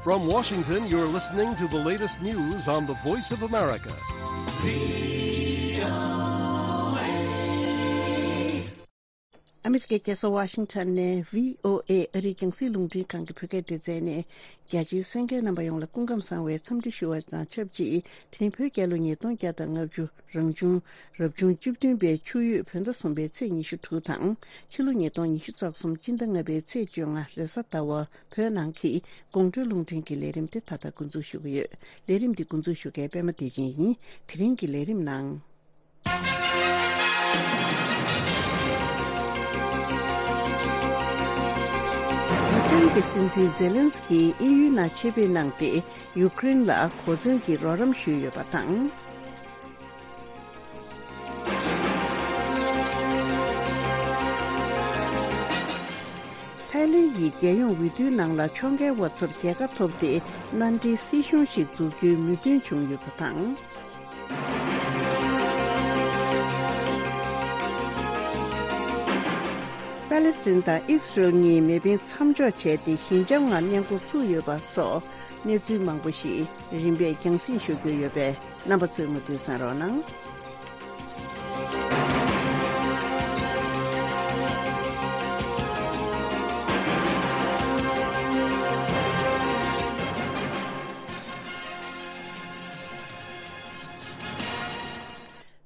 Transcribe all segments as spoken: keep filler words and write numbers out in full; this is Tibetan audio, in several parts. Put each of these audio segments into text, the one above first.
From Washington, you're listening to the latest news on the Voice of America. ཨ་མི་རི་ཀའི་རྒྱལ་ས་ཝ་ཤིང་ཊོན་ནས་ཝི་ཨོ་ཨེ་ཨ་རིའི་རྒྱང་སྲིང་རླུང་འཕྲིན་ཁང་གི་བོད་སྐད་སྡེ་ཚན་ནས། རྒྱ་ཆེའི་གསན་མཁན་རྣམ་པ་ཡོངས་ལ་སྐུ་ཁམས་བཟང་བའི་འཚམས་འདྲི་ཞུ་བ་དང་ཆབས་ཅིག་དེ་རིང་བོད་རྒྱལ་ལོ་ཉིས་སྟོང་བརྒྱ་དང་ལྔ་བཅུ་རང་བྱུང་རབ་བྱུང་བཅུ་བདུན་པའི་ཆུ་ཡོས་བོད་ཟླ་གསུམ་པའི་ཚེས་ཉི་ཤུ་དྲུག་དང་། ཕྱི་ལོ་ཉིས་སྟོང་ཉི་ཤུ་རྩ་གསུམ་སྤྱི་ཟླ་ལྔ་པའི་ཚེས་བཅོ་ལྔ་རེས་གཟའ་ཟླ་བ། བོད་ནང་གི་དགོང་དྲོའི་རླུང་འཕྲིན་གྱི་ལས་རིམ་དེ་ད་ལྟ་འགོ་འཛུགས་ཞུ་གི་ཡོད། ལས་རིམ་འདི་འགོ་འཛུགས་ཞུ་མཁན་པད་མ་བདེ་ཆེན་ཡིན། དེ་རིང་གི་ལས་རིམ་ནང་། ཡུཀ་རེན་གྱི་སྲིད་འཛིན་ཛེ་ལན་སི་ཀིས་དབྱིན་ཡུལ་ནང་ཆེད་ཕེབས་གནང་སྟེ། ཡུཀ་རེན་ལ་གོ་མཚོན་གྱི་རོགས་རམ་ཞུས་ཡོད་པ་དང་། ཐའི་ལེན་གྱི་རྒྱལ་ཡོངས་འོས་བསྡུའི་ནང་ལ་ཕྱོགས་འགལ་བ་ཚོར་རྒྱལ་ཁ་ཐོབ་སྟེ། མནའ་འབྲེལ་སྲིད་གཞུང་ཞིག་འཛུགས་རྒྱུའི་མོས་མཐུན་བྱུང་ཡོད་པ་དང་། པ་ལེ་སི་ཐན་དང་ཨི་སི་རེལ་གཉིས་མེ་འཕེན་མཚམས་འཇོག་བྱས་ཏེ། ཞི་འཇམ་ངང་གནས་འགོ་ཚུགས་ཡོད་པ་སོགས་གནས་ཚུལ་མང་པོ་ཞིག་རིམ་པས་རྒྱང་སྲིང་ཞུ་རྒྱུ་ཡོད་པས། རྣམ་པ་ཚོས་མུ་མཐུད་གསན་རོགས་གནང་།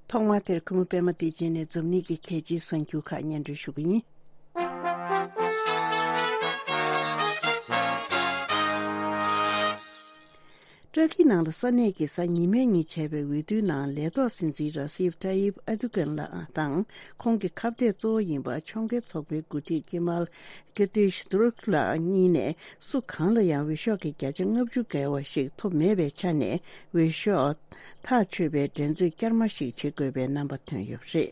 ཐོག་མར་དེར་གུས་མོ་པད་མ་བདེ་ཆེན་ནས་འཛམ་གླིང་གི་གལ་ཆེའི་གསར་འགྱུར་ཁག་སྙན་སྒྲོན་ཞུ་གི་ཡིན། ཏུར་ཀི་ནང་ལ་ས་གནས་ཀྱི་གཟའ་ཉི་མའི་ཉིན་བྱས་པའི་འོས་བསྡུའི་ནང་ལས་ཐོག་སྲིད་འཛིན་ར་སིབ་ཏཱ་ཡིབ་ཨར་དུ་གན་ལགས་དང་། ཁོང་གི་ཁ་གཏད་གཙོ་བོ་ཡིན་པ་ཕྱོགས་འགལ་ཚོགས་པའི་འགོ་ཁྲིད་ཀེ་མལ་ཀི་ཏིཤ་ཏུར་ཀུ་ལགས་གཉིས་ནས་སུ་གང་ལ་ཡང་འོས་ཤོག་གི་བརྒྱ་ཆ་ལྔ་བཅུ་བརྒལ་བ་ཞིག་ཐོབ་མེད་པའི་ཆ་ནས། འོས་ཤོག་ཐག་ཆོད་པའི་འགྲན་རྩོད་བསྐྱར་མ་ཞིག་བྱེད་དགོས་པའི་རྣམ་པ་ཐོན་ཡོད་པ་རེད།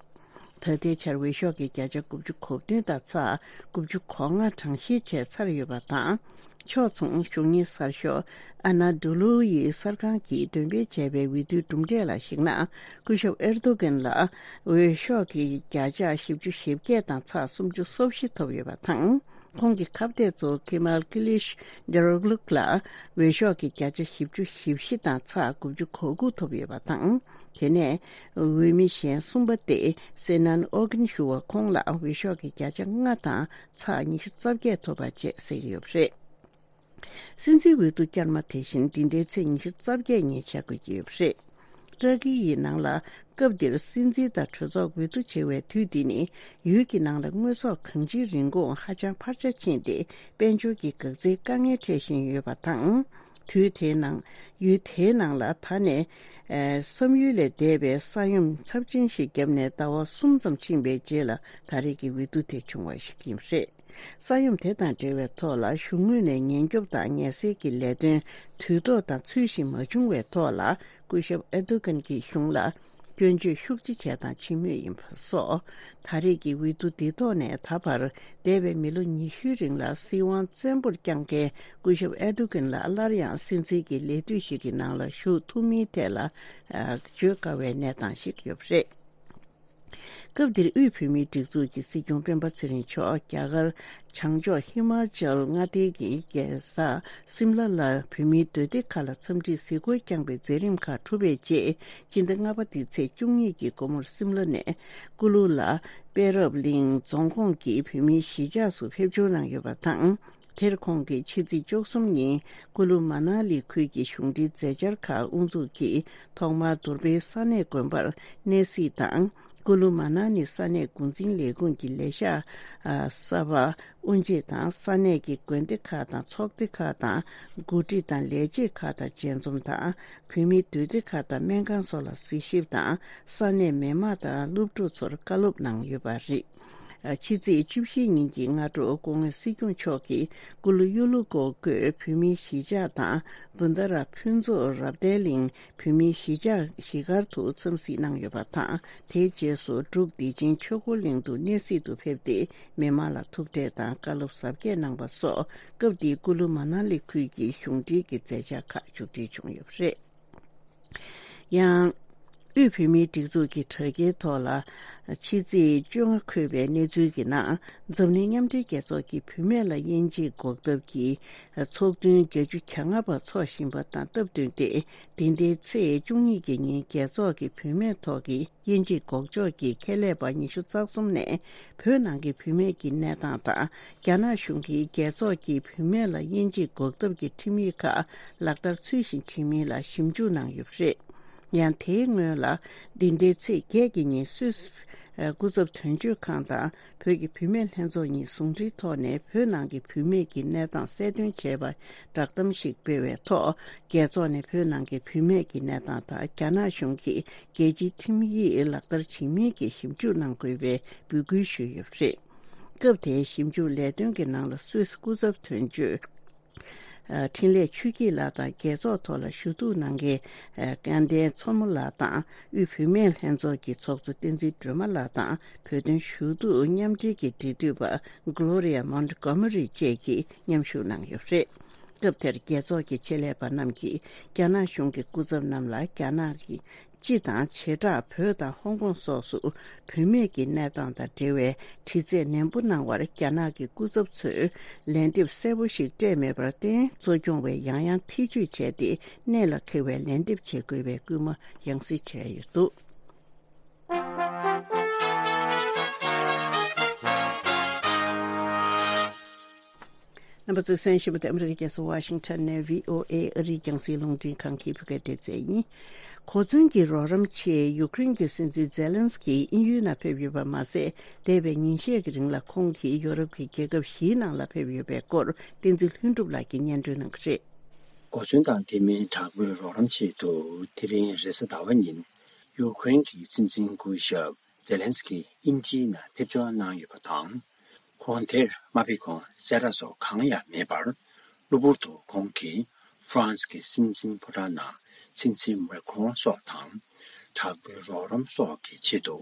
ད་ལྟའི་ཆར་འོས་ཤོག་གི་བརྒྱ་ཆ་དགུ་བཅུ་གོ་བདུན་དང་ཚེག་དགུ་བཅུ་གོ་ལྔ་གྲངས་བཤེར་བྱས་ཚར་ཡོད་པ་དང་། ཕྱོགས་མཚུངས་གཞུང་གཉེར་གསར་ཤོག་ཨ་ན་ཌུ་ལུ་ཡི་གསར་ཁང་གིས་འདོན་སྤེལ་བྱས་པའི་འོས་བསྡུའི་གྲུབ་འབྲས་ལ་གཞིགས་ན། སྐུ་ཞབས་ཨེར་དོ་གན་ལ་འོས་ཤོག་གི་བརྒྱ་ཆ་བཞི་བཅུ་ཞེ་བརྒྱད་དང་ཚེག་སུམ་ཅུ་སོ་བཞི་ཐོབ་ཡོད་པ་དང་། ཁོང་གི་ཁ་གཏད་གཙོ་བོ་ཀེ་མལ་ཀི་ལིཤ་ཌེ་རོག་ལུག་ལ་འོས་ཤོག་གི་བརྒྱ་ཆ་བཞི་བཅུ་ཞེ་བཞི་དང་ཚེག་དགུ་བཅུ་གོ་དགུ་ཐོབ་ཡོད་པ་དང་། དེ་ནས་འོས་མི་གཞན་གསུམ་པ་སྟེ་སེ་ནན་ཨོ་གིན་ཞུ་བ་ཁོང་ལ་འོས་ཤོག་གི་བརྒྱ་ཆ་ལྔ་དང་ཚེག་ཉི་ཤུ་རྩ་བརྒྱད་ཐོབ་པ་བཅས་གསལ་ཡོད་པ་རེད། སྲིད་འཛིན་འོས་བསྡུ་བསྐྱར་མ་དེ་བཞིན་འདི་ཟླའི་ཚེས་ཉི་ཤུ་རྩ་བརྒྱད་ཉིན་བྱ་དགོས་ཀྱི་ཡོད་པ་རེད། ཏུར་ཀི་ཡི་ནང་ལ་སྐབས་འདིར་སྲིད་འཛིན་དང་གྲོས་ཚོགས་འོས་བསྡུ་བྱེད་པའི་དུས་འདི་ནི། ཡུལ་གྱི་ནང་ལ་དངོས་ཟོག་གང་ཅིའི་རིན་གོང་ཧ་ཅང་འཕར་ཆ་ཕྱིན་ཏེ། དཔལ་འབྱོར་གྱི་འགག་རྩའི་དཀའ་ངལ་འཕྲད་བཞིན་ཡོད་པ་དང་། དུས་དེའི་ནང་། ཡུལ་དེའི་ནང་ལ་ད་ནས། ཨ། བསམ་ཡུལ་ལས་འདས་པའི་ས་ཡོམ་ཚབས་ཆེན་ཞིག་བརྒྱབ་ནས་ཟླ་བ་གསུམ་ཙམ་ཕྱིན་པའི་རྗེས་ལ་ད་རེས་ཀྱི་འོས་བསྡུ་དེ་བྱུང་བ་ཞིག་ཡིན་པ་རེད། ས་ཡོམ་དེ་དང་འབྲེལ་བའི་ཐོག་ལ་གཞུང་ངོས་ནས་ཉེན་སྐྱོབ་དང་ངལ་སེལ་གྱི་ལས་དོན་དུས་ཐོག་དང་ཚུལ་བཞིན་མ་བྱུང་བའི་ཐོག་ལ། སྐུ་ཞབས་ཨེར་དོ་གན་གྱི་གཞུང་ལ་སྐྱོན་བརྗོད་ཤུགས་ཆེ་བྱས་དང་བྱེད་མུས་ཡིན་པ་སོགས། ད་རེས་ཀྱི་འོས་བསྡུ་འདིའི་ཐོག་ནས་ད་བར་འདས་པའི་མི་ལོ་ཉི་ཤུའི་རིང་ལ་སྲིད་དབང་བཙན་པོར་བསྐྱངས་མཁན་སྐུ་ཞབས་ཨེར་དོ་གན་ལ་སླར་ཡང་སྲིད་འཛིན་གྱི་ལས་དུས་ཤིག་གི་ནང་ལ་ཞུགས་ཐུབ་མིན་ཐད་ལ། ཨ། བརྗོད་དཀའ་བའི་གནས་སྟངས་ཤིག་ཡོད་པ་རེད། སྐབས་འདིར་དབུས་བོད་མིའི་སྒྲིག་འཛུགས་ཀྱི་སྲིད་སྐྱོང་སྤེན་པ་ཚེ་རིང་མཆོག་རྒྱ་གར་བྱང་ཕྱོགས་ཧི་མ་ཅལ་མངའ་སྡེའི་རྒྱལ་ས་སིམ་ལ་ལ་བོད་མིའི་སྡོད་སྡེ་ཁག་ལ་འཚམས་འདྲིའི་གཟིགས་སྐོར་བསྐྱངས་པའི་མཛད་རིམ་ཁག་གྲུབ་པའི་རྗེས། སྤྱི་ཟླ་ལྔ་པ་འདིའི་ཚེས་བཅུ་གཉིས་ཀྱི་དགོང་མོར་སིམ་ལ་ནས་ཀུ་ལུ་ལ་དཔལ་རབ་གླིང་རྫོང་ཁོངས་ཀྱི་བོད་མིའི་གཞིས་ཆགས་སུ་ཕེབས་འབྱོར་གནང་ཡོད་པ་དང་། དེར་ཁོང་གིས་ཕྱི་ཚེས་བཅུ་གསུམ་ཉིན་ཀུ་ལུ་མ་ན་ལི་ཁུལ་གྱི་གཞུང་འབྲེལ་མཛད་འཆར་ཁག་དབུ་འཛུགས་ཀྱིས་ཐོག་མར་དུར་སྦེལ་ས་གནས་དགོན་པར་གནས་གཟིགས་དང་། ཀུ་ལུ་མ་ན་ལི་ས་གནས་འགོ་འཛིན་ལས་ཁུངས་ཀྱི་ལས་ཤག་གསར་པ་དབུ་འབྱེད་དང་། ས་གནས་ཀྱི་དགོན་སྡེ་ཁག་དང་ཚོགས་སྡེ་ཁག་དང་། འགོ་ཁྲིད་དང་ལས་བྱེད་ཁག་དང་མཇལ་འཛོམས་དང་། བོད་མིའི་སྡོད་སྡེ་ཁག་དང་སྨན་ཁང་སོགས་ལ་གཟིགས་ཞིབ་དང་། ས་གནས་མི་མང་དང་སློབ་ཕྲུག་ཚོར་བཀའ་སློབ་གནང་ཡོད་པ་རེད། ཕྱི་ཚེས་བཅུ་བཞི་ཉིན་གྱི་སྔ་དྲོ་སྐུ་ངོ་སྲིད་སྐྱོང་མཆོག་གིས་ཀུ་ལུ་གཡུ་ལུ་ཀོ་བརྒྱུད་བོད་མིའི་གཞིས་ཆགས་དང་། བུན་དྷ་ར་ཕུན་ཚོགས་རབ་བརྟན་གླིང་བོད་མིའི་གཞིས་ཆགས་བཞི་སྒར་དུ་འཚམས་གཟིགས་གནང་ཡོད་པ་དང་། དེའི་རྗེས་སུ་འབྲུག་བདེ་ཆེན་ཆོས་འཁོར་གླིང་དུ་གནས་གཟིགས་དུ་ཕེབས་ཏེ། མི་མང་ལ་ཐུག་འཕྲད་དང་བཀའ་སློབ་ཟབ་རྒྱས་གནང་བ་སོགས། སྐབས་དེའི་ཀུ་ལུ་མ་ན་ལི་ཁུལ་གྱི་གཞུང་འབྲེལ་གྱི་མཛད་འཆར་ཁག་མཇུག་སྒྲིལ་བྱུང་ཡོད་པ་རེད། ཡང་། དབུས་བོད་མིའི་སྒྲིག་འཛུགས་ཀྱི་དྲ་རྒྱའི་ཐོག་ལ་ཕྱི་ཚེས་བཅོ་ལྔ་འཁོད་པའི་གནས་ཚུལ་གྱི་ནང་། འཛམ་གླིང་མཉམ་འབྲེལ་རྒྱལ་ཚོགས་ཀྱིས་བུད་མེད་ལ་དབྱེ་འབྱེད་འགོག་ཐབས་ཀྱི་ཚོགས་ཐུན་བརྒྱད་ཅུ་གྱ་ལྔ་པ་འཚོགས་བཞིན་པ་དང་སྟབས་བསྟུན་ཏེ། འདི་ཟླའི་ཚེས་བཅུ་གཉིས་ཀྱི་ཉིན་རྒྱལ་ཚོགས་ཀྱི་བུད་མེད་ཐོག་གི་དབྱེ་འབྱེད་འགོག་ཕྱོགས་ཀྱི་ཁྱད་ལས་པ་ཉི་ཤུ་རྩ་གསུམ་ནས་བོད་ནང་གི་བུད་མེད་ཀྱི་གནས་སྟངས་དང་། རྒྱ་ནག་གཞུང་གིས་རྒྱལ་ཚོགས་ཀྱི་བུད་མེད་ལ་དབྱེ་འབྱེད་འགོག་ཐབས་ཀྱི་ཁྲིམས་ཡིག་ཁག་ལག་བསྟར་ཚུལ་བཞིན་བྱེད་མིན་ལ་ཞིབ་འཇུག་གནང་ཡོད་པ་རེད། ཡང་དེའི་སྔོན་ལ། འདི་ཟླའི་ཚེས་བརྒྱད་ཀྱི་ཉིན་སུད་སི་སྐུ་ཚབ་དོན་གཅོད་ཁང་དང་བོད་ཀྱི་བུད་མེད་ལྷན་ཚོགས་གཉིས་ཟུང་འབྲེལ་ཐོག་ནས་བོད་ནང་གི་བུད་མེད་ཀྱི་གནས་སྟངས་གསལ་སྟོན་བྱས་པ་བསྒྲགས་གཏམ་ཞིག་སྤེལ་བའི་ཐོག་རྒྱལ་ཚོགས་ནས་བོད་ནང་གི་བུད་མེད་ཀྱི་གནས་སྟངས་དང་རྒྱ་ནག་གཞུང་གིས་རྒྱལ་སྤྱིའི་ཁྲིམས་ཡིག་ལག་བསྟར་བྱེད་མིན་གྱི་ཞིབ་འཇུག་གནང་དགོས་པའི་འབོད་སྐུལ་ཞུས་ཡོད་པ་རེད། སྐབས་དེའི་ཞིབ་འཇུག་ལས་དོན་གྱི་ནང་ལ་སུད་སི་སྐུ་ཚབ་དོན་གཅོད། འཕྲིན་ལས་ཆོས་སྐྱིད་ལགས་དང་རྒྱལ་ཚོགས་ཐོག་ལ་ཞུ་གཏུག་གནང་མཁན་སྐལ་ལྡན་མཚོ་མོ་ལགས་དང་དབུས་བུད་མེད་ལྷན་ཚོགས་ཀྱི་ཚོགས་གཙོ་བསྟན་འཛིན་སྒྲོལ་མ་ལགས་དང་བོད་དོན་ཞུ་གཏུག་མཉམ་འབྲེལ་གྱི་འབྲེལ་མཐུད་པ་Gloria Montgomery་བཅས་ཀྱིས་མཉམ་ཞུགས་གནང་ཡོད་པ་རེད། སྐབས་དེར་རྒྱལ་ཚོགས་ཀྱི་ཆེད་ལས་པ་རྣམས་ཀྱིས་རྒྱ་ནག་གཞུང་གི་སྐུ་ཚབ་རྣམས་ལ་རྒྱ་ནག་གི་སྤྱི་དང་བྱེ་བྲག་བོད་དང་ཧོང་ཀོང་སོགས་སུ་བུད་མེད་ཀྱི་གནས་སྟངས་དང་འབྲེལ་བའི་དྲི་རྩད་ནན་པོ་གནང་བར་རྒྱ་ནག་གི་སྐུ་ཚབ་ཚོས་ལན་འདེབས་གསལ་པོ་ཞིག་སྤྲད་མེད་པར་བརྟེན། གཙོ་སྐྱོང་བས་ཡང་ཡང་ཐེ་བྱུས་བྱས་ཏེ་གནད་ལ་འཁེལ་བའི་ལན་འདེབས་བྱེད་དགོས་པའི་སྐུལ་མ་ཡང་སེ་བྱས་ཡོད་འདུག། རྣམ་པ་ཚོས་གསན་བཞིན་པ་དེ་ཨ་མི་རི་ཀའི་རྒྱལ་ས་ཝ་ཤིང་ཊོན་ནས་བྷི་ཨོ་ཨེ་ཨ་རིའི་རྒྱང་སྲིང་རླུང་འཕྲིན་ཁང་གི་བོད་སྐད་སྡེ་ཚན་ཡིན། གོ་མཚོན་གྱི་རོགས་རམ་ཆེད་ཡུ་ཀེ་རེན་གྱི་སྲིད་འཛིན་ཛེ་ལན་སི་ཀི་དབྱིན་ཡུལ་ནང་ཕེབས་ཡོད་པ་མ་ཟད། འདས་པའི་ཉིན་ཤས་ཀྱི་རིང་ལ་ཁོང་གིས་ཡོ་རོབ་ཀྱི་རྒྱལ་ཁབ་བཞིའི་ནང་ལ་ཕེབས་ཡོད་པའི་སྐོར་བསྟན་འཛིན་ལྷུན་གྲུབ་ལགས་ཀྱིས་སྙན་སྒྲོན་གནང་གི་རེད། གོ་མཚོན་དང་དེ་མིན་དྲག་པོའི་རོགས་རམ་ཆེད་དུ་དེ་རིང་རེས་གཟའ་ཟླ་བ་ཉིན་ཡུ་ཀེ་རེན་གྱི་སྲིད་འཛིན་སྐུ་ཞབས་ཛེ་ལན་སི་ཀི་དབྱིན་ཇིའི་ནང་ཕེབས་འབྱོར་གནང་ཡོད་པ་དང་། ཁོང་དེར་མ་ཕེབས་གོང་གསལ་བསྒྲགས་སོགས་གང་ཡང་མེད་པར། གློ་བུར་དུ་ཁོང་གིས་ཧྥ་རན་སི་གི་སྲིད་འཛིན་ཕོ་བྲང་ནང་སྲིད་འཛིན་མེ་ཁོང་སོགས་དང་དྲག་པོའི་རོགས་རམ་སོགས་ཀྱི་ཆེད་དུ་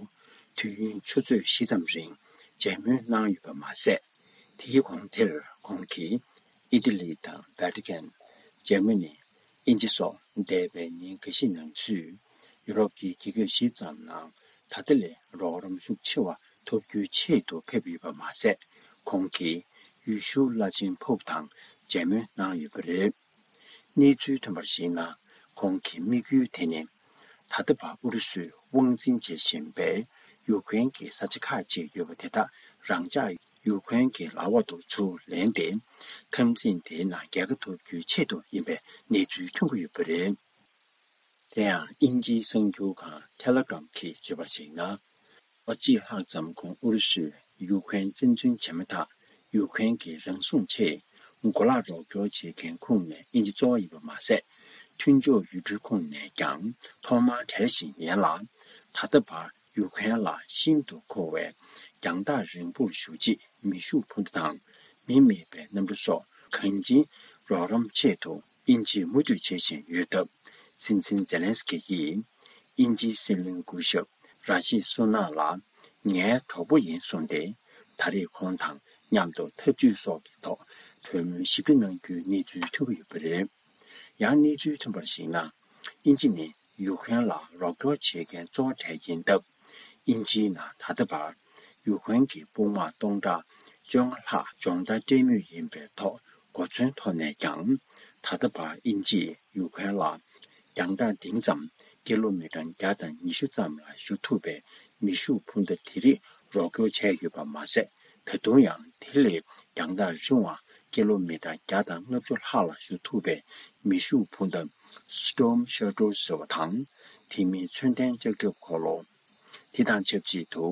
དུས་ཡུན་ཆུ་ཚོད་བཞི་ཙམ་རིང་མཇལ་མོལ་གནང་ཡོད་པ་མ་ཟད། དེའི་གོང་དེར་ཁོང་གིས་ཨི་ཏི་ལི་དང་ཝེ་ཏི་ཀན། འཇར་མ་ནི། དབྱིན་ཇི་སོགས་འདས་པའི་ཉིན་འགའ་ཤས་ནང་ཚུད་ཡུ་རོབ་ཀྱི་རྒྱལ་ཁབ་བཞི་ཙམ་ནང་ད་ལྟ་ལས་རོགས་རམ་ཤུགས་ཆེ་བ་ཐོབ་རྒྱུའི་ཆེད་དུ་ཕེབས་ཡོད་པ་མ་ཟད། ཁོང་གིས་ཡུལ་ཤུལ་བླ་ཆེན་ཕོབ་དང་མཇལ་མོལ་གནང་ཡོད་པ་རེད། གནས་ཚུལ་ཐོན་པར་གཞིགས་ན། ཁོང་གི་དམིགས་ཡུལ་དེ་ནི། ད་ལྟ་བར་ཨུ་རུ་སུས་དབང་འཛིན་བྱེད་བཞིན་པའི་ཡུ་ཀེ་རེན་གྱི་ས་ཆ་ཁག་ཅིག་ཡོད་པ་དེ་དག་རང་འཇགས་ཡུ་ཀེ་རེན་གྱི་ལག་འོག་ཏུ་ཚུར་ལེན་ཏེ། འཐབ་འཛིང་དེའི་ནང་རྒྱལ་ཁ་ཐོབ་རྒྱུའི་ཆེད་དུ་ཡིན་པའི་གནས་ཚུལ་ཐོན་གྱི་ཡོད་པ་རེད། དེ་ཡང་དབྱིན་ཇིའི་གསར་འགྱུར་ཁང་ཐེ་ལེ་གྷ་རམ་གྱིས་བརྗོད་པར་གཞིགས་ན། ལོ་གཅིག་ལྷག་ཙམ་གོང་ཨུ་རུ་སུས་ཡུ་ཀེ་རེན་བཙན་འཛུལ་བྱས་མ་ཐག་ཡུ་ཀེ་རེན་གྱི་རང་སྲུང་ཆེད་གོ་ལག་རོགས་སྐྱོར་བྱེད་མཁན་ཁོངས་ནས་དབྱིན་ཇི་གཙོ་བོ་ཡིན་པ་མ་ཟད། མཐུན་ཕྱོགས་ཡུལ་གྲུའི་ཁོངས་ནས་ཀྱང་ཐོག་མར་གྲས་ཤིག་ཡིན་ལ། ད་ལྟ་བར་ཡུ་ཀེ་རེན་ལ་ཤིན་ཏུ་མཁོ་བའི་རྒྱང་ཐག་རིང་པོར་བཞུགས་རྗེས་མེ་ཤུགས་འཕུར་མདའ་དང་མི་མེད་པའི་གནམ་གྲུ་སོགས་གང་ཅིའི་རོགས་རམ་ཆེད་དུ། དབྱིན་ཇིས་མུ་མཐུད་བྱེད་བཞིན་ཡོད་སྟབས། སྲིད་འཛིན་ཛེ་ལན་སི་ཀི་ཡིས། དབྱིན་ཇིའི་སྲིད་བློན་སྐུ་ཞབས་ར་ཤི་སུ་ནག་ལ། ངའི་གྲོགས་པོ་ཡིན་གསུངས་ཏེ། ད་རེས་ཁོང་དང་མཉམ་དུ་འཐབ་ཇུས་སོགས་ཀྱི་ཐོག་གྲོས་མོལ་ཞིབ་ཕྲ་གནང་རྒྱུའི་གནས་ཚུལ་ཐོན་གྱི་ཡོད་པ་རེད། ཡང་གནས་ཚུལ་ཐོན་པར་གཞིགས་ན། དབྱིན་ཇི་ནི་ཡུ་ཀེ་རེན་ལ་རོགས་སྐྱོར་བྱེད་མཁན་གཙོ་བོ་གྲས་ཡིན་སྟབས། དབྱིན་ཇིའི་ནང་ད་ལྟ་བར་ཡུ་ཀེ་རེན་གྱི་དཔུང་དམག་སྟོང་ཕྲག་བཅོ་ལྔ་ལྷག་སྦྱོང་བརྡར་སྤྲད་མུས་ཡིན་པའི་ཐོག་གོ་མཚོན་ཐོག་ནས་ཀྱང་། ད་ལྟ་བར་དབྱིན་ཇིས་ཡུ་ཀེ་རེན་ལ་རྒྱང་ཐག་འབྲིང་ཙམ་ཀི་ལོ་མི་ཊར་བརྒྱ་དང་ཉི་ཤུ་ཙམ་ལ་གཞུ་ཐུབ་པའི་མེ་ཤུགས་འཕུར་མདའ་དེ་རིགས་རོགས་སྐྱོར་བྱས་ཡོད་པ་མ་ཟད། ད་དུང་ཡང་དེ་ལས་རྒྱང་ཐག་རིང་བ་ཀི་ལོ་མི་ཊར་བརྒྱ་དང་ལྔ་བཅུ་ལྷག་ལ་གཞུ་ཐུབ་པའི་མེ་ཤུགས་འཕུར་མདའ་Storm Shadow་ཟེར་བ་དང་། དེ་མིན་མཚོན་ལྡན་ལྕགས་ཁྲབ་འཁོར་ལོ། དེ་དང་ཆབས་ཅིག་ཏུ་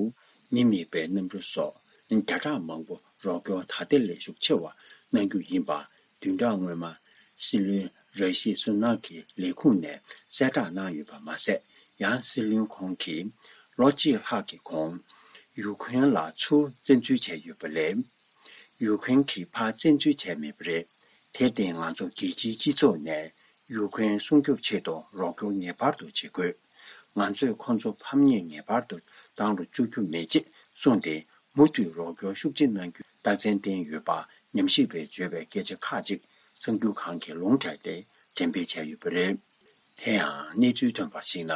མི་མེད་པའི་གནམ་གྲུ་སོགས་བརྒྱ་ཕྲག་མང་པོ་རོགས་སྐྱོར་ད་ལྟའི་ལས་ཤུགས་ཆེ་བ་གནང་རྒྱུ་ཡིན་པ། བདུན་ཕྲག་སྔོན་མ་སྲིད་བློན་ར་ཤི་སུ་ནག་གི་ལས་ཁུངས་ནས་གསལ་བསྒྲགས་གནང་ཡོད་པ་མ་ཟད། ཡང་སྲིད་བློན་ཁོང་གིས་ལོ་གཅིག་ལྷག་གི་གོང་ཡུ་ཀེ་རེན་ལ་ཚུར་བཙན་འཛུལ་བྱས་ཡོད་པ་ལས། ཡུ་ཀེ་རེན་གྱིས་ཕར་བཙན་འཛུལ་བྱས་མེད་པ་རེད། དེར་བརྟེན་ང་ཚོ་རྒྱལ་སྤྱིའི་སྤྱི་ཚོགས་ནས་ཡུ་ཀེ་རེན་སྲུང་སྐྱོབ་ཆེད་དུ་རོགས་སྐྱོར་ངེས་པར་དུ་བྱེད་དགོས། ང་ཚོས་ཁོང་ཚོ་ཕམ་ཉེས་ངེས་པར་དུ་བཏང་རུ་བཅུག་རྒྱུ་མེད་ཅེས་གསུངས་ཏེ། མུ་མཐུད་རོགས་སྐྱོར་ཤུགས་ཆེ་གནང་རྒྱུའི་རྟགས་མཚན་བསྟན་ཡོད་པ་ཉམས་ཞིབ་པས་བརྗོད་པའི་སྐད་ཆ་ཁག་ཅིག་གསར་འགྱུར་ཁང་གིས་ལུང་དྲངས་ཏེ་འགྲེམས་སྤེལ་བྱས་ཡོད་པ་རེད། དེ་ཡང་གནས་ཚུལ་ཐོན་པར་གཞིགས་ན།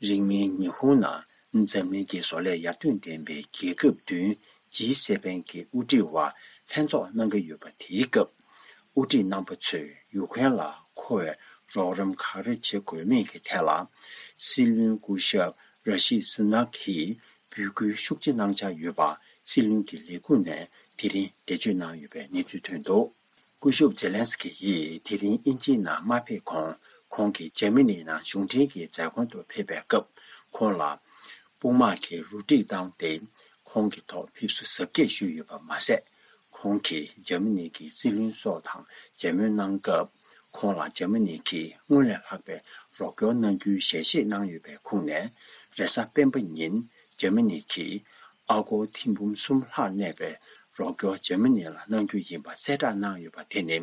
རིང་མིན་ཉི་ཧོང་ནང་འཛམ་གླིང་གི་བཟོ་ལས་ཡར་ཐོན་ལྡན་པའི་རྒྱལ་ཁབ་བདུན་ཇི་སེ་བེན་གྱི་དབུ་ཁྲིད་བར་ལྷན་ཚོགས་གནང་གི་ཡོད་པ། དེའི་སྐབས་དབུ་ཁྲིད་རྣམ་པ་ཚོས་ཡུ་ཁུན་ལ་མཁོ་བའི་རོགས་རམ་ག་རེ་བྱེད་དགོས་མིན་གྱི་ཐད་ལ། སྲིད་བློན་སྐུ་ཞབས་ར་ཤི་སུ་ནག་གིས་འབོད་སྐུལ་ཤུགས་ཆེ་གནང་འཆར་ཡོད་པ་སྲིད་བློན་གྱི་ལས་ཁུངས་ནས་དེ་རིང་འགྲེལ་བརྗོད་གནང་ཡོད་པའི་གནས་ཚུལ་ཐོན་འདུག། སྐུ་ཞབས་ཛེ་ལན་སི་ཀི་ཡིས་དེ་རིང་དབྱིན་ཇིའི་ནང་མ་ཕེབས་གོང་། ཁོང་གིས་འཇར་མ་ནི་ནང་གཞུང་འབྲེལ་གྱི་མཛད་སྒོ་དུ་ཕེབས་པའི་སྐབས། ཁོང་ལ་དཔུང་དམག་གིས་རུ་སྒྲིག་བཏང་སྟེ། ཁོང་གི་ཐོག་ཕེབས་བསུ་གཟབ་རྒྱས་ཞུས་ཡོད་པ་མ་ཟད། ཁོང་གིས་འཇར་མ་ནི་གི་སྲིད་བློན་སོགས་དང་མཇལ་མོལ་གནང་སྐབས། ཁོང་ལ་འཇར་མ་ནི་གིས་སྔོན་ལས་ལྷག་པའི་རོགས་སྐྱོར་གནང་རྒྱུའི་ཞལ་བཞེས་གནང་ཡོད་པའི་ཁུངས་ནས། རེས་གཟའ་སྤེན་པ་ཉིན་འཇར་མ་ནི་གིས་ཨ་སྒོར་ཐེར་འབུམ་གསུམ་ལྷག་གནས་པའི་རོགས་སྐྱོར་འཇར་མ་ནི་ལ་གནང་རྒྱུ་ཡིན་པ་གསལ་བསྒྲགས་གནང་ཡོད་པ་དེ་ནི།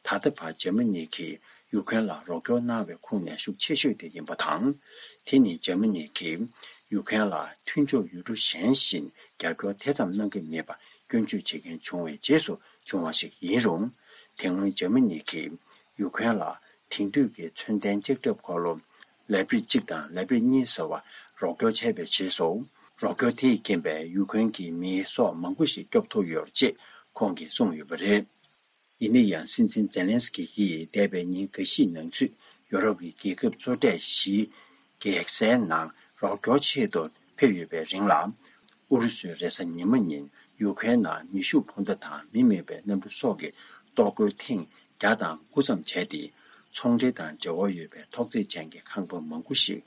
ད་ལྟ་བར་འཇར་མ་ནི་གིས་ཡུ་ཁུན་ལ་རོགས་སྐྱོར་གནང་བའི་ཁུངས་ནས་ཤུགས་ཆེ་ཤོས་དེ་ཡིན་པ་དང་། དེ་ནི་འཇར་མ་ནི་གིས་ཡུ་ཁུན་ལ་མཐུན་ཕྱོགས་ཡུལ་གྲུ་གཞན་བཞིན་རྒྱབ་སྐྱོར་དེ་ཙམ་གནང་གི་མེད་པ་སྐྱོན་བརྗོད་བྱེད་མཁན་བྱུང་བའི་རྗེས་སུ་བྱུང་བ་ཞིག་ཡིན་རུང་། དེ་སྔོན་འཇར་མ་ནི་གིས་ཡུ་ཁུན་ལ་དེང་དུས་ཀྱི་མཚོན་ལྡན་ལྕགས་ཁྲབ་འཁོར་ལོ་ལེ་པར་ཌི་གཅིག་དང་ལེ་པར་ཌི་གཉིས་ཟེར་བ་རོགས་སྐྱོར་བྱས་པའི་རྗེས་སུ། རོགས་སྐྱོར་དེས་རྐྱེན་པས་ཡུ་ཁུན་གྱི་མི་སྲོག་མང་པོ་ཞིག་སྐྱོབ་ཐུབ་ཡོད་ཅེས་ཁོང་གིས་གསུངས་ཡོད་པ་རེད། ཡིན་ན་ཡང་། སྲིད་འཛིན་ཛེ་ལན་སི་ཀི་ཡིས་འདས་པའི་ཉིན་འགའ་ཤས་ནང་ཚུད་ཡོ་རོབ་ཀྱི་རྒྱལ་ཁབ་གཙོ་གྲས་བཞིའི་རྒྱལ་སའི་ནང་རོགས་སྐྱོར་ཆེད་དུ་ཕེབས་ཡོད་པའི་རིང་ལ། ཨུ་རུ་སུས་རེས་གཟའ་ཉི་མ་ཉིན་ཡུ་ཁུན་ནང་མེ་ཤུགས་འཕུར་མདའ་དང་མི་མེད་པའི་གནམ་གྲུ་སོགས་ཀྱི་གཏོར་རྒོལ་ཐེངས་བརྒྱ་དང་དགུ་ཙམ་བྱས་ཏེ། ཚོང་འབྲེལ་དང་འབྲེལ་བ་ཡོད་པའི་ཐོག་བརྩེགས་ཅན་གྱི་ཁང་པ་མང་པོ་ཞིག་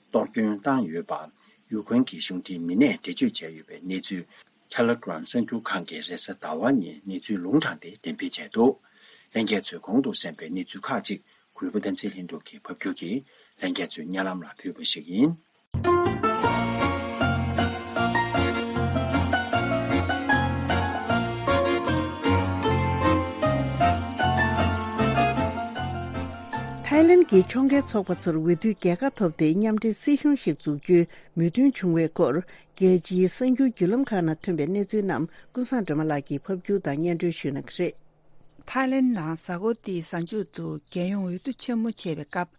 གཏོར་སྐྱོན་བཏང་ཡོད་པ། ཡུ་ཁུན་གྱི་གཞུང་འབྲེལ་མི་སྣས་འགྲེལ་བརྗོད་བྱས་ཡོད་པའི་གནས་ཚུལ། Telegram གསར་འགྱུར་ཁང་གིས་རེས་གཟའ་ཟླ་བ་ཉིན་གནས་ཚུལ་ལུང་དྲངས་ཏེ་འགྲེམས་སྤེལ་བྱས་འདུག། ལྷན་རྒྱས་ཚོས་གོང་དུ་གསན་པའི་གནས་ཚུལ་ཁག་ཅིག་གུས་པ་བསྟན་འཛིན་ལྷུན་གྲུབ་ཀྱིས་ཕབ་སྒྱུར་གྱིས་ལྷན་རྒྱས་ཚོའི་སྙན་ལམ་ལ་ཕུལ་བ་ཞིག་ཡིན། ཐའི་ལེན་གྱི་ཕྱོགས་འགལ་ཚོགས་པ་ཚོར་འོས་བསྡུའི་རྒྱལ་ཁ་ཐོབ་སྟེ་མཉམ་འབྲེལ་སྲིད་གཞུང་ཞིག་འཛུགས་རྒྱུའི་མོས་མཐུན་བྱུང་བའི་སྐོར། རྒྱལ་སྤྱིའི་གསར་འགྱུར་བརྒྱུད་ལམ་ཁག་ནང་ཐོན་པའི་གནས་ཚུལ་རྣམས་ཀུན་བཟང་སྒྲོལ་མ་ལགས་ཀྱིས་ཕབ་སྒྱུར་དང་སྙན་སྒྲོན་ཞུ་གནང་གི་རེད། ཐའི་ལེན་ནང་གཟའ་འཁོར་འདིའི་གཟའ་མཇུག་ཏུ་རྒྱལ་ཡོངས་འོས་བསྡུ་ཆེན་མོ་བྱས་པའི་སྐབས།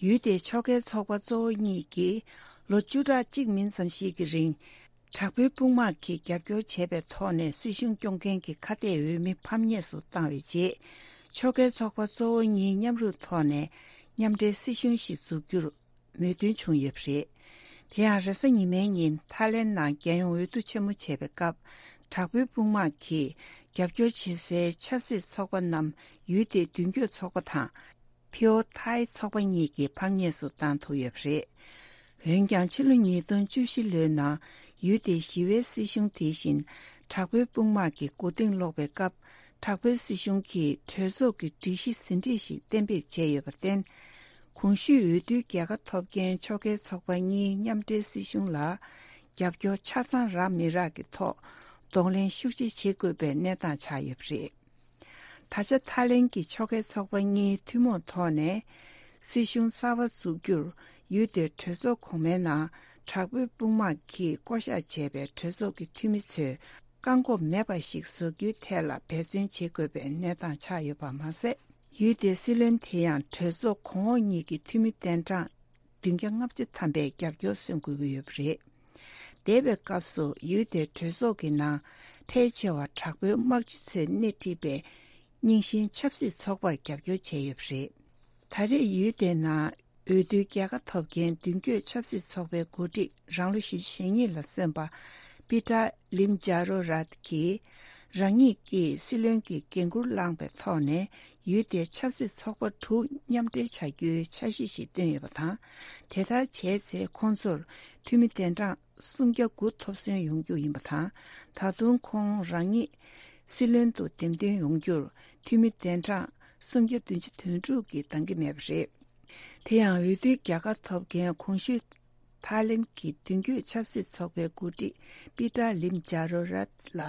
ཡུལ་དེའི་ཕྱོགས་འགལ་ཚོགས་པ་གཙོ་བོ་གཉིས་ཀྱིས་ལོ་བཅུ་ཕྲག་གཅིག་མིན་ཙམ་ཞིག་གི་རིང་། དྲག་པོའི་དཔུང་དམག་གིས་རྒྱབ་སྐྱོར་བྱས་པའི་ཐོག་ནས་སྲིད་གཞུང་སྐྱོང་མཁན་གྱི་ཁ་གཏད་འོས་མི་ཕམ་ཉེས་སུ་བཏང་བའི་རྗེས། ཕྱོགས་འགལ་ཚོགས་པ་གཙོ་བོ་གཉིས་མཉམ་རུབ་ཐོག་ནས་མཉམ་འབྲེལ་སྲིད་གཞུང་ཞིག་འཛུགས་རྒྱུར་མོས་མཐུན་བྱུང་ཡོད་པ་རེད། དེ་ཡང་རེས་གཟའ་ཉི་མའི་ཉིན་ཐའི་ལེན་ནང་རྒྱལ་ཡོངས་འོས་བསྡུ་ཆེན་མོ་བྱས་པའི་སྐབས། དྲག་པོའི་དཔུང་དམག་གིས་རྒྱབ་སྐྱོར་བྱེད་སའི་ཆབ་སྲིད་ཚོགས་པ་རྣམས་ཡུལ་དེའི་མདུན་སྐྱོད་ཚོགས་པ་དང་། ཕིའོ་ཐའི་ཚོགས་པ་གཉིས་ཀྱིས་ཕམ་ཉེས་སུ་བཏང་ཐུབ་ཡོད་པ་རེད། འོན་ཀྱང་ཕྱི་ལོ་ཉིས་སྟོང་བཅུ་བཞི་ལོའི་ནང་ཡུལ་དེའི་ཞི་བའི་སྲིད་གཞུང་དེ་བཞིན་དྲག་པོའི་དཔུང་དམག་གི་མགོ་རྟིང་སློག་པའི་སྐབས། དྲག་པོའི་སྲིད་གཞུང་གིས་གྲོས་ཚོགས་ཀྱི་སྒྲིག་གཞི་ཟིན་བྲིས་ཤིག་གཏན་འབེབས་བྱས་ཡོད་པར་བརྟེན། གོང་ཞུས་འོས་བསྡུའི་རྒྱལ་ཁ་ཐོབ་མཁན་ཕྱོགས་འགལ་ཚོགས་པ་གཉིས་མཉམ་འབྲེལ་སྲིད་གཞུང་ལ་རྒྱབ་སྐྱོར་ཆ་ཚང་རག་མི་རག་གི་ཐོག་གདོང་ལེན་ཤུགས་ཆེ་བྱེད་དགོས་པའི་གནས་སྟངས་ཆགས་ཡོད་པ་རེད། ད་ཆ་ཐའི་ལེན་གྱི་ཕྱོགས་འགལ་ཚོགས་པ་གཉིས་ཐུན་མོང་ཐོག་ནས་སྲིད་གཞུང་གསར་པ་འཛུགས་རྒྱུར་ཡུལ་དེའི་གྲོས་ཚོགས་གོང་མའི་ནང་དྲག་པོའི་དཔུང་དམག་གིས་བསྐོ་གཞག་བྱས་པའི་གྲོས་ཚོགས་ཀྱི་འཐུས་མི་ཚོས་བཀག་འགོག་མེད་པ་ཞིག་བཟོ་རྒྱུའི་ཐད་ལ་འབད་བརྩོན་བྱེད་དགོས་པའི་གནས་སྟངས་ཆགས་ཡོད་པ་མ་ཟད། ཡུལ་དེའི་སྲིད་བློན་དེ་ཡང་གྲོས་ཚོགས་གོང་འོག་གཉིས་ཀྱི་འཐུས་མི་གདན་གྲངས་བདུན་བརྒྱ་ལྔ་བཅུ་ཐམ་པའི་རྒྱབ་སྐྱོར་སོན་དགོས་ཀྱི་ཡོད་པ་རེད། འདས་པའི་སྐབས་སུ་ཡུལ་དེའི་གྲོས་ཚོགས་ཀྱི་ནང་ཕལ་ཆེ་བ་དྲག་པོའི་དམག་སྤྱི་ཚོས་སྣེ་ཁྲིད་པའི་རྙིང་ཞེན་ཆབ་སྲིད་ཚོགས་པར་རྒྱབ་སྐྱོར་བྱས་ཡོད་པ་རེད། ད་རེས་ཡུལ་དེའི་ནང་འོས་བསྡུའི་རྒྱལ་ཁ་ཐོབ་མཁན་མདུན་སྐྱོད་ཆབ་སྲིད་ཚོགས་པའི་འགོ་ཁྲིད་རང་ལོ་བཞི་བཅུ་ཞེ་གཉིས་ལ་སོན་པ་པི་ཏྲ་ལིམ་ཇཱ་རོ་རཱད་ཀྱིས་རང་ཉིད་ཀྱིས་སྲིད་བློན་གྱི་འགན་འཁུར་བླངས་པའི་ཐོག་ནས་ཡུལ་དེའི་ཆབ་སྲིད་ཚོགས་པ་དྲུག་མཉམ་འབྲེལ་བྱ་རྒྱུའི་འཆར་གཞི་ཞིག་བཏོན་ཡོད་པ་དང་། དེ་ལྟར་བྱས་ཚེ་ཁོང་ཚོར་འཐུས་མི་གདན་གྲངས་སུམ་བརྒྱ་དགུ་ཐོབ་སོན་ཡོང་རྒྱུ་ཡིན་པ་དང་། ད་དུང་ཁོང་རང་ཉིད་སྲིད་བློན་དུ་འདེམས་ཐོན་ཡོང་རྒྱུར་འཐུས་མི་གདན་གྲངས་སུམ་བརྒྱ་བདུན་ཅུ་དོན་དྲུག་གིས་འདང་གི་མེད་པ་རེད། དེ་ཡང་འོས་བསྡུའི་རྒྱལ་ཁ་ཐོབ་མཁན་གོང་ཞུས་ཐའི་ལེན་གྱི་མདུན་སྐྱོད་ཆབ་སྲིད་ཚོགས་པའི་འགོ་ཁྲིད་པི་ཏྲ་ལིམ་ཇཱ་རོ་རཱད་ལ་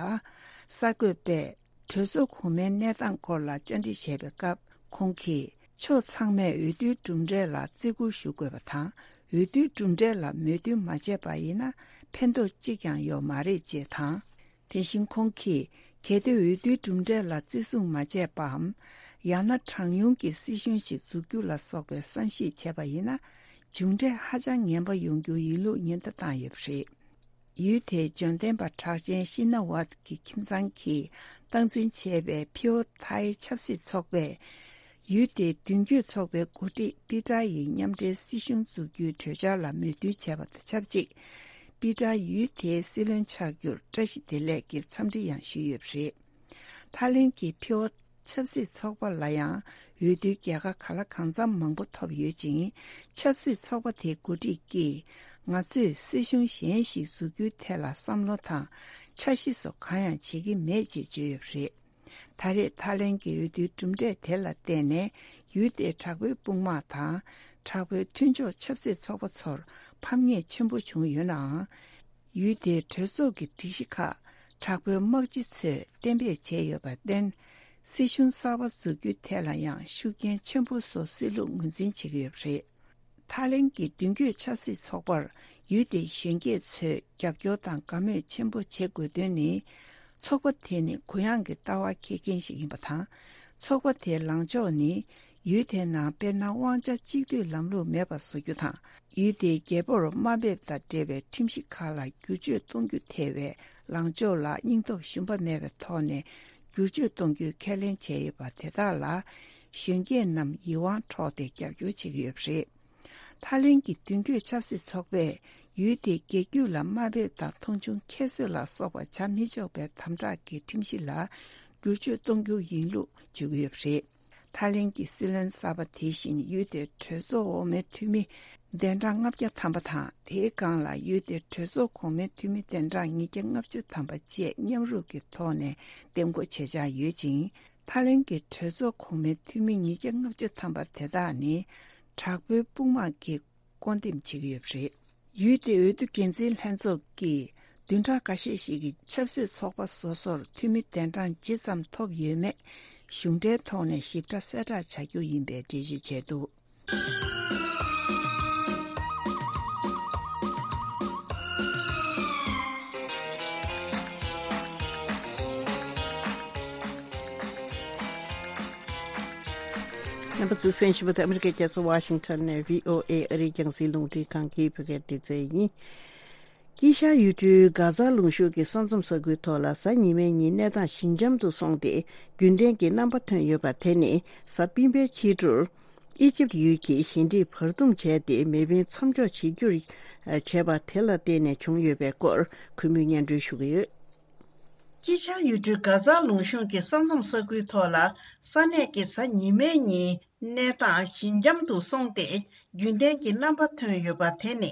གསར་འགོད་པས་གྲོས་ཚོགས་གོང་མའི་གནས་སྟངས་སྐོར་ལ་བཅར་འདྲི་བྱས་པའི་སྐབས་ཁོང་གིས་ཕྱོགས་ཚང་མས་འོས་བསྡུའི་གྲུབ་འབྲས་ལ་བརྩི་བཀུར་ཞུ་དགོས་པ་དང་། འོས་བསྡུའི་གྲུབ་འབྲས་ལ་མོས་མཐུན་མ་བྱས་པ་ཡིན་ན་ཕན་ཐོགས་གཅིག་ཀྱང་ཡོད་མ་རེད་ཅེས་དང་། དེ་བཞིན་ཁོང་གིས་གལ་ཏེ་འོས་བསྡུའི་གྲུབ་འབྲས་ལ་བརྩི་སྲུང་མ་བྱས་པའམ། ཡང་ན་གྲངས་ཉུང་གི་སྲིད་གཞུང་ཞིག་འཛུགས་རྒྱུ་ལ་སོགས་པའི་བསམ་གཞིག་བྱས་པ་ཡིན་ན། མཇུག་འབྲས་ཧ་ཅང་ངན་པ་ཡོང་རྒྱུ་ཡིན་ལུགས་ཉེན་བརྡ་བཏང་ཡོད་པ་རེད། ཡུལ་དེའི་འབྱོར་ལྡན་པ་གྲགས་ཅན་ཤི་ན་ཝད་ཀྱི་ཁྱིམ་ཚང་གིས་སྟངས་འཛིན་བྱས་པའི་ཕིའོ་ཐའི་ཆབ་སྲིད་ཚོགས་པས། ཡུལ་དེའི་མདུན་སྐྱོད་ཚོགས་པའི་འགོ་ཁྲིད་པི་ཏྲ་ཡི་མཉམ་འབྲེལ་སྲིད་གཞུང་འཛུགས་རྒྱུའི་གྲོས་འཆར་ལ་མོས་མཐུན་བྱས་པ་དང་ཆབས་ཅིག་པི་ཏྲ་ཡུལ་དེའི་སྲིད་བློན་ཆགས་རྒྱུར་བཀྲ་ཤིས་བདེ་ལེགས་ཀྱི་འཚམས་འདྲི་ཡང་ཞུས་ཡོད་པ་རེད། ཐའི་ལེན་གྱི་ཕིའོ་ཆབ་སྲིད་ཚོགས་པ་ལ་ཡང་འོས་བསྡུའི་རྒྱལ་ཁ་ག་ལ་གང་འཚམ་མང་པོ་ཐོབ་ཡོད་ཅིང་། ཆབ་སྲིད་ཚོགས་པ་དེའི་འགོ་ཁྲིད་ཀྱིས། ང་ཚོས་སྲིད་གཞུང་གཞན་ཞིག་འཛུགས་རྒྱུའི་ཐད་ལ་བསམ་བློ་དང་འཆར་གཞི་སོགས་གང་ཡང་བྱེད་ཀྱི་མེད་ཅེས་བརྗོད་ཡོད་པ་རེད། ད་རེས་ཐའི་ལེན་གྱི་འོས་བསྡུའི་གྲུབ་འབྲས་དེ་ལ་བརྟེན་ནས་ཡུལ་དེའི་དྲག་པོའི་དཔུང་དམག་དང་། དྲག་པོའི་མཐུན་ཕྱོགས་ཆབ་སྲིད་ཚོགས་པ་ཚོར་ཕམ་ཉེས་ཆེན་པོ་བྱུང་ཡོད་ནའང་། ཡུལ་དེའི་གྲོས་ཚོགས་ཀྱི་སྒྲིག་གཞི་ཁག་དྲག་པོའི་དམག་སྤྱི་ཚོས་གཏན་འབེབས་བྱས་ཡོད་པར་བརྟེན། སྲིད་གཞུང་གསར་པ་འཛུགས་རྒྱུའི་ཐད་ལ་ཡང་ཤུགས་རྐྱེན་ཆེན་པོ་བཟོ་སྲིད་ལུགས་ངོས་འཛིན་བྱེད་ཀྱི་ཡོད་པ་རེད། ཐའི་ལེན་གྱི་མདུན་སྐྱོད་ཆབ་སྲིད་ཚོགས་པར་ཡུལ་དེའི་གཞོན་སྐྱེས་ཚོས་རྒྱབ་སྐྱོར་དང་དགའ་མོས་ཆེན་པོ་བྱེད་དགོས་དོན་ནི། ཚོགས་པ་དེ་ནི་གུ་ཡངས་ཀྱི་ལྟ་བ་འཁྱེར་མཁན་ཞིག་ཡིན་པ་དང་། ཚོགས་པ་དེའི་ལངས་ཕྱོགས་ནི། ཡུལ་དེའི་ནང་དཔེར་ན་དབང་ཆ་གཅིག་སྡུད་ལམ་ལུགས་མེད་པ་བཟོ་རྒྱུ་དང་། ཡུལ་དེའི་རྒྱལ་པོར་དམའ་འབེབས་དང་འབྲེལ་བའི་ཁྲིམས་གཞི་ཁག་ལ་བསྒྱུར་བཅོས་གཏོང་རྒྱུ་ཐེ་བའི་ལངས་ཕྱོགས་ལ་སྙིང་སྟོབས་ཞུམ་པ་མེད་པའི་ཐོག་ནས་བསྒྱུར་བཅོས་གཏོང་རྒྱུའི་ཁས་ལེན་བྱས་ཡོད་པ་དེ་དག་ལ། གཞོན་སྐྱེས་རྣམས་ཡིད་དབང་འཕྲོག་སྟེ་རྒྱབ་སྐྱོར་བྱེད་ཀྱི་ཡོད་པ་རེད། ཐའི་ལེན་གྱི་མདུན་སྐྱོད་ཆབ་སྲིད་ཚོགས་པས་ཡུལ་དེའི་རྒྱལ་རྒྱུད་ལ་དམའ་འབེབས་དང་མཐོང་ཆུང་ཁྱད་གསོད་ལ་སོགས་པ་བྱ་མི་ཆོག་པའི་དམ་དྲག་གི་ཁྲིམས་གཞི་ལ་བསྒྱུར་བཅོས་གཏོང་རྒྱུ་ཡིན་ལུགས་བརྗོད་ཀྱི་ཡོད་པ་རེད། ཐའི་ལེན་གྱི་སྲིད་བློན་གསར་པ་དེ་བཞིན་ཡུལ་དེའི་གྲོས་ཚོགས་འོག་མའི་འཐུས་མི་གདན་གྲངས་ལྔ་བརྒྱ་ཐམ་པ་དང་། དེའི་སྒང་ལ་ཡུལ་དེའི་གྲོས་ཚོགས་གོང་མའི་འཐུས་མི་གདན་གྲངས་ཉིས་བརྒྱ་ལྔ་བཅུ་ཐམ་པ་བཅས་མཉམ་རུབ་ཀྱི་ཐོག་ནས་འདེམས་བསྐོ་བྱེད་འཆར་ཡོད་ཅིང་། ཐའི་ལེན་གྱི་གྲོས་ཚོགས་གོང་མའི་འཐུས་མི་ཉིས་བརྒྱ་ལྔ་བཅུ་ཐམ་པ་དེ་དག་ནི་དྲག་པོའི་དཔུང་དམག་གིས་བསྐོ་འདེམས་བྱེད་ཀྱི་ཡོད་པ་རེད། ཡུལ་དེའི་འོས་བསྡུ་འགན་འཛིན་ལྷན་ཚོགས་ཀྱིས་བདུན་ཕྲག་འགའ་ཤས་ཤིག་གི་ཆབ་སྲིད་ཚོགས་པ་སོ་སོར་འཐུས་མི་གདན་གྲངས་ཇི་ཙམ་ཐོབ་ཡོད་མེད་གཞུང་འབྲེལ་ཐོག་ནས་ཞིབ་ཕྲ་གསལ་བསྒྲགས་བྱ་རྒྱུ་ཡིན་པའི་འགྲེལ་བརྗོད་བྱས་འདུག་རྣམ་པ་ཚོས་གསན་བཞིན་པ་དེ་ཨ་མི་རི་ཀའི་རྒྱལ་ས་ཝ་ཤིང་ཊོན་ནས་བྷི་ཨོ་ཨེ་ཨ་རིའི་རྒྱང་སྲིང་རླུང་འཕྲིན་ཁང་གི་བོད་སྐད་སྡེ་ཚན་ཡིན། དཀྱིལ་ཤར་ཡུལ་གྲུའི་གྷ་ཛ་ལུང་གཤོང་གི་ས་མཚམས་ས་ཁུལ་ཐོག་ལ་གཟའ་ཉི་མའི་ཉིན་གནས་སྟངས་ཞི་འཇམ་དུ་སོང་སྟེ་རྒྱུན་ལྡན་གྱི་རྣམ་པ་ཐོན་ཡོད་པ་དེ་ནི་གཟའ་སྤེན་པའི་ཕྱི་དྲོར་ཨི་ཇིབ་ཡུལ་གྱིས་ཞི་འགྲིག་བར་འདུམ་བྱས་ཏེ་མེ་འཕེན་མཚམས་འཇོག་བྱེད་རྒྱུར་བྱས་པ་དེ་ལ་བརྟེན་ནས་བྱུང་ཡོད་པའི་སྐོར་གུས་མོས་སྙན་སྒྲོན་ཞུ་གི་ཡོད། དཀྱིལ་ཤར་ཡུལ་གྲུའི་གྷ་ཛ་ལུང་གཤོང་གི་ས་མཚམས་ས་ཁུལ་ཐོག་ལ་ས་གནས་ཀྱི་གཟའ་ཉི་མའི་ཉིན་གནས་སྟངས་ཞི་འཇམ་དུ་སོང་སྟེ་རྒྱུན་ལྡན་གྱི་རྣམ་པ་ཐོན་ཡོད་པ་དེ་ནི།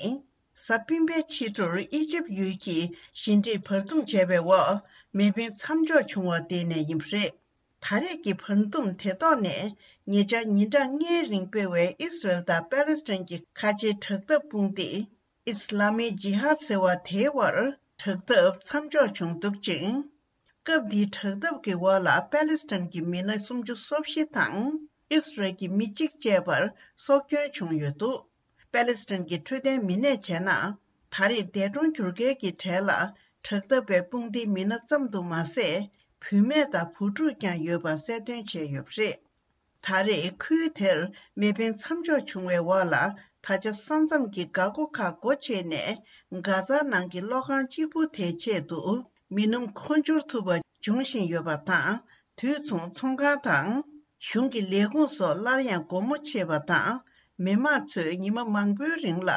གཟའ་སྤེན་པའི་ཕྱི་དྲོར་ཨི་ཇིབ་ཡུལ་གྱིས་ཞི་འགྲིག་བར་འདུམ་བྱས་པའི་འོག་མེ་འཕེན་མཚམས་འཇོག་བྱུང་བ་དེ་ནས་ཡིན་པ་རེད། ད་རེས་ཀྱི་བར་འདུམ་དེ་ཐོག་ནས་ཉེ་ཆར་ཉིན་གྲངས་ལྔའི་རིང་སྤེལ་བའི་ཨི་སི་རལ་དང་པེ་ལེ་སི་ཐན་གྱི་ཁ་ཆེའི་དྲག་འཐབ་དཔུང་སྡེ་ཨིས་ལ་མི་ཇི་ཧཱད་ཟེར་བ་དེའི་དབར་དྲག་འཐབ་མཚམས་འཇོག་བྱུང་འདུག་ཅིང་། སྐབས་འདིའི་དྲག་འཐབ་ཀྱི་འོག་ལ་པེ་ལེ་སི་ཐན་གྱི་མི་སྣ་སུམ་ཅུ་སོ་བཞི་དང་ཨིས་རལ་གྱི་མི་གཅིག་བཅས་པར་སྲོག་སྐྱོན་བྱུང་ཡོད་འདུག་པེ་ལེ་སི་ཐན་གྱི་འཕྲོད་བསྟེན་མི་སྣས་བྱས་ན། ད་རེས་འདས་གྲོངས་གྱུར་མཁན་གྱི་གྲས་ལ་དྲག་འཐབ་པའི་དཔུང་སྡེའི་མི་སྣ་ཙམ་དུ་མ་ཟད། བུད་མེད་དང་བུ་ཕྲུག་ཀྱང་ཡོད་པ་གསལ་སྟོན་བྱས་ཡོད་པ་རེད། ད་རེས་ཁུལ་དེར་མེ་འཕེན་མཚམས་འཇོག་བྱུང་བའི་འོག་ལ། ད་ཆ་ས་མཚམས་ཀྱི་འགག་སྒོ་ཁག་སྒོ་ཕྱེ་ནས། གྷ་ཛ་ནང་གི་གློག་ཁང་གཅིག་པུ་དེའི་ཆེད་དུ་མི་སྣུམ་འཁོར་འབྱོར་ཐུབ་པ་འབྱུང་བཞིན་ཡོད་པ་དང་། དུས་མཚུངས་ཚོང་ཁང་དང་། གཞུང་གི་ལས་ཁུངས་སོགས་སླར་ཡང་སྒོ་མོ་ཕྱེ་བ་དང་། མི་མང་ཚོས་ཉི་མ་མང་པོའི་རིང་ལ་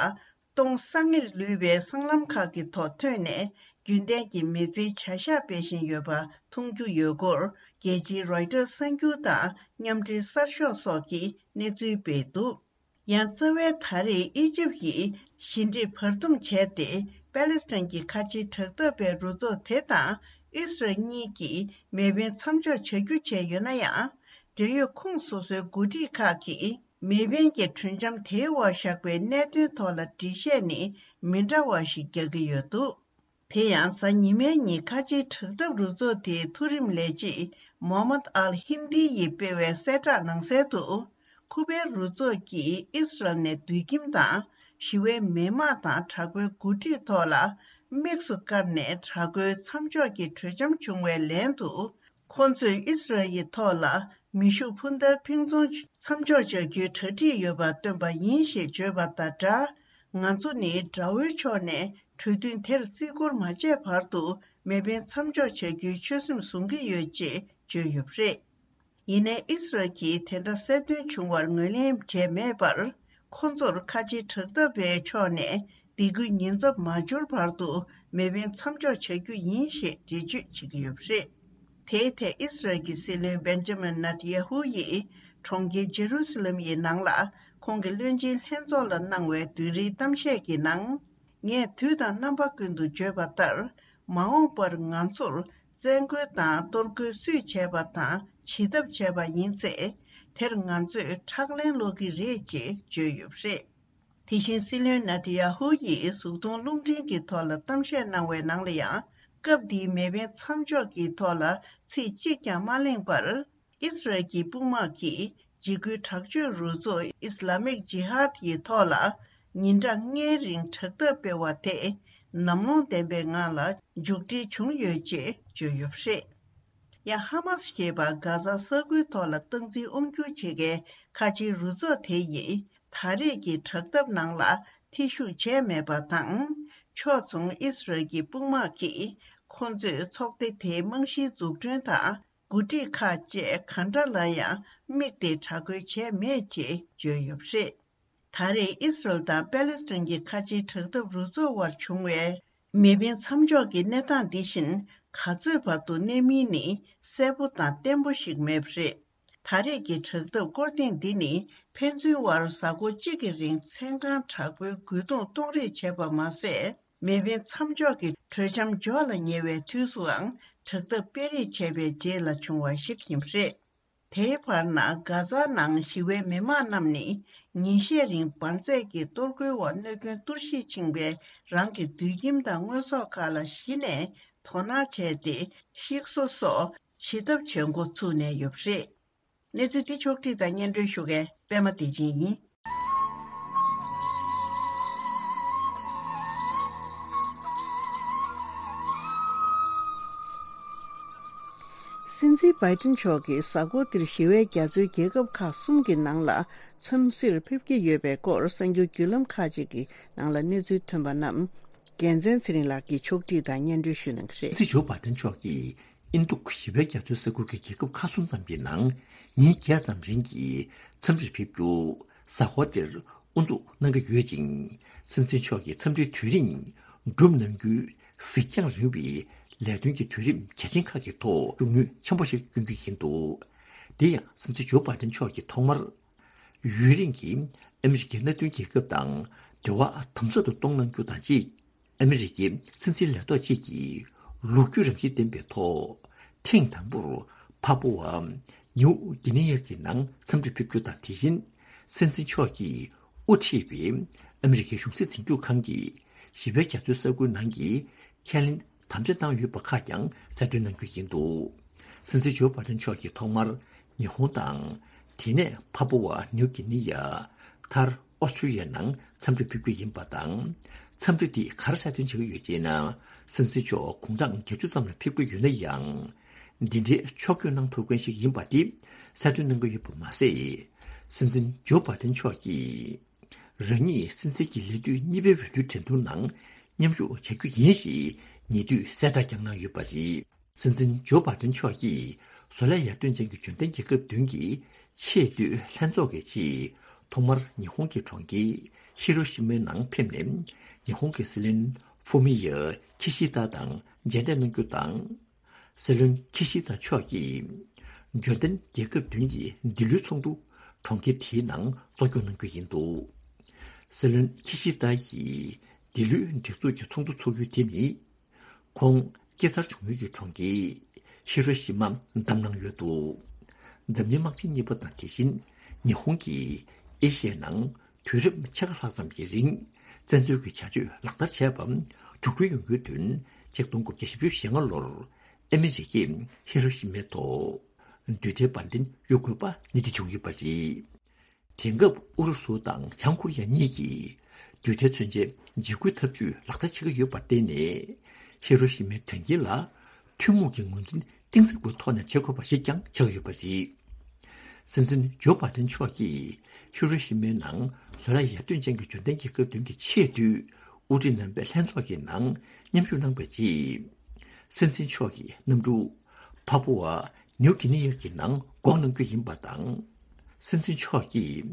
སྟོང་སང་ངེར་ལུས་པའི་སྲང་ལམ་ཁག་གི་ཐོག་ཐོན་ནས། རྒྱུན་ལྡན་གྱི་མི་ཚེའི་བྱ་གཞག་སྤེལ་བཞིན་ཡོད་པ་མཐོང་རྒྱུ་ཡོད་སྐོར། རྒྱལ་སྤྱིའི་རོའི་ཊར་གསར་འགྱུར་དང་མཉམ་འབྲེལ་གསར་ཤོག་སོགས་ཀྱིས་གནས་ཚུལ་སྤེལ་འདུག་ཡང་རྩ་བའི་ད་རེས་ཨི་ཇིབ་ཡིས་ཞི་འགྲིག་བར་འདུམ་བྱས་ཏེ། པེ་ལེ་སི་ཐན་གྱི་ཁ་ཆེའི་དྲག་འཐབ་པའི་རུ་ཚོགས་དེ་དང་ཨིས་རལ་གཉིས་ཀྱིས་མེ་འཕེན་མཚམས་འཇོག་བྱ་རྒྱུ་བྱས་ཡོད་ན་ཡང་། འབྲེལ་ཡོད་ཁོངས་སོ་སོའི་འགོ་ཁྲིད་ཁག་གིས་མེ་འཕེན་གྱི་གྲོས་འཆམ་དེའི་འོག་བཞག་པའི་གནད་དོན་ཐོག་ལ་འགྲེལ་བཤད་ནི་མི་འདྲ་བ་ཞིག་རྒྱག་གི་ཡོད་འདུག་དེ་ཡང་གཟའ་ཉི་མའི་ཉིན་ཁ་ཆེའི་དྲག་འཐབ་རུ་ཚོགས་དེའི་མཐོ་རིམ་ལས་བྱེད་མོ་མད་ཨལ་ཧིན་དི་ཡིས་སྤེལ་བའི་གསལ་བསྒྲགས་ནང་གསལ་དུ། ཁུ་པའི་རུ་ཚོགས་ཀྱིས་ཨིས་རལ་ནས་དུད་ཁྱིམ་དང་ཞི་བའི་མི་དམངས་དང་དྲག་པོའི་འགོ་ཁྲིད་ཐོག་ལ་དམིགས་སུ་བཀར་ནས་དྲག་རྒོལ་མཚམས་འཇོག་གི་གྲོས་འཆམ་བྱུང་བའི་ལན་དུ། ཁོ་ཚོས་ཨིས་རལ་ཡི་ཐོག་ལ་ མེ་ཤུགས་འཕུར་མདའ་ཕུན་ཚོགས་མཚམས་འཇོག་བྱ་རྒྱུའི་གྲ་སྒྲིག་ཡོད་པ་སྟོན་པ་ཡིན་ཞེས་བརྗོད་པ་དང་སྦྲགས། ང་ཚོ་ནི་དགྲ་བོའི་ཕྱོགས་ནས་གྲོས་མཐུན་དེར་བརྩི་བཀུར་མ་བྱས་བར་དུ་མེ་འཕེན་མཚམས་འཇོག་བྱ་རྒྱུའི་ཆོད་སེམས་བཟུང་གི་ཡོད་ཅེས་བརྗོད་ཡོད་པ་རེད། ཡིན་ནའི་ཨི་སི་རལ་གྱིས་དེ་འདྲ་གསལ་སྟོན་བྱུང་བར་ངོས་ལེན་བྱས་མེད་པར། ཁོ་ཚོར་ཁ་ཆེའི་དྲག་འཐབ་པའི་ཕྱོགས་ནས་སྡིགས་སྐུལ་ཉེན་ཚབས་མ་འབྱོར་བར་དུ་མེ་འཕེན་མཚམས་འཇོག་བྱ་རྒྱུ་ཡིན་ཞེས་འགྲེལ་བརྗོད་བྱེད་ཀྱི་ཡོད་པ་རེད། དེའི་ཐད་ཨི་སི་རལ་གྱི་སྲིད་བློན་བེན་ཇ་མིན་ནེ་ཐན་ཡ་ཧུ་ཡིས་གྲོང་ཁྱེར་ཇེ་རུ་སི་ལམ་ཡི་ནང་ལ་ཁོང་གི་བློན་ཆེན་ལྷན་ཚོགས་ལ་གནང་བའི་བདུན་རེའི་གཏམ་བཤད་ཀྱི་ནང་། ངས་དུས་དང་རྣམ་པ་ཀུན་ཏུ་བརྗོད་པ་ལྟར། མ་འོངས་པར་ང་ཚོར་བཙན་རྒོལ་དང་གཏོར་རྒོལ་སུས་བྱས་པ་དང་བྱེད་ཐབས་བྱས་པ་ཡིན་ཚེ། དེར་ང་ཚོས་ཁྲག་ལན་སློག་གི་རེད་ཅེས་བརྗོད་ཡོད་པ་རེད། དེ་བཞིན་སྲིད་བློན་ནེ་ཐན་ཡ་ཧུ་ཡིས་གཟུགས་མཐོང་རླུང་འཕྲིན་གྱི་ཐོག་ལ་གཏམ་བཤད་གནང་བའི་ནང་ལ་ཡང་། སྐབས་འདིའི་མེ་འཕེན་མཚམས་འཇོག་གི་ཐོག་ལ་ཚིག་གཅིག་ཀྱང་མ་གླེང་བར། ཨི་སི་རལ་གྱི་དཔུང་དམག་གིས་འཇིགས་སྐུལ་དྲག་སྤྱོད་རུ་ཚོགས་ཨིས་ལ་མིག་ཇི་ཧཱད་ཀྱི་ཐོག་ལ་ཉིན་གྲངས་ལྔའི་རིང་དྲག་འཐབ་སྤེལ་བ་དེ་ནམ་ལངས་ལྡན་པའི་ངང་ལ་མཇུག་སྒྲིལ་བྱུང་ཡོད་ཅེས་བརྗོད་ཡོད་པ་རེད། ཡང་ཧ་མ་སི་ཞེས་པ་གྷ་ཛ་ས་ཁུལ་ཐོག་ལ་སྟངས་འཛིན་དབང་སྒྱུར་བྱེད་མཁན་ཁ་ཆེའི་རུ་ཚོགས་དེ་ཡིས་ད་རེས་ཀྱི་དྲག་འཐབ་ནང་ལ་ཐེ་ཞུགས་བྱས་མེད་པ་དང་། ཕྱོགས་མཚུངས་ཨི་སི་རལ་གྱི་དཔུང་དམག་གིས་ཁོ་ཚོས་ཚོགས་སྡེ་དེའི་རྨང་གཞིའི་འཛུགས་སྐྲུན་དང་། འགོ་ཁྲིད་ཁག་བཅས་གང་འདྲ་ལ་ཡང་དམིགས་ཏེ་དྲག་རྒོལ་བྱས་མེད་ཅེས་བརྗོད་ཡོད་པ་རེད། ད་རེས་ཨི་སི་རལ་དང་པེ་ལེ་སི་ཐན་གྱི་ཁ་ཆེའི་དྲག་འཐབ་རུ་ཚོགས་དབར་བྱུང་བའི་མེ་འཕེན་མཚམས་འཇོག་གི་གནས་སྟངས་འདི་བཞིན་ག་ཚོད་བར་དུ་གནས་མིན་ནི་གསལ་པོ་དང་བརྟན་པོ་ཞིག་མེད་པ་རེད། ད་རེས་ཀྱི་དྲག་འཐབ་སྐོར་ཐེངས་འདི་ནི་ཕན་ཚུན་དབར་གཟའ་འཁོར་གཅིག་གི་རིང་མཚན་གང་དྲག་པོའི་རྒོལ་རྡུང་གཏོང་རེས་བྱས་པ་མ་ཟད། མེ་འཕེན་མཚམས་འཇོག་གི་གྲོས་འཆམ་འཇོག་ལ་ཉེ་བའི་དུས་སུའང་དྲག་འཐབ་སྤེལ་རེས་བྱས་པའི་རྗེས་ལ་བྱུང་བ་ཞིག་ཡིན་པ་རེད། དེའི་བར་ན་གྷ་ཛ་ནང་ཞི་བའི་མི་མང་རྣམས་ནི་ཉིན་ཤས་རིང་འབར་རྫས་ཀྱི་གཏོར་རྒོལ་འོག་གནོད་སྐྱོན་གཏོར་བཤིག་ཕྱིན་པའི་རང་གི་དུད་ཁྱིམ་དང་དངོས་ཟོག་ཁག་ལ་གཞི་ནས་དོ་སྣང་བྱས་ཏེ་ཤིག་གསོ་སོགས་བྱེད་ཐབས་བྱེད་འགོ་ཚུགས་ནས་ཡོད་པ་རེད། གནས་ཚུལ་འདི་ཕྱོགས་བསྒྲིགས་དང་སྙན་སྒྲོན་ཞུ་མཁན་པད་མ་བདེ་ཆེན་ཡིན། སྲིད་འཛིན་བྷའི་ཏིན་མཆོག་གིས་གཟའ་འཁོར་འདིར་ཞི་བའི་རྒྱ་མཚོའི་རྒྱལ་ཁབ་ཁག་གསུམ་གྱི་ནང་ལ་འཚམས་གཟིགས་ཕེབས་ཀྱི་ཡོད་པའི་སྐོར་གསར་འགྱུར་བརྒྱུད་ལམ་ཁག་ཅིག་གི་ནང་ལ་གནས་ཚུལ་ཐོན་པ་རྣམས། རྒྱལ་མཚན་ཚེ་རིང་ལགས་ཀྱིས་ཕྱོགས་བསྒྲིགས་དང་སྙན་སྒྲོན་ཞུ་གནང་གི་རེད། སྲིད་འཛིན་ཇོ་བྷའི་ཏན་མཆོག་གིས་ཨིན་རྡུག་ཞི་བའི་རྒྱ་མཚོའི་ས་ཁུལ་གྱི་རྒྱལ་ཁབ་ཁག་གསུམ་ཙམ་གྱི་ནང་ཉིན་བརྒྱད་ཙམ་རིང་གི་འཚམས་འདྲིར་ཕེབས་རྒྱུ་གཟའ་འཁོར་འདིར་དབུ་འཛུགས་གནང་གི་ཡོད་ཅིང་། སྲིད་འཛིན་མཆོག་གིས་འཚམས་འདྲིའི་དུས་རིང་སྒྲུབ་གནང་རྒྱུའི་གཟིགས་རྒྱང་རིང་བའི་ལས་དོན་གྱི་དུས་རིམ་གལ་ཆེན་ཁག་གི་ཐོག་ཤུགས་སྣོན་ཆེན་པོ་ཞིག་བསྐྱོན་རྒྱུ་ཡིན་འདུག་དེ་ཡང་སྲིད་འཛིན་ཇོ་བྷའི་ཏན་མཆོག་གིས་ཐོག་མར། ཡུན་རིང་གི་ཨ་མི་རི་ཀའི་མནའ་མཐུན་རྒྱལ་ཁབ་དང་འབྲེལ་བ་དམ་ཟབ་ཏུ་གཏོང་གནང་རྒྱུ་དང་གཅིག་ཨ་མི་རི་ཀའི་སྲིད་འཛིན་ལས་ཐོག་ཅིག་གིས་ལོ་རྒྱུས་རང་བཞིན་ལྡན་པའི་ཐོག་ཐེངས་དང་པོར་ཕ་ཕུ་བ་ནིའུ་གི་ནི་ཡ་གི་ནང་འཚམས་འདྲིར་ཕེབས་རྒྱུ་དང་། དེ་བཞིན་སྲིད་འཛིན་མཆོག་གིས་དབུ་ཁྲིད་པའི་ཨ་མི་རི་ཀའི་གཞུང་སྲིད་འཛིན་སྐྱོང་ཁང་གི་ཞི་བའི་རྒྱ་མཚོའི་ས་ཁུལ་ནང་གི་ཁས་ལེན་དམ་བཅའ་བཏང་ཡོད་པ་ཁག་ཀྱང་གསལ་སྟོན་གནང་རྒྱུ་ཡིན་འདུག་སྲིད་འཛིན་ཇོ་བྷའི་ཏན་མཆོག་གིས་ཐོག་མར་ཉི་ཧོང་དང་། དེ་ནས་ཕ་ཕུ་བ་ནིའུ་གི་ནི་ཡ། མཐར་ཨོ་སི་ཀྲི་ཡ་ནང་འཚམས་འདྲིར་ཕེབས་རྒྱུ་ཡིན་པ་དང་། འཚམས་འདྲི་འདིས་ག་རེ་གསལ་སྟོན་བྱེད་ཀྱི་ཡོད་ཅེ་ན། སྲིད་འཛིན་མཆོག་དགུང་གྲངས་བརྒྱད་ཅུ་ཙམ་ལ་ཕེབས་ཀྱི་ཡོད་ན་ཡང་། འདི་འདྲའི་ཕྱོགས་བསྐྱོད་གནང་ཐུབ་མཁན་ཞིག་ཡིན་པ་འདི་གསལ་སྟོན་གནང་གི་ཡོད་པ་མ་ཟད། སྲིད་འཛིན་ཇོ་བྷའི་ཏན་མཆོག་གིས། རང་ཉིད་སྲིད་འཛིན་གྱི་ལས་དུས་གཉིས་པའི་འོས་བསྡུའི་འགྲན་བསྡུར་ནང་མཉམ་ཞུགས་བྱ་རྒྱུ་ཡིན་ཞེས་ཉེ་དུས་གསལ་བསྒྲགས་ཀྱང་གནང་ཡོད་པ་རེད། སྲིད་འཛིན་ཇོ་བྷའི་ཏན་མཆོག་གིས་བཟོ་ལས་ཡར་ཐོན་ཅན་གྱི་འབྱོར་ལྡན་རྒྱལ་ཁབ་བདུན་གྱི་ཆེས་མཐོའི་ལྷན་ཚོགས་ཀྱི་ཆེད་ཐོག་མར་ཉི་ཧོང་གི་གྲོང་ཁྱེར་ཧི་རོ་ཤི་མའི་ནང་ཕེབས་ནས། ཉི་ཧོང་གི་སྲིད་བློན་ཧྥུ་མི་ཡ་ཁི་ཤི་ད་དང་མཇལ་འཕྲད་གནང་རྒྱུ་དང་། སྲིད་བློན་ཁི་ཤི་ད་མཆོག་གིས་འབྱོར་ལྡན་རྒྱལ་ཁབ་བདུན་གྱི་འདི་ལོའི་ཚོགས་འདུ་གྲོང་ཁྱེར་དེའི་ནང་གཙོ་སྐྱོང་གནང་རྒྱུ་ཡིན་འདུག་སྲིད་བློན་ཁི་ཤི་ད་ཡིས་འདི་ལོའི་སྒྲིག་འཛུགས་ཀྱི་ཚོགས་འདུ་འཚོགས་ཡུལ་དེ་ནི། ཁོང་སྐྱེས་འཚར་བྱུང་ཡུལ་གྱི་གྲོང་ཁྱེར་ཧི་རོ་ཤི་མ་བདམས་གནང་ཡོད་འདུག་འཛམ་གླིང་དམག་ཆེན་གཉིས་པ་དང་། དེ་བཞིན་ཉི་ཧོང་གིས་ཨེ་ཤི་ཡའི་ནང་དུས་རབས་ཕྱེད་ཀ་ལྷག་ཙམ་གྱི་རིང་བཙན་འཛུལ་གྱི་བྱ་སྤྱོད་ལག་བསྟར་བྱས་པ་འགྲོ་གྲོན་ཡོང་རྒྱུའི་དོན་ཆིག་སྟོང་དགུ་བརྒྱ་བཞི་བཅུ་ཞེ་ལྔ་ལོར་ཨ་མི་རི་ཀས་ཧི་རོ་ཤི་མའི་ཐོག་རྡུལ་ཕྲན་འབར་མདེལ་གཡུག་དགོས་པ་ནི་དེ་བྱུང་ཡོད་པ་རེད། དེང་སྐབས་ཨུ་རུ་སུ་དང་བྱང་ཀོ་རི་ཡ་གཉིས་ཀྱིས་རྡུལ་ཕྲན་མཚོན་ཆའི་འཇིགས་སྐུལ་ཐབས་ཇུས་ལག་བསྟར་བྱེད་ཀྱི་ཡོད་པར་བརྟེན་ནས། ཧི་རོ་ཤི་མའི་དོན་རྐྱེན་ལ་ཐུན་མོང་གི་ངོས་འཛིན་གཏིང་ཟབ་པོའི་ཐོག་ནས་བྱེད་དགོས་པ་ཞིག་ཀྱང་ཆགས་ཡོད་པ་རེད། སྲིད་འཛིན་ཇོ་བྷའི་ཏན་མཆོག་གིས་ཧི་རོ་ཤི་མའི་ནང་བཟོ་ལས་ཡར་ཐོན་ཅན་གྱི་འབྱོར་ལྡན་རྒྱལ་ཁབ་བདུན་གྱི་ཆེས་མཐོའི་དབུ་ཁྲིད་རྣམ་པའི་ལྷན་ཚོགས་ཀྱི་ནང་མཉམ་ཞུགས་གནང་བའི་རྗེས། སྲིད་འཛིན་མཆོག་གིས་གནམ་གྲུ་ཕ་པུ་ཝ་ནིའུ་གྷི་ནི་ཡ་གི་ནང་འགོག་གནང་རྒྱུ་ཡིན་པ་དང་། སྲིད་འཛིན་མཆོག་གིས་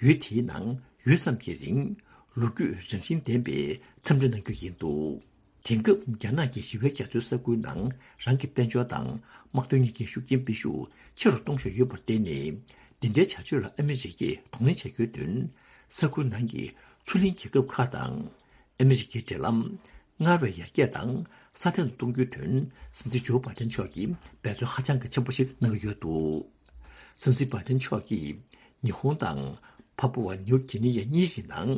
ཡུལ་དེའི་ནང་ཡུད་ཙམ་གྱི་རིང་ལོ་རྒྱུས་རང་བཞིན་ལྡན་པའི་འཚམས་འདྲི་གནང་རྒྱུ་ཡིན་འདུག་དེང་སྐབས་རྒྱ་ནག་གི་ཞི་བའི་རྒྱ་མཚོའི་ས་ཁུལ་ནང་རང་གི་དཔལ་འབྱོར་དང་དམག་དོན་གཉིས་ཀའི་ཤུགས་རྐྱེན་སྤེལ་ཤུགས་ཆེ་རུ་གཏོང་བཞིན་ཡོད་པར་བརྟེན་ནས། འདི་འདྲའི་བྱ་སྤྱོད་ལ་ཨ་མི་རི་ཀས་གདོང་ལེན་བྱ་རྒྱུའི་དོན། ས་ཁུལ་ནང་གི་མཚོ་གླིང་རྒྱལ་ཁབ་ཁག་དང་ཨ་མི་རི་ཀའི་འབྲེལ་ལམ་སྔར་བས་ཡར་རྒྱས་དང་སྲ་བརྟན་དུ་གཏོང་རྒྱུའི་དོན། སྲིད་འཛིན་ཇོ་བྷའི་ཏན་མཆོག་གིས་འབད་བརྩོན་ཧ་ཅང་གི་ཆེན་པོ་ཞིག་གནང་གི་ཡོད་འདུག་སྲིད་འཛིན་བྷའི་ཏན་མཆོག་གིས་ཉི་ཧོང་དང་ཕ་པུ་ཝ་ནིའུ་གྷི་ནི་ཡ་གཉིས་ཀྱི་ནང་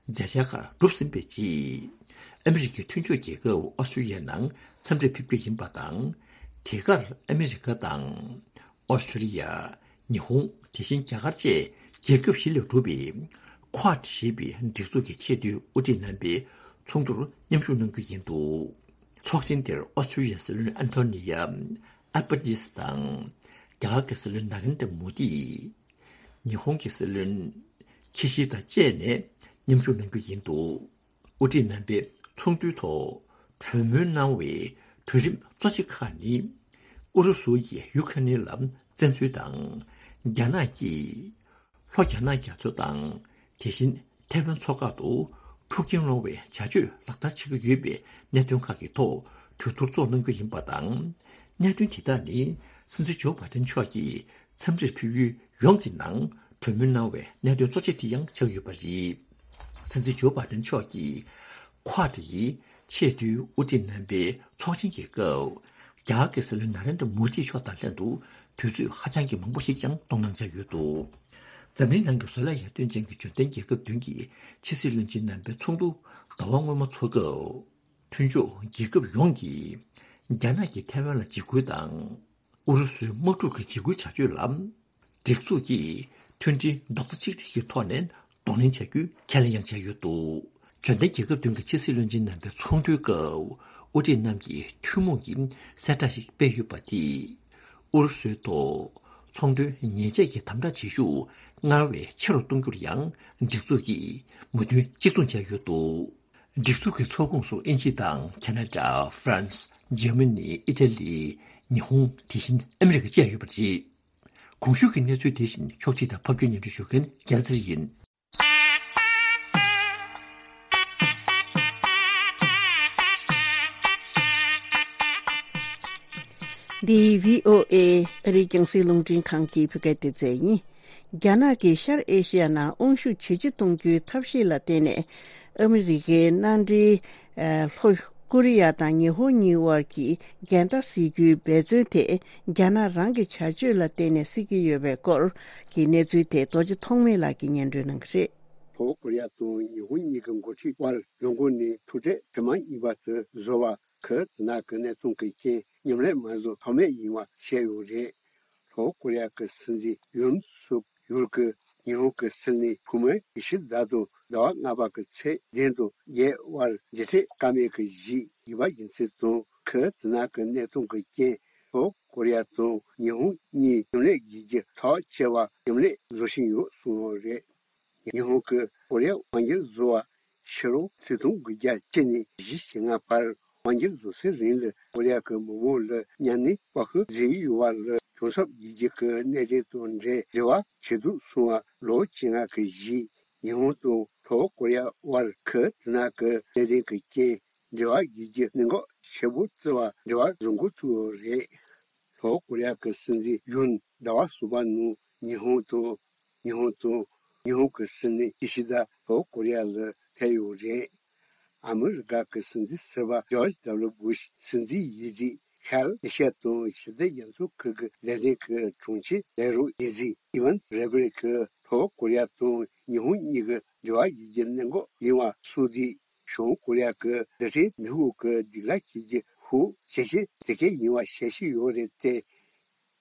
མཛད་འཆར་ཁག་གྲུབ་ཟིན་པའི་རྗེས། ཨ་མི་རི་ཀའི་མཐུན་ཕྱོགས་རྒྱལ་ཁབ་ཨོ་སི་ཀྲི་ཡའི་ནང་འཚམས་འདྲིར་ཕེབས་རྒྱུ་ཡིན་པ་དང་། དེ་གར་ཨ་མི་རི་ཀ་དང་ཨོ་སི་ཀྲི་ཡ། ཉི་ཧོང་། དེ་བཞིན་རྒྱ་གར་བཅས་རྒྱལ་ཁབ་བཞི་ལས་གྲུབ་པའི་ཁོ་ཝཱཌ་ཞེས་པའི་སྒྲིག་འཛུགས་ཀྱི་ཆེས་མཐོའི་དབུ་ཁྲིད་རྣམ་པའི་ཚོགས་འདུར་མཉམ་ཞུགས་གནང་རྒྱུ་ཡིན་འདུག་ཚོགས་ཆེན་དེར་ཨོ་སི་ཀྲི་ཡའི་སྲིད་བློན་ཨན་ཐོ་ནི་ཡ་ཨལ་བྷ་ནིས་དང་། རྒྱ་གར་གྱི་སྲིད་བློན་ན་རེན་དྲ་མོ་དི། ཉི་ཧོང་གི་སྲིད་བློན་ཁི་ཤི་དཱ་བཅས་ནས་མཉམ་ཞུགས་གནང་རྒྱུ་ཡིན་འདུག་དབུ་ཁྲིད་རྣམ་པས་ཚོགས་འདུའི་ཐོག་གྲོས་མོལ་གནང་བའི་གྲོས་རིམ་གཙོ་ཆེ་ཁག་ནི། ཨུ་རུ་སུ་ཡིས་ཡུ་ཁ་ནི་ལ་བཙན་འཛུལ་དང་། རྒྱ་ནག་གིས་ལྷོ་རྒྱ་ནག་རྒྱ་མཚོ་དང་། དེ་བཞིན་ཐའེ་ཝན་མཚོ་འགག་ཏུ་འཁྲུག་རྐྱེན་སློང་བའི་བྱ་སྤྱོད་ལག་བསྟར་བྱེད་ཀྱི་ཡོད་པའི་གནད་དོན་ཁག་གི་ཐོག་གྲོས་བསྡུར་ཚོགས་གནང་རྒྱུ་ཡིན་པ་དང་། གནད་དོན་དེ་དག་ནི་སྲིད་འཛིན་ཇོ་བྷའི་ཏན་མཆོག་གིས་འཚམས་འདྲིར་ཕེབས་ཡུལ་ཡོངས་ཀྱི་ནང་གྲོས་མོལ་གནང་བའི་གནད་དོན་གཙོ་ཆེ་དེ་ཡང་ཆགས་ཡོད་པ་རེད། སྲིད་འཛིན་ཇོ་བྷའི་ཏན་མཆོག་གིས་ཁོ་ཝཱཌ་ཡི་ཆེས་མཐོའི་དབུ་ཁྲིད་རྣམ་པའི་ཚོགས་ཆེན་གྱི་སྐབས། རྒྱ་གར་གྱི་སྲིད་བློན་ན་རེན་དྲ་མོ་དི་མཆོག་དང་ལྷན་དུ་དུས་ཚོད་ཧ་ཅང་གི་མང་པོ་ཞིག་ཀྱང་གཏོང་གནང་འཆར་ཡོད་འདུག་འཛམ་གླིང་ནང་གི་བཟོ་ལས་ཡར་ཐོན་ཅན་གྱི་འབྱོར་ལྡན་རྒྱལ་ཁབ་བདུན་གྱི་ཕྱི་སྲིད་བློན་ཆེན་རྣམ་པའི་ཚོགས་འདུ་ཟླ་བ་སྔོན་མ་འཚོགས་སྐབས། མཐུན་ཕྱོགས་རྒྱལ་ཁབ་ཡོངས་ཀྱིས་རྒྱ་ནག་གིས་ཐའེ་ཝན་ལ་འཇིགས་སྐུལ་དང་། ཨུ་རུ་སུའི་དམག་འཁྲུག་གི་འཇིགས་སྐུལ་བྱ་སྤྱོད་ལ། སྒྲིག་འཛུགས་ཀྱིས་མཐུན་སྒྲིལ་རྡོག་རྩ་གཅིག་སྒྲིལ་གྱི་ཐོག་ནས་གདོང་ལེན་བྱ་རྒྱུའི་ཁས་ལེན་ཡང་བྱས་ཡོད་འདུག་འབྱོར་ལྡན་རྒྱལ་ཁབ་བདུན་གྱི་ཕྱི་སྲིད་བློན་ཆེན་རྣམ་པའི་ཚོགས་འདུའི་སྐབས། དབུ་ཁྲིད་རྣམས་ཀྱིས་ཐུན་མོང་གི་གསལ་བསྒྲགས་ཤིག་སྤེལ་ཡོད་པ་དེས། ཨུ་རུ་སུའི་ཐོག་ཚོང་དོན་ཉེས་ཆད་ཀྱི་དམ་དྲག་བྱེད་ཤུགས་སྔར་བས་ཆེ་རུ་གཏོང་རྒྱུར་ཡང་སྒྲིག་འཛུགས་ཀྱིས་མོས་མཐུན་གཅིག་མཚུངས་བྱས་ཡོད་འདུག་སྒྲིག་འཛུགས་ཀྱི་ཚོགས་ཁོངས་སུ་དབྱིན་ཇི་དང་ཁ་ན་ཌ། ཧྥ་རན་སི། འཇར་མ་ནི། ཨི་ཊ་ལི། ཉི་ཧོང་། དེ་བཞིན་ཨ་མི་རི་ཀ་བཅས་ཡོད་པ་རེད། གོང་ཞུས་ཀྱི་གནས་ཚུལ་དེ་བཞིན་ཕྱོགས་སྒྲིག་དང་ཕབ་སྒྱུར་སྙན་སྒྲོན་ཞུ་མཁན་རྒྱལ་ཚེ་རིང་ཡིན། འདི་བྷི་ཨོ་ཨེ་ཨ་རིའི་རྒྱང་སྲིང་རླུང་འཕྲིན་ཁང་གི་བོད་སྐད་སྡེ་ཚན་ཡིན། རྒྱ་ནག་གིས་ཤར་ཨེ་ཤི་ཡ་ནང་དབང་ཤུགས་ཇེ་ཆེ་གཏོང་རྒྱུའི་ཐབས་ཤེས་ལ་བརྟེན་ནས། ཨ་མི་རི་ཀའི་མནའ་འབྲེལ། ལྷོ་ཀོ་རི་ཡ་དང་ཉི་ཧོང་གཉིས་དབར་གྱི་འགལ་ཟླ་སེལ་རྒྱུའི་འབད་བརྩོན་དེ་རྒྱ་ནག་རང་གི་བྱ་སྤྱོད་ལ་བརྟེན་ནས་སེལ་གྱི་ཡོད་པའི་སྐོར་གྱི་གནས་ཚུལ་དེ་རྡོ་རྗེ་ཐོགས་མེད་ལགས་ཀྱིས་སྙན་སྒྲོན་གནང་གི་རེད། ལྷོ་ཀོ་རི་ཡ་དང་ཉི་ཧོང་གཉིས་ཀྱི་འགོ་ཁྲིད་དབར་ཡོང་སྒོ་ནས་ཐུག་འཕྲད་ཐེངས་མ་གཉིས་པ་དེ་བཟོ་བ་ཁུལ་དེ་ནང་གི་གནད་དོན་གྱི་རྐྱེན་མཉམ་ལས་མ་བཟོ་ཐབས་མེད་ཡིན་པ་བཤད་ཡོད་རེད། ལྷོ་ཀོ་རི་ཡ་གི་སྲིད་འཛིན་ཡུན་སུག་ཡུལ་གྱིས་ཉི་ཧོང་གི་སྲིད་བློན་འོས་མི་ཀི་ཤི་དཱ་དང་ཟླ་བ་ལྔ་པ་གི་ཚེས་བདུན་དང་བརྒྱད་དབར་མཇལ་འཕྲད་བཀའ་མོལ་གྱི་གཞི་ཡིན་པ་ཡིན་ཚུལ་དང་། ཁུལ་དེ་ནང་གི་གནད་དོན་གྱི་རྐྱེན་ལྷོ་ཀོ་རི་ཡ་དང་ཉི་ཧོང་གཉིས་མཉམ་ལས་བྱེད་རྒྱུ་ཐག་བཅད་པ་མཉམ་ལས་བཟོ་བཞིན་ཡོད་གསུངས་ཡོད་རེད། ཉི་ཧོང་གིས་ཀོ་རི་ཡ་དབང་སྒྱུར་བཟོ་བ་ཕྱི་ལོ་ཆིག་སྟོང་དགུ་བརྒྱ་བཅུ་ནས་བཞི་བཅུ་ལྔ་བར་དབང་སྒྱུར་བཟོ་སའི་རིང་ལ་ཀོ་རི་ཡ་གི་མི་མང་ལ་གཉའ་གནོན་བཀག་ཤོག་བཟོས་ཡོད་པ་ལ་གྱོང་གསབ་བྱེད་རྒྱུ་གི་གནད་དོན་དང་འབྲེལ་འབྲེལ་བ་བྱེད་དུ་སོང་བ་ལོ་བཅོ་ལྔ་གི་རྗེས། ཉི་ཧོང་དང་ལྷོ་ཀོ་རི་ཡ་དབར་ཁུལ་དེ་ནང་གི་གནད་དོན་གྱི་རྐྱེན་འབྲེལ་བ་བྱེད་རྒྱུ་གནད་འགག་ཆེ་པོ་བརྩི་བར་འབྲེལ་བ་བཟོ་འགོ་བཙུགས་ཡོད་རེད། ལྷོ་ཀོ་རི་ཡ་གི་སྲིད་འཛིན་ཡུན་ཟླ་བ་གསུམ་པ་ནང་ཉི་ཧོང་དང་། ཉི་ཧོང་དང་། ཉི་ཧོང་གི་སྲིད་བློན་ཀི་ཤི་དཱ་ལྷོ་ཀོ་རི་ཡ་ལ་ཕེབས་ཡོད་རེད། ཨ་མི་རི་ཀ་གི་སྲིད་འཛིན་ཟུར་པ་ཇོརྗ་ཌབ་ལུ་བྷུ་ཤི་སྲིད་འཛིན་ཡིན་དུས་ཤར་ཨེ་ཤི་ཡ་དང་ཞི་བདེ་རྒྱ་མཚོ་ཁུལ་གྱི་ལས་དོན་གྱི་དྲུང་ཆེ་ལས་རོགས་ཡིན་ཟིན་ཨི་ཝན་རེ་བྷེ་རི་ཀིས་ལྷོ་ཀོ་རི་ཡ་དང་ཉི་ཧོང་གཉིས་ཀྱི་འབྲེལ་བ་ཡོད་རྒྱུ་གནད་འགག་ཡིན་པ་གསུངས་དུས། བྱང་ཀོ་རི་ཡ་གི་རྡུལ་ཕྲན་མེ་འཁོར་གྱི་སྒྲིག་ལམ་བྱེད་རྒྱུ་ཤུགས་ཇེ་ཆེ་དེ་གས་ཡིན་པ་ཤེས་ཀྱི་ཡོད་རེད་དེ།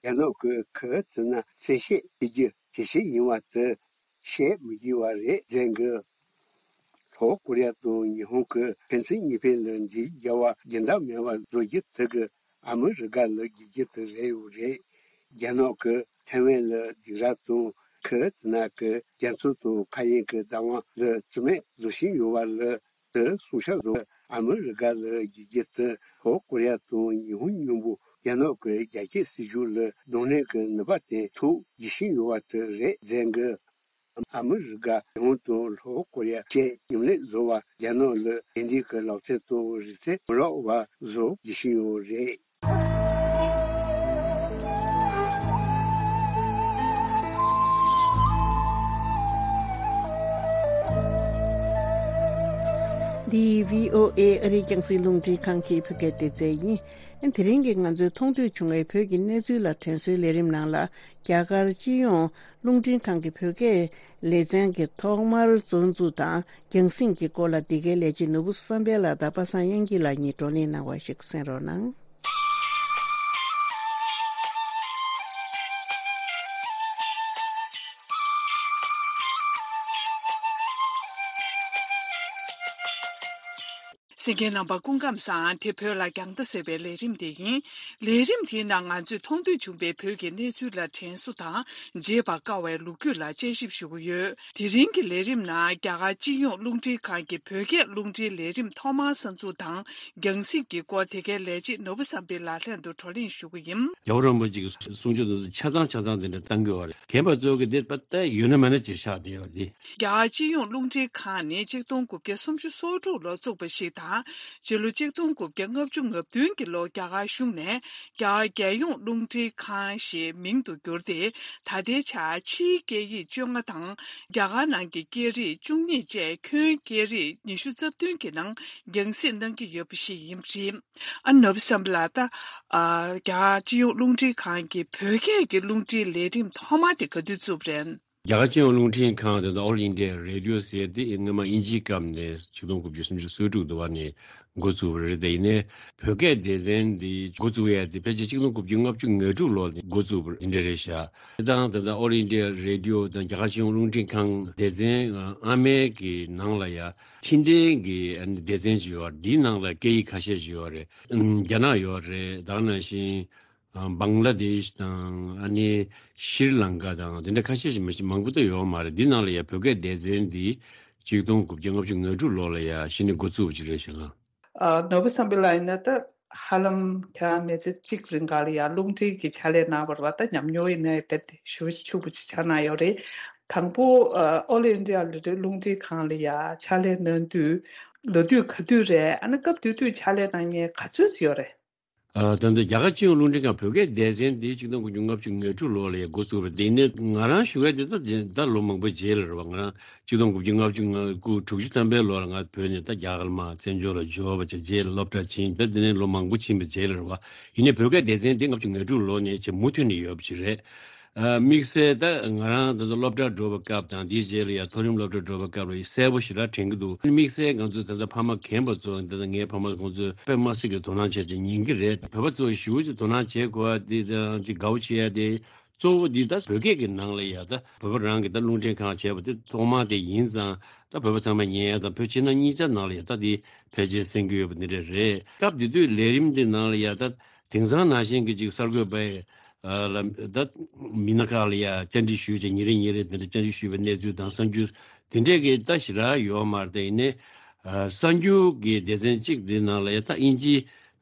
རྒྱ་ནག་གིས་ཁུལ་དེ་ནང་བཙན་ཤེད་བྱེད་རྒྱུ་ཇེ་ཆེ་ཡིན་པ་དེ་བཤད་མི་དགོས་པ་རེད་ཟེར་གི། ལྷོ་ཀོ་རི་ཡ་དང་ཉི་ཧོང་གིས་ཕན་ཚུན་གཉིས་ཕན་ལ་འཛིང་རྒྱག་པ་རྒྱུན་ལྡན་མེད་པ་བཟོ་རྒྱུ་དེ་གིས་ཨ་མི་རི་ཀ་ལ་དགོས་རྒྱུ་དེ་རེད་ཡོད་རེད། རྒྱ་ནག་གིས་ ཐའེ་ཝན་ལ་སྡིགས་ར་དང་། ཁུ་ཏི་ན་གི་རྒྱ་མཚོ་དང་མཁའ་དབྱིངས་ཀྱི་བདག་དབང་ལ་རྩིས་མེད་བཟོ་བཞིན་ཡོད་པ་ལ། དེ་སྲུང་སྐྱོབ་བཟོ། ཨ་མི་རི་ཀ་ལ་རྒྱལ་རྒྱུ་དེ་ལྷོ་ཀོ་རི་ཡ་དང་ཉི་ཧོང་མཉམ་པོ་རྒྱ་ནག་གི་རྒྱ་སྐྱེད་སྲིད་ཇུས་ལ་གདོང་ལེན་གྱི་ནུས་པ་བསྟན་ཐུབ་རྒྱུ་ཞིག་ཡོད་པ་དེ་རེད་ཟེར་གི། ཨ་མི་རི་ཀ་ཉི་ཧོང་དང་ལྷོ་ཀོ་རི་ཡ་བཅས་མཉམ་ལས་བཟོ་བ། རྒྱ་ནག་ལ་དེ་འདྲའི་གི་ལག་རྩལ་དང་རིག་རྩལ་མི་རག་པ་བཟོ་རྒྱུ་ཞིག་ཡོད་རེད། འདི་བྷི་ཨོ་ཨེ་ཨ་རིའི་རྒྱང་སྲིང་རླུང་འཕྲིན་ཁང་གི་བོད་སྐད་སྡེ་ཚན་ཡིན། དེ་རིང་གི་ང་ཚོའི་མཐོང་ཐོས་བྱུང་བའི་བོད་ཀྱི་གནས་ཚུལ་ལ་དྲན་གསོའི་ལས་རིམ་ནང་ལ། རྒྱ་གར་སྤྱི་ཡོངས་རླུང་འཕྲིན་ཁང་གི་བོད་སྐད་ལེ་ཚན་གྱི་ཐོག་མར་བཙོན་འཇུག་དང་རྒྱང་སྲིང་གི་སྐོར་ལ། འདི་གའི་ལས་བྱེད་ནོར་བུ་བསམ་འཕེལ་ལགས་དང་པ་སངས་དབྱངས་སྐྱིད་ལགས་གཉིས་བགྲོ་གླེང་གནང་བ་ཞིག་གསན་རོགས་གནང་། གསན་མཁན་རྣམ་པ་སྐུ་ཁམས་བཟང་། དེ་བོད་ལ་རྒྱང་ལྟ་ཟེར་བའི་ལས་རིམ་དེ་ཡིན། ལས་རིམ་དེའི་ནང་ང་ཚོས་མཐོང་ཐོས་བྱུང་བའི་བོད་ཀྱི་གནས་ཚུལ་ལ་དྲན་གསོ་དང་། བརྗེད་པར་དཀའ་བའི་ལོ་རྒྱུས་ལ་དཔྱད་ཞིབ་ཞུ་གི་ཡོད། དེ་རིང་གི་ལས་རིམ་ནང་རྒྱ་གར་སྤྱི་ཡོངས་རླུང་འཕྲིན་ཁང་གི་བོད་སྐད་རླུང་འཕྲིན་ལས་རིམ་ཐོག་མར་གསར་འཛུགས་དང་རྒྱང་སྲིང་གི་སྐོར། དེ་གའི་ལས་བྱེད་ནོར་བུ་བསམ་འཕེལ་ལགས་ལྷན་དུ་བགྲོ་གླེང་ཞུ་གི་ཡིན། རྒྱལ་བ་རིན་པོ་ཆེ་གི་གསུང་ཆོས་དེ་ཚོ་ཆ་ཚང་ཆ་ཚང་དེ་འདྲ་བཏང་གི་ཡོད་རེད། རྒན་པ་ཚོ་གི་དེ་པ་ད་ཡོད་ན་མེད་ན་ཅིག་ཆགས་བསྡད་ཡོད་རེད། རྒྱ་གར་སྤྱི་ཡོངས་རླུང་འཕྲིན་ཁང་ནི་གཅིག་སྟོང་དགུ་བརྒྱ་སུམ་ཅུ་སོ་དྲུག་ལོར་བཙུགས་པ་ཞིག་དང་། སྤྱི་ལོ་གཅིག་སྟོང་དགུ་བརྒྱ་ལྔ་བཅུ་ང་བདུན་གྱི་ལོར་རྒྱ་གར་གཞུང་ནས་རྒྱ་གར་རྒྱལ་ཡོངས་རླུང་འཕྲིན་ཁང་ཞེས་མིང་དུ་བསྒྱུར་ཏེ། ད་ལྟའི་ཆར་ཕྱིའི་སྐད་ཡིག་བཅོ་ལྔ་དང་། རྒྱ་གར་ནང་གི་སྐད་རིགས་བཅུ་གཉིས་བཅས་ཁྱོན་སྐད་རིགས་ཉི་ཤུ་རྩ་བདུན་གྱི་ནང་རྒྱང་སྲིང་གནང་གི་ཡོད་པ་ཞིག་ཡིན་པ་རེད། ཨ་ནོར་བུ་བསམ་འཕེལ་ལགས། ད་ཨ་རྒྱ་གར་སྤྱི་ཡོངས་རླུང་འཕྲིན་ཁང་གི་བོད་སྐད་ཀྱི་རླུང་འཕྲིན་ལས་རིམ་ཐོག་མ་དེ་ག་དུས་བཙུགས་པ་རེད། རྒྱ་གར་སྤྱི་ཡོངས་རླུང་འཕྲིན་ཁང་དེ་ཚོ་All India Radio ཟེར་དེ་སྔོན་མ་དབྱིན་ཇིའི་སྐབས་ནས་ཆིག་སྟོང་དགུ་བརྒྱ་སུམ་ཅུ་སོ་དྲུག་དུ་བ་ནས་འགོ་བཙུགས་པ་རེད། དེ་ཡིན་ནའི་བོད་སྐད་སྡེ་ཚན་འདི་འགོ་བཙུགས་ཡ་དེ་ཕལ་ཆེར་ཆིག་སྟོང་དགུ་བརྒྱ་ལྔ་བཅུ་ང་དྲུག་ལོ་ནས་འགོ་བཙུགས་པ་འདི་འདྲ་རེད་ཤག་དེ་དང་དེ་དང་All India Radio དང་རྒྱ་གར་སྤྱི་ཡོངས་རླུང་འཕྲིན་ཁང་སྡེ་ཚན་ཨ་མའི་གི་ནང་ལ་ཡ་ཕྱི་འབྲེལ་གྱི་སྡེ་ཚན་ཅིག་ཡོད་རེད། འདིའི་ནང་ལ་སྐད་ཡིག་ཁ་ཤས་ཅིག་ཡོད་རེད། རྒྱ་ནག་ཡོད་རེད། ད་ག་ནང་བཞིན། ཨ་བང་ལ་དེཤ་དང་ཨ་ནི་ཤྲི་ལང་ཀ་དང་དེ་འདྲ་ཁ་ཤས་ཤིག་མ་གཞི་མང་པོ་ད་ཡོད་མ་རེད། འདི་ནང་ལ་ཡ་བོད་སྐད་སྡེ་ཚན་འདི་ཆིག་སྟོང་དགུ་བརྒྱ་ལྔ་བཅུ་ང་དྲུག་ལོ་ལ་ཡ་གཞི་ནས་འགོ་བཙུགས་པ་ཅིག་རེད་ཤག་ཨ་ནོར་བུ་བསམ་འཕེལ་ལགས་ཡིན་ན་ད་ཧ་ལམ་ཁྱེད་རང་མི་ཚེ་གཅིག་རིང་ག་ལ་ཡ་རླུང་འཕྲིན་གྱི་ཕྱག་ལས་གནང་བ་རེད་པ། ད་ཉམས་མྱོང་ཡིན་ན་རྦད་དེ་ཞེ་པོ་ཅིག་ཕྱུག་པོ་ཅིག་ཆགས་གནང་ཡོད་རེད། དང་པོ་ཨ་All India Radio རླུང་འཕྲིན་ཁང་ལ་ཡ་ཕྱག་ལས་གནང་དུས་ལོ་དུས་ག་དུས་རེད། ཨ་ནི་སྐབས་དེ་དུས་ཕྱག་ལས་གནང་མཁན་ག་ཚོད་ཅིག་ཡོད་རེད། ཨ་ད་ལྟ་རྒྱ་གར་སྤྱི་ཡོངས་རླུང་འཕྲིན་ཁང་བོད་སྐད་སྡེ་ཚན་འདི་ཆིག་སྟོང་དགུ་བརྒྱ་ལྔ་བཅུ་ང་དྲུག་ལོ་ལ་ཡ་འགོ་བཙུགས་པ་རེད། དེ་ནས་ང་རང་ཞུ་ཡ་དེ་ད་ད་ལོ་མང་པོ་རྗེས་ལ་རེད་པ། ང་རང་ཆིག་སྟོང་དགུ་བརྒྱ་ལྔ་བཅུ་ང་དགུ་དྲུག་ཅུ་ཐམ་པའི་ལོ་ལ་ང་བོད་ནས་ད་རྒྱ་གར་མར་བཙན་བྱོལ་ལ་འབྱོར་བ་བྱས། རྗེས་ལ་སློབ་གྲྭ་ཕྱིན། ད་དེ་ནས་ལོ་མང་པོ་ཕྱིན་པའི་རྗེས་ལ་རེད་པ། ཡིན་ནའི་བོད་སྐད་སྡེ་ཚན་འདི་ལྔ་བཅུ་ང་དྲུག་ལོ་ནས་བྱས་མུ་མཐུད་ནས་ཡོད་པ་ཅིག་རེད། ཨ་དམིགས་བསལ་ད་ང་རང་ད་ལྟ་སློབ་གྲྭར་འགྲོ་བའི་སྐབས་དང་དེའི་རྗེས་ལ་ཡ་མཐོ་རིམ་སློབ་གྲྭར་འགྲོ་བའི་སྐབས་ལ་ཡ་གསལ་པོ་ཞེ་དྲག་དྲན་གྱི་འདུག་དམིགས་བསལ་ང་ཚོ་ད་ལྟ་ཕ་མ་རྒན་པ་ཚོ་ད་ལྟ་ངའི་ཕ་མ་ཁོང་ཚོས་དཔེ་མ་སྲིད་ཀྱི་དོ་སྣང་བྱས་ཏེ་ཉན་གྱི་རེད། བོད་པ་ཚོ་ཞེ་པོ་ཅིག་དོ་སྣང་བྱེད་དགོས་པ་དེ་དང་ཅིག་དགའ་པོ་བྱེད་ཡ་དེ་གཙོ་བོ་འདི་ད་བོད་སྐད་ཀྱི་ནང་ལ་ཡ་ད་བོད་པ་རང་གི་ད་རླུང་འཕྲིན་ཁང་བྱས་པ་དེ་ཐོག་མ་དེ་ཡིན་ཙང་། ད་བོད་པ་ཚང་མས་ཉན་ཡ་དང་བོད་ཕྱི་ནང་གཉིས་ཆ་ནང་ལ་ཡ་ད་དེ་ཕལ་ཆེར་གསན་གྱི་ཡོད་པ་འདི་འདྲ་རེད། སྐབས་དེ་དུས་ལས་རིམ་འདི་ནང་ལ་ཡ་ད་དེང་སང་ནང་བཞིན་གྱི་ཅིག་གསར་འགོད་པས་ཨ་ལ་ད་མི་སྣ་ཁག་ལ་ཡ་བཅར་འདྲི་ཞུས་བྱས་ཉིན་རེ་ཉིན་རེ་དེ་འདྲ་བཅར་འདྲི་ཞུས་པའི་གནས་ཚུལ་དང་གསར་འགྱུར་དེ་འདྲས་ཀྱི་ད་ཞེ་དྲག་ཡོད་མ་རེད། དེ་ཡིན་ནའི་ཨ་གསར་འགྱུར་གྱི་སྡེ་ཚན་གཅིག་འདི་ནང་ལ་ཡ་ད་དབྱིན་ཇི་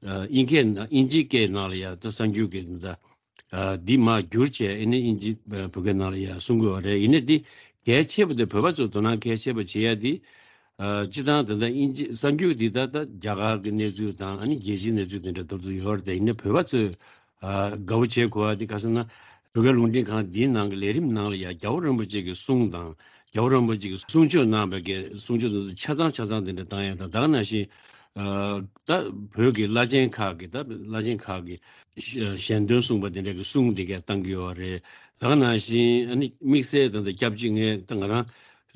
ཨ་དབྱིན་སྐད་ནང་དབྱིན་ཇིའི་སྐད་ནང་ལ་ཡ་ད་གསར་འགྱུར་གྱི་ད་ཨ་འདི་མར་བསྒྱུར་བྱས་ཨ་ནི་དབྱིན་ཇི་ཨ་བོད་སྐད་ནང་ལ་ཡ་གསུང་དགོས་པ་རེད། ཡིན་ནའི་འདི་གལ་ཆེ་བ་དེ་བོད་པ་ཚོ་དོ་སྣང་གལ་ཆེ་བ་བྱེད་ཡ་འདི། ཨ་སྤྱིར་བཏང་ད་ལྟ་དབྱིན་ཇི་གསར་འགྱུར་འདི་ད་ལྟ་རྒྱ་གར་གྱི་གནས་ཚུལ་དང་ཨ་ནི་རྒྱལ་སྤྱིའི་གནས་ཚུལ་དེ་འདྲ་ད་དུང་ཡོད་རེད། དེ་ཡིན་ན་བོད་པ་ཚོས་ཨ་དགའ་པོ་བྱེད་དགོས་པ་འདི་ག་ཟེར་ན། བོད་སྐད་རླུང་འཕྲིན་ཁང་འདིའི་ནང་གི་ལས་རིམ་ནང་ལ་ཡང་རྒྱལ་བ་རིན་པོ་ཆེ་གི་གསུང་དང་རྒྱལ་བ་རིན་པོ་ཆེ་གི་གསུང་ཆོས་གནང་བའི་གི་གསུང་ཆོས་དེ་ཚོ་ཆ་ཚང་ཆ་ཚང་དེ་འདྲ་བཏང་ཡ་དང་། ད་ག་ནང་བཞིན་ཨ་ད་བོད་ཀྱི་བླ་ཆེན་ཁག་གི་ད་བླ་ཆེན་ཁག་གི་ཞལ་འདོན་གསུངས་པ་དེ་འདྲ་གི་གསུང་དེ་གས་བཏང་གི་ཡོད་རེད། ད་ག་ནང་བཞིན་ཨ་ནི་དམིགས་བསལ་ད་ལྟ་སྐྱབས་རྗེ་ངས་ད་ང་རང་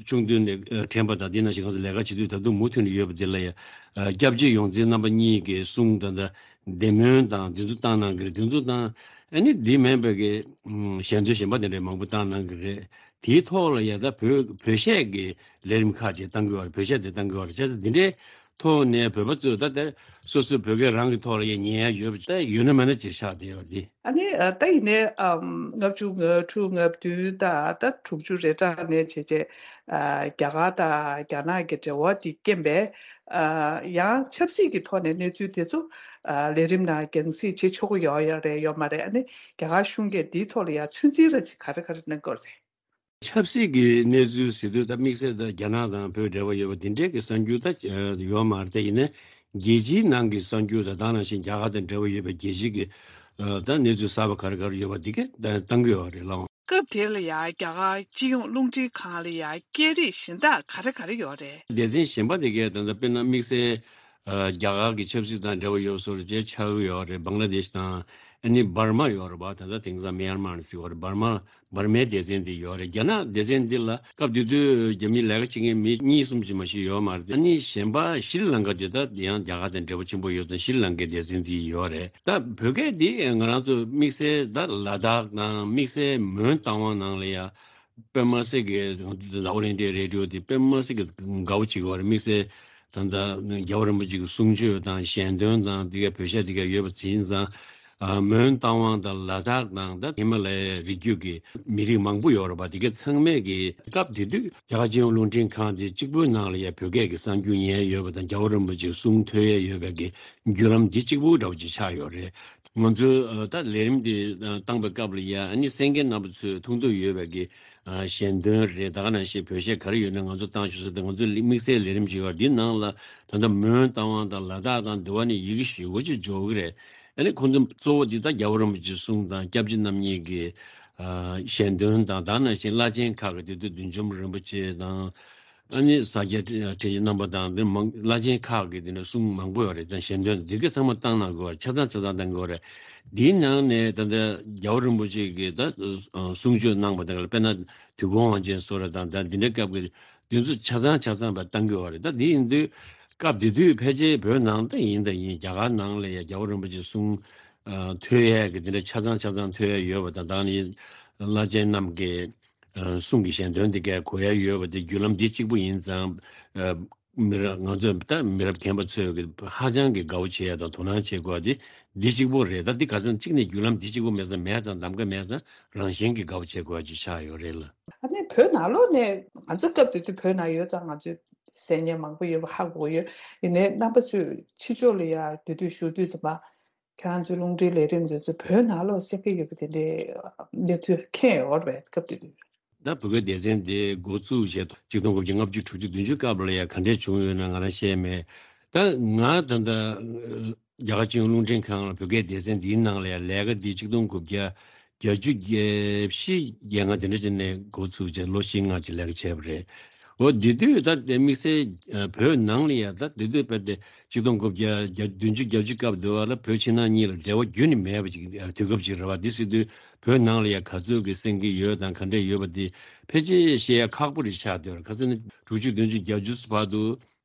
ཆུང་དུས་ནས་ཨ་དྲན་པ་དང་དེ་ནང་བཞིན་ང་ཚོ་ལས་ཀ་བྱེད་དུས་ད་དུང་མུ་མཐུད་ནས་ཡོད་པ་དེ་ལ་ཡ་ཨ་སྐྱབས་རྗེ་ཡོངས་འཛིན་རྣམ་པ་གཉིས་ཀྱི་གསུང་དང་ད་བདེ་སྨོན་དང་དེ་ཚོ་བཏང་གནང་གི་རེད། དེ་ཚོ་དང་ཨ་ནི་འདི་མིན་པའི་གི་ཨམ་ཞལ་འདོན་གཞན་པ་དེ་འདྲ་མང་པོ་བཏང་གནང་གི་རེད། དེའི་ཐོག་ལ་ཡ་ད་བོད་བོད་གཞས་ཀྱི་ལས་རིམ་ཁག་ཅིག་བཏང་གི་ཡོད་རེད། བོད་གཞས་དེ་བཏང་གི་ཡོད་རེད། བྱས་ཙང་འདི་འདྲའི་ ཐོག་ནས་བོད་པ་ཚོས་ད་ལྟ་སོ་སོའི་བོད་སྐད་རང་གི་ཐོག་ལ་ཡང་ཉན་ཡ་ཡོད་པ་ད་ཡོད་ན་མེད་ན་ཅིག་ཆགས་བསྡད་ཡོད་རེད། ཨ་ནི་ཨ་ད་ཡིན་ནའི་ཨམ་ལྔ་བཅུ་ང་དྲུག་ང་བདུན་དང་ད་དྲུག་ཅུ་རེ་གྲངས་ནས་བྱས་བྱས་ཨ་རྒྱ་གར་དང་རྒྱ་ནག་གི་འབྲེལ་བ་དེ་རྐྱེན་པས་ཨ་ཡང་ཆབ་སྲིད་ཀྱི་ཐོག་ནས་གནས་ཚུལ་དེ་ཚོ་ཨ་ལས་རིམ་ནང་རྒྱང་སྲིང་བྱེད་ཆོག་གི་ཡོད་ཡོད་རེད་ཡོད་མ་རེད། ཨ་ནི་རྒྱ་གར་གཞུང་གིས་འདིའི་ཐོག་ལ་ཡང་ཚོད་འཛིན་ར་ཅིག་ག་རེ་ག་རེ་གནང་གི་ཡོད་རེད། ཆབ་སྲིད་ཀྱི་གནས་ཚུལ་ཟེར་དུས་ད་དམིགས་བསལ་ད་རྒྱ་ནག་དང་བོད་འབྲེལ་བ་ཡོད་པ་འདི་འདྲའི་གི་གསར་འགྱུར་ད་ཡོད་མ་རེད། ད་ཡིན་ནའི་རྒྱལ་སྤྱིའི་ནང་གི་གསར་འགྱུར་ད་ད་ནང་བཞིན་རྒྱ་གར་དང་འབྲེལ་བ་ཡོད་པའི་རྒྱལ་སྤྱི་གི་ད་གནས་ཚུལ་གསར་པ་ག་རེ་ག་རེ་ཡོད་པ་འདི་གས་ད་བཏང་གི་ཡོད་རེད་ལགས། སྐབས་དེ་ལ་ཡང་རྒྱ་གར་སྤྱི་ཡོངས་རླུང་འཕྲིན་ཁང་ལ་ཡང་སྐད་རིགས་གཞན་དག་ག་རེ་ག་རེ་ཡོད་རེད། སྡེ་ཚན་གཞན་པ་དེ་གས་ད་ལྟ་དཔེར་ན་དམིགས་བསལ་རྒྱ་གར་གྱི་ཆབ་སྲིད་དང་འབྲེལ་བ་ཡོད་བཟོ་འདྲ་ཅིག་ཆགས་ཀྱི་ཡོད་རེད། བང་ལ་དེཤ་དང་ཨ་ནི་འབར་མ་ཡོད་རེད་པ། ད་ལྟ་དེང་སང་མི་ཡར་མར་ཟེར་བ་རེད། འབར་མ་འབར་མའི་སྡེ་ཚན་དེ་ཡོད་རེད། རྒྱ་ནག་སྡེ་ཚན་འདི་ལ་སྐབས་དེ་དུས་རྒྱ་མིའི་ལས་ཀ་བྱེད་མཁན་མི་གཉིས་གསུམ་ཅིག་མ་ཞིག་ཡོད་མ་རེད། ཨ་ནི་གཞན་པ་ཤྲི་ལང་ཀ་དེ་ད་ཡང་རྒྱ་གར་དང་འབྲེལ་བ་ཆེན་པོ་ཡོད་ཙང་ཤྲི་ལང་ཀའི་སྡེ་ཚན་དེ་ཡོད་རེད། ད་བོད་སྐད་འདི་ང་རང་ཚོ་དམིགས་བསལ་ད་ལ་དྭགས་དང་དམིགས་བསལ་མོན་རྟ་དབང་ནང་ལ་ཡ་དཔེ་མ་སྲིད་ཀྱི་ང་ཚོ་ད་ཨོལ་ཨིན་ཌི་ཡ་རེ་ཌི་ཡོ་དེ་དཔེ་མ་སྲིད་ཀྱི་དགའ་བོ་བྱེད་ཀྱི་ཡོད་རེད། དམིགས་བསལ་ད་ལྟ་རྒྱལ་བ་རིན་པོ་ཆེ་གི་གསུང་ཆོས་དང་ཞལ་འདོན་དང་དེ་ག་བོད་ཤག་དེ་ག་ཡོད་པ་ཡིན་ཙང་། མོན་རྟ་དབང་དང་ལ་དྭགས་དང་ད་ཧི་མ་ལ་ཡའི་རི་རྒྱུད་ཀྱི་མི་རིགས་མང་པོ་ཡོད་རེད་པ། དེ་ག་ཚང་མས་ཀྱི་སྐབས་དེ་དུས་རྒྱ་གར་སྤྱི་ཡོངས་རླུང་འཕྲིན་ཁང་དེ་གཅིག་པུའི་ནང་ལ་ཡ་བོད་སྐད་ཀྱི་གསར་འགྱུར་ཉན་ཡོད་པ་དང་རྒྱལ་བ་རིན་པོ་ཆེའི་གསུང་ཐོས་ཡ་ཡོད་པའི་གི་བརྒྱུད་ལམ་འདི་གཅིག་པུ་འདྲ་བོ་ཅིག་ཆགས་ཡོད་རེད། ང་ཚོས་ད་ལས་རིམ་འདི་བཏང་པའི་སྐབས་ལ་ཡ་ཨ་ནི་གསན་མཁན་རྣམ་པ་ཚོས་མཐོང་ཐོས་ཡོད་པའི་གི་ཞལ་འདོན་རེད། ད་ག་ནང་བཞིན་བོད་གཞས་ག་རེ་ཡོད་ན་ང་ཚོ་བཏང་ཆོག་ཟེར་ཏེ་ང་ཚོ་དམིགས་བསལ་ལས་རིམ་ཞིག་ཡོད། འདི་ནང་ལ་ད་ལྟ་མོན་རྟ་དབང་དང་ལ་དྭགས་དང་འདི་བ་ནི་ཡི་གེ་ཞེ་པོ་ཅིག་འཇོག་གི་རེད། ཨ་ནི་ཁོང་ཚོ་གཙོ་བོ་འདི་ད་རྒྱལ་བ་རིན་པོ་ཆེའི་གསུང་དང་སྐྱབས་རྗེ་རྣམ་གཉིས་ཀྱི་ཞལ་འདོན་དང་། ད་ག་ནང་བཞིན་བླ་ཆེན་ཁག་གི་དེ་དུས་བདུད་འཇོམས་རིན་པོ་ཆེ་དང་། ཨ་ནི་ས་སྐྱ་དྲིན་ཅན་རྣམ་པ་དང་འདི་མང་བླ་ཆེན་ཁག་གི་དེ་ནས་གསུང་མང་པོ་ཡོད་རེད། ད་ཞལ་འདོན་འདི་ག་ཚང་མ་བཏང་གནང་དགོས་པ་ཆ་ཚང་ཆ་ཚང་བཏང་དགོས་པ་རེད། འདིའི་ནང་ནས་ད་ལྟ་རྒྱལ་བ་རིན་པོ་ཆེ་གིས་ད་གསུང་ཆོས་གནང་པ་དང་དཔེར་ན་དུས་འཁོར་དབང་ཆེན་སོགས་རེད་དང་ད་འདི་འདྲའི་སྐབས་ཀྱི་འདི་ཚོ་ཆ་ཚང་ཆ་ཚང་བ་བཏང་གི་ཡོད་རེད། ད་འདི་ཡིན་དུས་སྐབས་དེ་དུས་ཕལ་ཆེར་བོད་ནང་ད་ཡིན་ད་ཡིན་རྒྱ་གར་ནང་ལ་ཡ་རྒྱལ་བ་རིན་པོ་ཆེ་གསུང་ཐོས་ཡས་ཀྱི་འདི་འདྲ་ཆ་ཚང་ཆ་ཚང་ཐོས་ཡས་ཡོད་པ་དང་། ད་ནི་བླ་ཆེན་རྣམས་ཀྱི་གསུང་གི་ཞལ་འདོན་འདི་གས་གོ་ཡ་ཡོད་པ་དེ་བརྒྱུད་ལམ་འདི་གཅིག་པུ་ཡིན་ཙང་། མི་རབས་ང་ཚོ་ད་མི་རབས་རྒན་པ་ཚོས་ཀྱི་ཧ་ཅང་གི་དགའ་བོ་བྱེད་ཡ་དང་དོ་སྣང་བྱེད་དགོས་པ་དེ་འདི་གཅིག་པུ་རེད། ད་འདི་ག་ཚོད་གཅིག་ནས་བརྒྱུད་ལམ་འདི་གཅིག་པུ་མེད་ཙང་མེད་དང་གདམ་ག་མེད་ཙང་རང་བཞིན་གྱི་དགའ་བོ་བྱེད་དགོས་པ་ཅིག་ཆགས་ཡོད་རེད་ལ། ཨ་ནི་བོད་ནང་ལོགས་ནས་ང་ཚོ་སྐབས་དེ་དུས་བོད་ནང་ཡོད་ཙང་ང་ཚོས་གསན་མཁན་མང་པོ་ཡོད་པ་ཧ་གོ་ཡོད། ཡིན་ནའི་རྣམ་པ་ཚོས་ཕྱི་ཕྱོགས་ལ་ཡ་དེ་དུས་བཞུགས་དུས་ཙམ་པ་ཁྱེད་རང་ཚོའི་རླུང་འཕྲིན་ལས་རིམ་དེ་ཚོ་བོད་ནང་ལོགས་གསན་གྱི་ཡོད་པ་དེ་འདྲའི་གནས་ཚུལ་མཁྱེན་ཡོད་རེད་པས་སྐབས་དེ་དུས། ད་བོད་སྐད་སྡེ་ཚན་དེ་འགོ་བཙུགས་བྱས་ཆིག་སྟོང་དགུ་བརྒྱ་ལྔ་བཅུ་དྲུག་ཅུ་བདུན་ཅུ་སྐབས་ལ་ཡ་ག་འདྲས་བྱུང་ཡོད་ན་ང་རང་ཤེས་མེད། ད་ང་ད་ལྟ་རྒྱ་གར་སྤྱི་ཡོངས་རླུང་འཕྲིན་ཁང་ལ་བོད་སྐད་སྡེ་ཚན་འདིའི་ནང་ལ་ཡ་ལས་ཀ་འདི་ཆིག་སྟོང་དགུ་བརྒྱ་བརྒྱད་ཅུ་གྱ་བཞི་གྱ་ལྔ་དེ་འདྲ་ཅིག་ནས་འགོ་བཙུགས་བྱས་ལོ་བཞི་ལྔ་ཅིག་ལས་ཀ་བྱས་པ་རེད། འོ་དེ་དུས་ད་དེ་དམིགས་བསལ་བོད་ནང་ལ་ཡ་ད་དེ་དུས་དཔེར་དེ་ཆིག་སྟོང་དགུ་བརྒྱ་བདུན་ཅུ་གྱ་བཅུ་སྐབས་དུ་བ་ལ་བོད་ཕྱི་ནང་གཉིས་ལ་འབྲེལ་བ་རྒྱུན་ནས་མེད་པ་ཅིག་དུས་སྐབས་ཅིག་རེད་བ། དེ་སྲིད་དུས་བོད་ནང་ལ་ཡ་ག་ཚོད་ཀྱི་གསན་གྱི་ཡོད་དང་ག་འདྲས་ཡོད་པ་དེ་ཕལ་ཆེར་ཤེས་ཡ་ཁག་པོ་རེད་ཆགས་བསྡད་ཡོད་རེད། ཁ་སང་ནི་དྲུག་ཅུ་བདུན་ཅུ་གྱ་བཅུ་བར་དུ་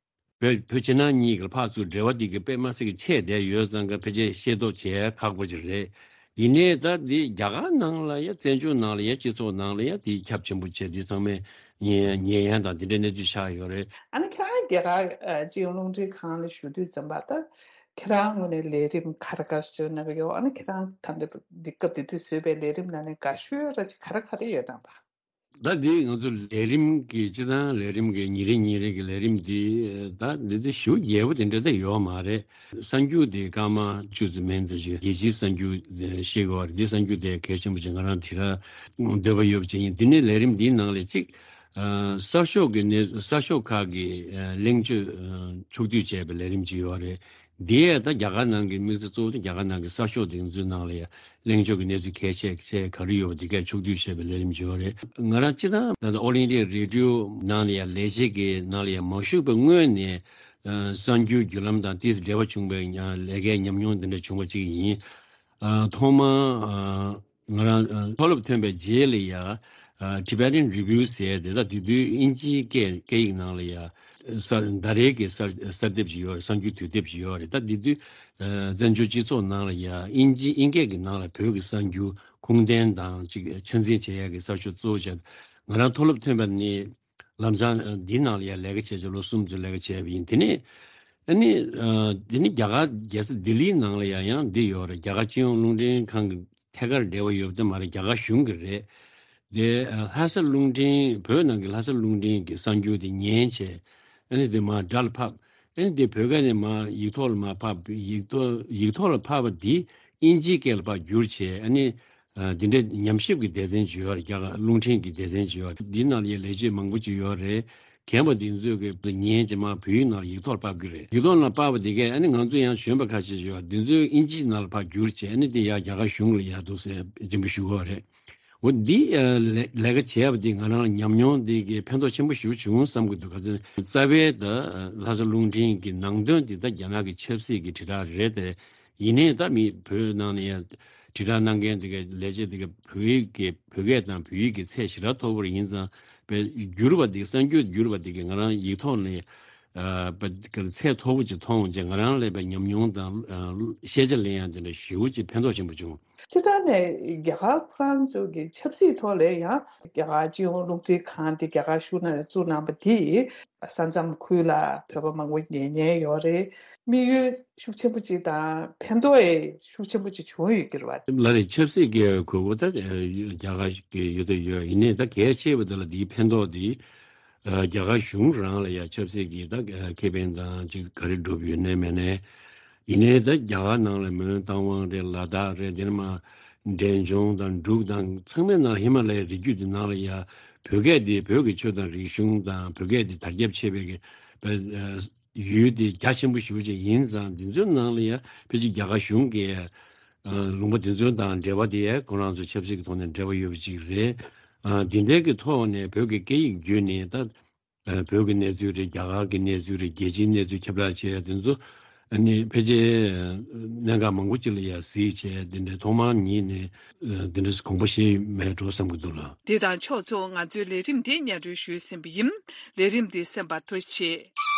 བོད་བོད་ཕྱི་ནང་གཉིས་ཀྱི་ཕར་ཚུར་འབྲེལ་བ་དེ་གི་དཔེ་མ་སྲིད་ཀྱི་ཆད་བསྡད་ཡོད་ཙང་གི་ཕལ་ཆེར་ཤེས་རྟོགས་བྱེད་ཡ་ཁག་པོ་ཅིག་རེད། ཡིན་ནའི་ད་འདི་རྒྱ་གར་ནང་ལ་ཡ་བཙན་བྱོལ་ནང་ལ་ཡ་སྤྱི་ཚོགས་ནང་ལ་ཡ་དེ་ཁྱབ་ཆེན་པོ་བྱས་འདི་ཚང་མས་ཉན་ཉན་ཡ་དང་དེ་འདྲའི་གནས་ཚུལ་ཆགས་ཡོད་རེད། ཨ་ནི་ཁྱེད་རང་རྒྱ་གར་ཨ་སྤྱི་ཡོངས་རླུང་འཕྲིན་ཁང་ལ་ཞུགས་དུས་ཙམ་པ་ད་ཁྱེད་རང་ངོས་ནས་ལས་རིམ་ག་རེ་ག་རེ་བཟོས་གནང་གི་ཡོད། ཨ་ནི་ཁྱེད་རང་ད་ལྟ་འདི་སྐབས་དེ་དུས་བཟོས་པའི་ལས་རིམ་ནང་ནས་དགའ་ཤོས་ར་ཅིག་ག་རེ་ག་རེ་ཡོད་དམ་པ། ད་འདི་ང་ཚོ་ལས་རིམ་གྱི་སྤྱི་བཏང་ལས་རིམ་གྱི་ཉིན་རེ་ཉིན་རེ་གི་ལས་རིམ་འདི་ད་འདི་འདི་ཞེ་པོ་རྒྱས་པོ་དེ་འདྲ་ད་ཡོད་མ་རེད། གསར་འགྱུར་དེ་སྐར་མ་བཅུ་ཙམ་མན་ཙམ་ཞིག་རྒྱལ་སྤྱིའི་གསར་འགྱུར་ཤེས་དགོས་པ་རེད། འདི་གསར་འགྱུར་དེ་གལ་ཆེན་པོ་ཅིག་ང་རང་དེ་ར་འདོད་པ་ཡོད་པ་ཅིག་ཡིན། འདི་ནས་ལས་རིམ་འདིའི་ནང་ལས་གཅིག་གསར་ཤོག་གི་གནས་གསར་ཤོག་ཁག་གི་གླེང་བརྗོད་ཕྱོགས་བསྡུས་བྱས་པའི་ལས་རིམ་ཅིག་ཡོད་རེད། འདི་ཡང་ད་རྒྱ་གར་ནང་གི་དམིགས་བསལ་གཙོ་བོ་དེ་རྒྱ་གར་ནང་གི་གསར་ཤོག་དེ་ཚོའི་ནང་ལ་ཡང་གླེང་ཕྱོགས་ཀྱི་གནས་ཚུལ་གལ་ཆེ་ཆེ་ག་རེ་ཡོད་པ་དེ་གས་ཕྱོགས་བསྡུས་བྱས་པའི་ལས་རིམ་ཅིག་ཡོད་རེད། ང་རང་སྤྱི་བཏང་ད་ལྟ་ཨོལ་ཨིན་ཌི་ཡ་རེ་ཌི་ཡོ་ནང་ལ་ཡང་ལས་བྱེད་ཀྱི་ནང་ལ་ཡང་མ་ཞུགས་པའི་སྔོན་ནས་གསར་འགྱུར་བརྒྱུད་ལམ་དང་ཏིས་འབྲེལ་བ་བྱུང་བའི་ལས་ཀའི་ཉམས་མྱོང་དེ་འདྲ་བྱུང་བ་ཅིག་ཡིན། ཐོག་མ་ང་རང་མཐོ་སློབ་ཐོན་པའི་རྗེས་ལ་ཡ་Tibetan Review ཟེར་དེ་ད་དེ་དུས་དབྱིན་ཇིའི་སྐད་སྐད་ཡིག་ནང་ལ་ཡ་གསར་ཟླ་རེའི་གི་གསར་གསར་དེབ་ཅིག་ཡོད་རེད། གསར་འགྱུར་དུས་དེབ་ཅིག་ཡོད་རེད། ད་དེ་དུས་བཙན་བྱོལ་སྤྱི་ཚོགས་ནང་ལ་ཡ་དབྱིན་ཇི་དབྱིན་སྐད་ཀྱི་ནང་ལ་བོད་ཀྱི་གསར་འགྱུར་ཁུངས་ལྡན་དང་ཅིག་ཆ་འཛིན་བྱེད་ཡ་གི་གསར་ཤོག་གཙོ་བོ་བྱས། ང་རང་མཐོ་སློབ་ཐོན་པ་ནས་ལམ་སང་འདིའི་ནང་ལ་ཡ་ལས་ཀ་བྱས་བྱས་ལོ་གསུམ་ཙམ་ལས་ཀ་བྱས་པ་ཡིན། དེ་ནས་ ཨ་ནི་ཨ་འདི་ནི་རྒྱ་གར་རྒྱལ་ས་ལྡི་ལིའི་ནང་ལ་ཡང་ཡང་འདི་ཡོད་རེད། རྒྱ་གར་སྤྱི་ཡོངས་རླུང་འཕྲིན་ཁང་གི་ཐད་ཀར་འབྲེལ་བ་ཡོད་པ་དེ་མ་རེད། རྒྱ་གར་གཞུང་གི་རེད། དེ་ཨ་ལྷ་ས་རླུང་འཕྲིན། བོད་ནང་གི་ལྷ་ས་རླུང་འཕྲིན་གྱི་གསར་འགྱུར་དེ་ཉན་བྱས། ཨ་ནི་དེ་མར་སྒྲ་ལ་ཕབ། ཨ་ནི་དེ་བོད་སྐད་ནས་མར་ཡིག་ཐོག་ལ་མར་ཕབ། ཡིག་ཐོག་ཡིག་ཐོག་ལ་ཕབ་པ་དེ་དབྱིན་ཇིའི་སྐད་ལ་ཕར་བསྒྱུར་བྱས། ཨ་ནི་ཨ་འདི་འདྲའི་ཉམས་ཞིབ་ཀྱི་སྡེ་ཚན་ཅིག་ཡོད་རེད། རྒྱ་གར་རླུང་འཕྲིན་གྱི་སྡེ་ཚན་ཅིག་ཡོད་རེད། འདི་ནང་ལ་ཡང་ལས་བྱེད་མང་པོ་ཅིག་ཡོད་རེད། རྒན་པ་འདི་ཚོས་ཀྱི་ཉན་བྱས་མར་བོད་ཡིག་ནང་ལ་ཡིག་ཐོག་ལ་ཕབ་ཀྱི་རེད། ཡིག་ཐོག་ནང་ཕབ་པ་དེ་གས་ཨ་ནི་ང་ཚོ་ཡང་གཞོན་པ་ཁ་ཤས་ཅིག་ཡོད། འདི་ཚོས་དབྱིན་ཇིའི་ནང་ལ་ཕར་བསྒྱུར་བྱས། ཨ་ནི་དེ་ཡང་རྒྱ་གར་གཞུང་ལ་ཡར་འདུག་སེ་འགྲེམས་སྤེལ་ཞུ་གི་ཡོད་རེད། འོ་འདི་ཨ་ལས་ལས་ཀ་བྱས་པ་འདི་ང་རང་ཉམས་མྱོང་འདི་གི་ཕན་ཐོགས་ཆེན་པོ་ཞེ་པོ་བྱུང་བསམ་གྱི་འདུག་ག་ཚོད་རྩ་བའི་ད་ལྷ་ས་རླུང་འཕྲིན་གྱི་ནང་དོན་འདི་ད་རྒྱ་ནག་གི་ཆབ་སྲིད་ཀྱི་དྲིལ་བསྒྲགས་རེད་དེ། ཡིན་ནའི་ད་མི་བོད་ནང་ནས་ཡང་དྲིལ་བསྒྲགས་གནང་མཁན་འདི་ག་ལས་བྱེད་འདི་ག་བོད་ཡིག་གི་བོད་སྐད་དང་བོད་ཡིག་གི་ཚད་ཞེ་དྲག་མཐོ་པོ་ཡིན་ཙང་། བསྒྱུར་བ་འདི་གསར་འགྱུར་བསྒྱུར་བ་འདི་ག་ང་རང་ཡིག་ཐོག་ནས་ཨ་ཚད་མཐོ་པོ་ཅིག་མཐོང་བྱས། ང་རང་ལ་ཡང་ཉམས་མྱོང་དང་ཤེས་བྱ་ལེན་ཡག་འདི་འདྲ་ཞེ་པོ་ཅིག་ཕན་ཐོགས་ཆེན་པོ་བྱུང་། སྤྱིར་བཏང་ནས་རྒྱ་གར་ཁོ་རང་ཚོ་གི་ཆབ་སྲིད་ཐོག་ལ་ཡང་རྒྱ་གར་སྤྱི་ཡོངས་རླུང་འཕྲིན་ཁང་དེ་རྒྱ་གར་གཞུང་ནས་བཙུགས་གནང་པ་དེས་ས་མཚམས་ཁུལ་ལ་བོད་པ་མང་པོ་ཉན་མཁན་ཡོད་རེད། དམིགས་ཡུལ་ཤུགས་ཆེན་པོ་ཅིག་དང་ཕན་ཐོགས་ཡང་ཤུགས་ཆེན་པོ་ཅིག་བྱུང་ཡོད་ཀྱི་རེད་བ། ལགས་རེད། ཆབ་སྲིད་ཀྱི་དགོས་མཁོ་ད་རྒྱ་གར་གྱི་ཡོད་དེ་ཡོད། ཡིན་ནའི་ད་གལ་ཆེ་བ་དེ་ལ་འདིའི་ཕན་ཐོགས་འདི་རྒྱ་གར་གཞུང་རང་ལ་ཡང་ཆབ་སྲིད་ཀྱི་ད་ཁེ་ཕན་དང་ཅིག་ག་རེ་བསྒྲུབས་ཡོད་ནའི་མེད་ནའི། ཡིན་ནའི་ད་རྒྱ་གར་ནང་ལ་མོན་རྟ་དབང་རེད། ལ་དྭགས་རེད། དེ་ནས་མར་འབྲས་ལྗོངས་དང་འབྲུག་དང་ཚང་མའི་ནང་ཧི་མ་ལ་ཡའི་རི་རྒྱུད་དེ་ནང་ལ་ཡང་བོད་སྐད་དེ་བོད་ཀྱི་ཆོས་དང་རིག་གཞུང་དང་བོད་སྐད་དེ་དར་ཁྱབ་ཆེ་བའི་གི་ཡུལ་དེ་རྒྱ་ཆེན་པོ་ཞེ་པོ་ཅིག་ཡིན་ཙང་། འདི་ཚོའི་ནང་ལ་ཡང་ཕལ་ཆེར་རྒྱ་གར་གཞུང་གིས་ལུང་པ་འདི་ཚོ་དང་འབྲེལ་བ་དེ་ཁོ་རང་ཚོ་ཆབ་སྲིད་ཀྱི་ཐོག་ནས་འབྲེལ་བ་ཡོད་པ་ཅིག་རེད། འདི་འདྲའི་གི་ཐོག་ནས་བོད་ཀྱི་སྐད་ཡིག་བརྒྱུད་ནས་ད་བོད་ཀྱི་གནས་ཚུལ་རེད། རྒྱ་གར་གྱི་གནས་ཚུལ་རེད། རྒྱལ་སྤྱིའི་གནས་ཚུལ་ཁྱབ་བསྒྲགས་བྱས་འདི་ཚོ་ཨ་ནི་ཕལ་ཆེར་གནད་འགག་མང་པོ་ཅིག་ལ་ཡང་གཟིགས་བྱས། འདི་འདྲའི་ཐོག་མར་ཉིད་ནས་འདི་འདྲའི་དགོངས་པ་བཞེས་མེད་འགྲོ་བསམ་གྱི་འདུག་ལགས། འདི་དང་ཕྱོགས་མཚུངས་ང་ཚོའི་ལས་རིམ་འདི་སྙན་སྒྲོན་ཞུས་ཟིན་པ་ཡིན། ལས་རིམ་འདི་གསན་པར་ཐུགས་རྗེ་ཆེ།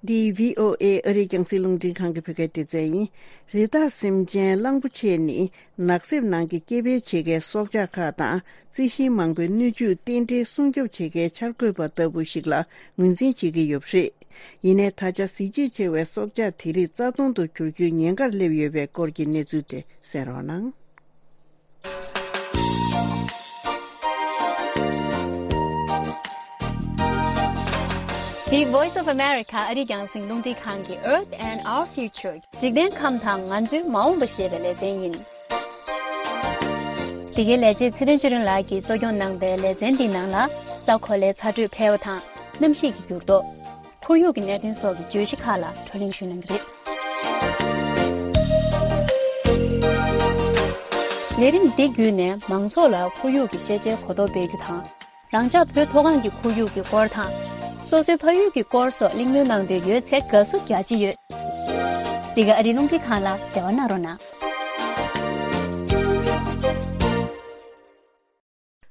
འདི་བྷི་ཨོ་ཨེ་ཨ་རིའི་རྒྱང་སྲིང་རླུང་འཕྲིན་ཁང་གི་བོད་སྐད་སྡེ་ཚན་ཡིན། རི་དྭགས་སེམས་ཅན་གླང་པོ་ཆེ་ནི་ནགས་གསེབ་ནང་གི་སྐྱེ་འཕེལ་བྱེད་མཁན་སྲོག་ཆགས་ཁག་དང་རྩི་ཤིང་མང་པོའི་སྣོད་བཅུད་རྟེན་འབྲེལ་སྲུང་སྐྱོབ་བྱེད་མཁན་འཆར་འགོད་པ་ལྟ་བུ་ཞིག་ལ་ངོས་འཛིན་བྱེད་ཀྱི་ཡོད་པ་རེད། ཡིན་ནའི་ད་ཆ་གཟི་བརྗིད་ཆེ་བའི་སྲོག་ཆགས་དེ་རིགས་རྩ་སྟོང་དུ་གྱུར་རྒྱུའི་ཉེན་ཁར་སླེབས་ཡོད་པའི་སྐོར་གྱི་གནས་ཚུལ་དེ་གསན་རོགས་གནང་། The Voice of America ཨ་རིའི་རྒྱང་སྲིང་རླུང་འཕྲིན་ཁང་གི་Earth and Our Future འཇིག་རྟེན་ཁམས་དང་ང་ཚོའི་མ་འོངས་པ་ཞེས་པའི་ལེ་ཚན་ཡིན། འདི་གའི་ལས་བྱེད་ཚེ་བརྟན་ཆོས་སྒྲོན་ལགས་ཀྱིས་གཙོ་སྐྱོང་གནང་པའི་ལེ་ཚན་འདིའི་ནང་ལ་ས་གོ་ལའི་ཚ་དྲོད་འཕེལ་བ་དང་གནམ་གཤིས་ཀྱི་འགྱུར་ལྡོག་ཁོར་ཡུག་གི་གནད་དོན་སོགས་ཀྱི་བརྗོད་གཞི་ཁག་ལ་བགྲོ་གླེང་ཞུས་གནང་གི་རེད། ལས་རིམ་འདི་བརྒྱུད་ནས་མང་ཚོགས་ལ་ཁོར་ཡུག་གི་ཤེས་བྱའི་གོ་རྟོགས་སྤེལ་རྒྱུ་དང་། རང་ཅག་བོད་མཐོ་སྒང་གི་ཁོར་ཡུག་གི་སྐོར་དང་། སོ་སོའི་ཕ་ཡུལ་གྱི་སྐོར་སོགས་གླེང་མོལ་གནང་འདོད་ཡོད་ཚེ་དགའ་བསུ་རྒྱ་ཆེ་ཡོད། འདི་ག་ཨ་རིའི་རླུང་འཕྲིན་ཁང་ལ་འབྲེལ་བ་གནང་རོགས་གནང་།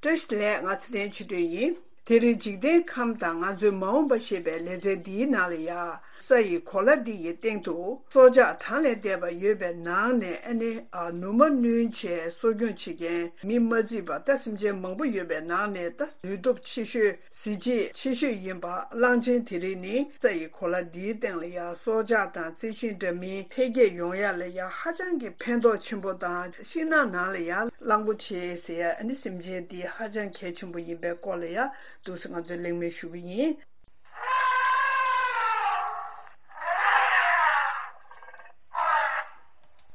བཀྲ་ཤིས་བདེ་ལེགས། ང་ཚེ་བརྟན་ཆོས་སྒྲོན་ཡིན། དེ་རིང་འཇིག་རྟེན་ཁམས་དང་ང་ཚོའི་མ་འོངས་པ་ཞེས་པའི་ལེ་ཚན་འདིའི་ནང་ལ་ཡ། ས་ཡི་གོ་ལ་འདི་ཡི་སྟེང་དུ་སྲོག་ཆགས་གྲངས་ལས་འདས་པ་ཡོད་པའི་ནང་ནས་ཨ་ནི་ཨ་ནུ་མ་བསྣུན་བྱས་གསོ་སྐྱོང་བྱེད་མཁན་མི་མ་བརྩིས་པ་ད་སེམས་ཅན་མང་པོ་ཡོད་པའི་ནང་ནས་ད་ལུས་སྟོབས་ཆེ་ཤོས། གཟི་བརྗིད་ཆེ་ཤོས་ཡིན་པ་གླང་ཆེན་དེ་རིགས་ནི་ས་ཡི་གོ་ལ་འདིའི་སྟེང་ལ་ཡང་སྲོག་ཆགས་དང་རྩི་ཤིང་འདྲ་མིན་འཕེལ་རྒྱས་ཡོང་ཡ་ལ་ཡང་ཧ་ཅང་གི་ཕན་ཐོགས་ཆེན་པོ་དང་། ཤིང་ནགས་ནང་ལ་ཡང་གླང་པོ་ཆེ་ཟེར་ཡ་ཨ་ནི་སེམས་ཅན་འདི་ཧ་ཅང་གལ་ཆེན་པོ་ཡིན་པའི་སྐོར་ལ་ཡང་འདུག་སེ་ང་ཚོས་གླེང་མོལ་ཞུ་གི་ཡིན།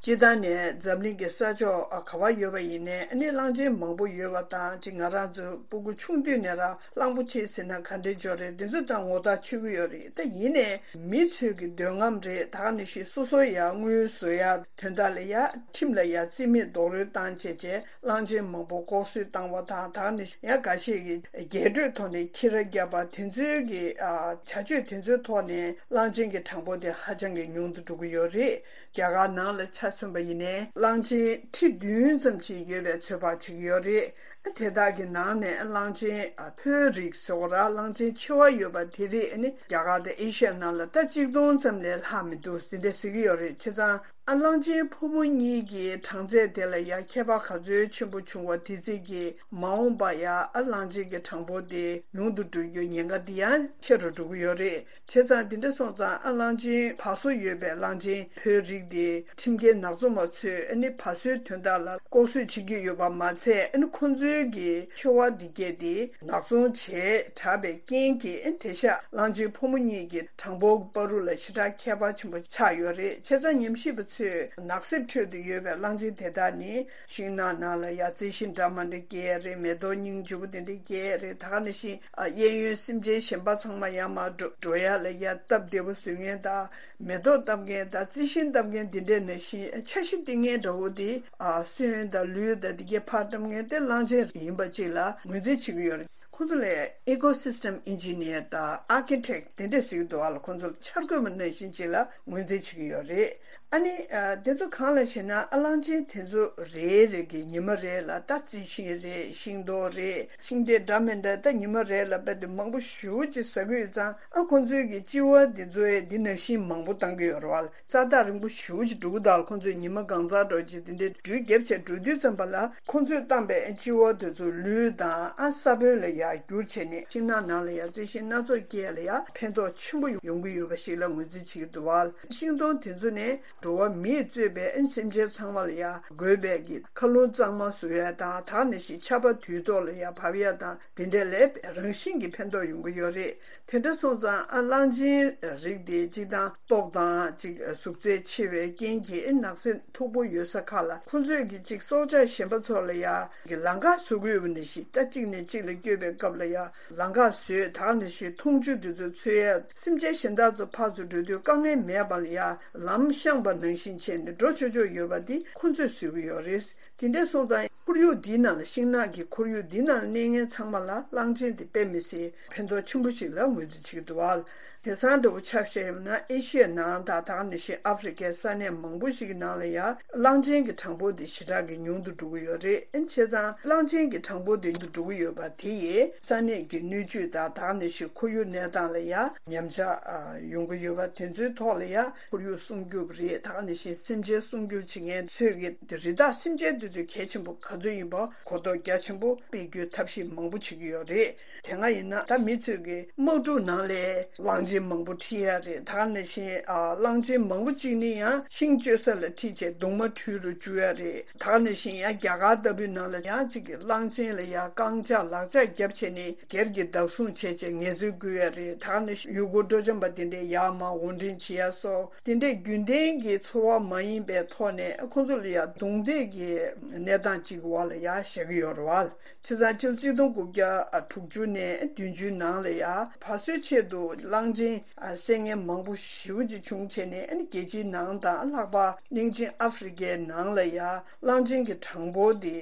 སྤྱིར་བཏང་ནས་འཛམ་གླིང་གི་ས་ཕྱོགས་ག་བ་ཡོད་པ་ཡིན་ནའི་ཨ་ནི་གླང་ཆེན་མང་པོ་ཡོད་པ་དང་། ཅིག་ང་རང་ཚོ་སྤུ་གུ་ཆུང་དུས་ནས་རང་གླང་པོ་ཆེ་ཟེར་ན་ག་འདྲ་འཇོག་རེད། འདི་ཚོ་དང་ངོ་ཐག་ཆོད་ཀྱི་ཡོད་རེད། ད་ཡིན་ནའི་མི་ཚོས་ཀྱི་འདོད་རྔམ་རེད། ད་ག་ནང་བཞིན་སོ་སོ་ཡ་དངུལ་བཟོ་ཡ་དོན་དག་ལ་ཡ་ཁྲིམས་ལ་ཡ་རྩིས་མེད་རྡོག་རོལ་བཏང་བྱས་བྱས། གླང་ཆེན་མང་པོ་ལྐོག་གསོད་བཏང་བ་དང་། ད་ནི་ཡང་འགའ་ཤས་ཀྱིས་རྒྱས་སྤྲོས་ཐོག་ནས་ཁྱི་ར་བརྒྱབ་པ་དེ་ཚོའི་གི་ཨ་བྱ་སྤྱོད་དེ་ཚོའི་ཐོག་ནས་གླང་ཆེན་གྱི་གྲངས་འབོར་དེ་ཧ་ཅང་གི་ཉུང་དུ་འགྲོ་གི་ཡོད་རེད། རྒྱ་གར་ནང་ལ་ཆ་མཚོན་པ་ཡིན་ནའི་གླང་ཆེན་ཁྲི་བདུན་ཙམ་ཅིག་ཡོད་པའི་ཚོད་དཔག་བྱེད་ཀྱི་ཡོད་རེད། དེ་དག་གི་ནང་ནས་གླང་ཆེན་ཕོའི་རིགས་ཟེར་བ་ར། གླང་ཆེན་ཆེ་བ་ཡོད་པ་དེ་རིགས་ནི་རྒྱ་གར་དང་ཨེ་ཤི་ཡ་ནང་ལ་ད་གཅིག་སྟོང་ཙམ་ལས་ལྷག་མི་འདུག་དེ་འདྲ་ཟེར་གྱི་ཡོད་རེད། བྱས་ཙང་ཨ་གླང་ཆེན་ཕོ་མོ་གཉིས་ཀྱི་གྲངས་ཚད་དེ་ལ་ཡང་ཁྱད་པར་ག་ཚོད་ཆེན་པོ་བྱུང་བ་དེ་ཚིག་གིས་མ་འོངས་པ་ཡང་ཨ་གླང་ཆེན་གྱི་གྲངས་འབོར་དེ་ཉུང་དུ་འགྲོ་རྒྱུའི་ཉེན་ཁ་དེ་ཡང་ཆེ་རུ་འགྲོ་གི་ཡོད་རེད། བྱས་ཙང་འདི་འདྲ་སོང་ཙང་ཨ་གླང་ཆེན་བ་སོ་ཡོད་པའི་གླང་ཆེན་ཕོའི་རིགས་དེ་ཁྲིམས་འགལ་ནག་ཚོང་པ་ཚོས་ཨ་ནི་བ་སོའི་དོན་དག་ལ་ལྐོག་གསོད་བྱེད་ཀྱི་ཡོད་པ་མ་ཚད། ཨ་ནི་ཁོ་ཚོའི་གི་འཚོ་བ་འདི་གས་དེ་ནག་ཚོང་བྱས་དྲགས་པའི་རྐྱེན་གྱིས་ཨ་ནི་དེང་སང་གླང་ཆེན་ཕོ་མོ་གཉིས་ཀྱི་གྲངས་འབོར་བར་དུ་ལ་ཞེ་དྲག་ཁྱད་པར་ཆེན་པོ་ཆགས་ཡོད་རེད། བྱས་ཙང་ཉམས་ཞིབ་པ་ཚོས་ནགས་གསེབ་ཁྲོད་དུ་ཡོད་པའི་གླང་ཆེན་དེ་དག་ནི་ཤིང་ནགས་ནང་ལ་ཡ་རྩི་ཤིང་འདྲ་མི་འདྲ་སྐྱེ་ཡ་རེད། མེ་ཏོག་སྙིང་རྗེ་པོ་དེ་འདྲ་སྐྱེ་ཡ་རེད། ད་ག་ནང་བཞིན་ཨ་གཡས་གཡོན་སེམས་ཅན་གཞན་པ་ཚང་མ་ཡར་མར་འགྲོ་འགྲོ་ཡ་ལ་ཡ་སྟབས་བདེ་པོ་བཟོ་མཁན་དང་། མེ་ཏོག་བཏབ་མཁན་དང་རྩི་ཤིང་བཏབ་མཁན་དེ་འདྲ་ནང་བཞིན་འཆར་གཞི་བཏིང་མཁན་འདྲ་བོ་དེ་ཨ་སོན་དང་ལུད་དང་དེ་གའི་ཕར་བཏབ་མཁན་དེ་གླང་ཆེན་ཡིན་པ་ཅིག་ལ་ངོས་འཛིན་བྱེད་ཀྱི་ཡོད་རེད། ཁོང་ཚོ་ལ་ecosystem engineer དང་architect དེ་འདྲ་ཟེར་གྱི་འདུག་ཨ་ལ། ཁོང་ཚོ་ལ་འཆར་འགོད་པ་ནང་བཞིན་ཅིག་ལ་ངོས་འཛིན་བྱེད་ཀྱི་ཡོད་རེད། ཨ་ནི་ཨ་དེ་ཚོ་གང་ལ་ཞེ་ན། ཨ་གླང་ཆེན་དེ་ཚོ་རེ་རེ་གི་ཉི་མ་རེ་ལ་ད་རྩི་ཤིང་རེད། ཤིང་ཏོག་རེད། ཤིང་འབྲས་འདྲ་མི་འདྲ་ད་ཉི་མ་རེ་ལ་རྦད་དེ་མང་པོ་ཞེ་པོ་ཅིག་ཟ་གི་ཡོད་ཙང་། ཨ་ཁོང་ཚོའི་གི་ལྕི་བ་དེ་ཚོ་ཡ་འདི་ནང་བཞིན་མང་པོ་བཏང་གི་ཡོད་རེད་བ། རྩ་ཐག་རིང་པོ་ཞེ་པོ་ཅིག་འགྲོ་གི་འདུག་ལ། ཁོང་ཚོས་ཉི་མ་གང་ཚར་འགྲོ་ཅིག་དེ་འདྲའི་འགྲུལ་བརྒྱབ་བྱས་འགྲོ་དུས་ཙམ་པ་ལ། ཁོང་ཚོས་བཏང་པའི་ལྕི་བ་དེ་ཚོ་ལུད་དང་ཨ་ས་བོན་ལ་ཡར་བསྒྱུར་བྱས་ནས་ཤིང་ནགས་ནང་ལ་ཡར་རྩི་ཤིང་སྣ་ཚོགས་སྐྱེ་ཡ་ལ་ཡར་ཕན་ཐོགས་ཆེན་པོ་ཡོང་གི་ཡོད་པ་ཞིག་ལ་ངོས་འཛིན་བྱེད་ཀྱི་འདུག་བ། ཤིང་སྡོང་དེ་ཚོ་ནས་འགྲོ་བ་མིས་གཙོས་པའི་ཨ་སེམས་ཅན་ཚང་མ་ལ་ཡར་དགོས་པའི་གི་མཁའ་རླུང་གཙང་མ་བཟོ་ཡ་དང་། ད་ག་ནང་བཞིན་ཆར་པ་དུས་ཐོག་ལ་ཡར་བབས་ཡ་དང་། དེ་འདྲ་ལས་རང་བཞིན་གྱི་ཕན་ཐོགས་ཡོང་གི་ཡོད་རེད། དེ་འདྲ་སོང་ཙང་ཨ་གླང་ཆེན་རིགས་དེ་གཅིག་དང་སྟོབས་དང་གཅིག་གཟུགས་ཚད་ཆེ་བའི་རྐྱེན་གྱིས་ཨ་ནགས་གསེབ་མཐུག་པོ་ཡོད་ས་ཁག་ལ་ཁོང་ཚོས་ཀྱི་གཅིག་སྲོག་ཆགས་གཞན་པ་ཚོ་ལ་ཡ་གི་ལམ་ཁ་བཟོ་དགོས་པ་ནང་བཞིན། ད་གཅིག་ནས་གཅིག་ལ་བསྐྱོད་པའི་སྐབས་ལ་ཡ་ལམ་ཁ་བཟོས། ད་ག་ནང་བཞིན་འཐུང་ཆུ་དེ་ཚོ་འཚོལ་ཡ། སེམས་ཅན་གཞན་དག་ཚོ་ཕར་ཚུར་འགྲོ་དུས་དཀའ་ངལ་མེད་པ་ལ་ཡ་ལམ་བཤངས་པ་ནང་བཞིན་བྱས་ནས་འགྲོ་ཆོག་ཆོག་ཡོད་པ་འདི་ཁོང་ཚོས་བཟོས་ཀྱི་ཡོད་རེད། དེ་འདྲ་སོང་ཙང་ཁོར་ཡུག་འདིའི་ནང་ལ། ཤིང་ནགས་ཀྱི་ཁོར་ཡུག་འདིའི་ནང་ལ་གནས་མཁན་ཚང་མ་ལ་གླང་ཆེན་དེ་དཔེ་མི་སྲིད་ཕན་ཐོགས་ཆེན་པོ་ཞིག་ལ་ངོས་འཛིན་བྱེད་ཀྱི་འདུག་བ། དེང་སང་འདྲ་བོ་ཆ་བཞག་ཡོད་ན་ཨེ་ཤི་ཡའི་ནང་དང་། ད་ག་ནང་བཞིན་ཨ་ཧྥེ་རི་ཁའི་ས་གནས་མང་པོ་ཞིག་གི་ནང་ལ་ཡང་གླང་ཆེན་གྱི་གྲངས་འབོར་དེ་ཞེ་དྲག་གི་ཉུང་དུ་འགྲོ་གི་ཡོད་རེད། ཨ་ནི་བྱས་ཙང་གླང་ཆེན་གྱི་གྲངས་འབོར་དེ་ཉུང་དུ་འགྲོ་གི་ཡོད་པ་དེ་ཡིས་ས་གནས་ཀྱི་སྣོད་བཅུད་དང་། ད་ག་ནང་བཞིན་ཁོར་ཡུག་གནས་སྟངས་ལ་ཡང་ཉམས་ཆག་ཨ་ཡོང་གི་ཡོད་པ་དེ་ཚོའི་ཐོག་ལ་ཡང་ཁོར་ཡུག་སྲུང་སྐྱོབ་རེད། ད་ག་ནང་བཞིན་སེམས་ཅན་སྲུང་སྐྱོབ་བྱེད་མཁན་ཚོས་ཀྱི་རི་དྭགས་སེམས་ཅན་དེ་ཚོ་གལ་ཆེན་པོ་ག་ཚོད་ཡིན་པ་གོ་རྟོགས་རྒྱ་ཆེན་པོ་སྤེལ་རྒྱུའི་ཐབས་ཤེས་མང་པོ་བྱེད་ཀྱི་ཡོད་རེད། དེ་སྔ་ཡིན་ན་ད་མི་ཚོས་ཀྱི་དམག་འཁྲུག་ནང་ལ་གླང་ཆེན་མང་པོ་ཁྲིད་ཡ་རེད། ད་ག་ནང་བཞིན་ཨ་གླང་ཆེན་མང་པོ་གཅིག་ནི་ཡང་ཤིང་གཅོད་ས་ལ་ཁྲིད་བྱས་གདུང་མ་འཁྲུད་རུ་བཅུག་ཡ་རེད། ད་ག་ནང་བཞིན་ཡང་རྒྱ་གར་ལྟ་བུའི་ནང་ལ་ཡང་གཅིག་གི་གླང་ཆེན་ལ་ཡང་རྐང་ལྕགས་ལག་ལྕགས་བརྒྱབ་བྱས་ནས་སྒེར་གྱི་བདག་བཟུང་བྱས་བྱས་ངལ་རྩོལ་བསྐུལ་ཡ་རེད། ད་ག་ནང་བཞིན་ཡུལ་སྐོར་སྤྲོ་འཆམ་པ་དེ་འདྲས་ཡར་མར་དབོར་འདྲེན་བྱེད་ཡ་སོགས་དེ་འདྲས་རྒྱུན་ལྡན་གྱི་འཚོ་བ་མ་ཡིན་པའི་ཐོག་ནས་ཁོང་ཚོ་ལ་ཡང་རྡུང་རྡེག་གི་གནས་སྟངས་གཅིག་གི་འོག་ལ་ཡང་བཞག་གི་ཡོད་རེད་བ། བྱས་ཙང་ཕྱི་ལོ་གཅིག་སྟོང་དགུ་བརྒྱ་དྲུག་ཅུ་ནས་བདུན་ཅུའི་ནང་ལ་ཡང་བ་སོའི་ཆེད་དུ་གླང་ཆེན་བསད་མཁན་མང་པོ་ཞེ་པོ་ཅིག་བྱུང་བྱས་ནས། ཨ་ནི་རྒྱལ་སྤྱིའི་ནང་དང་ལྷག་པར་གླིང་ཆེན་ཨ་ཧྥེ་རི་ཁའི་ནང་ལ་ཡང་གླང་ཆེན་གྱི་གྲངས་འབོར་དེ་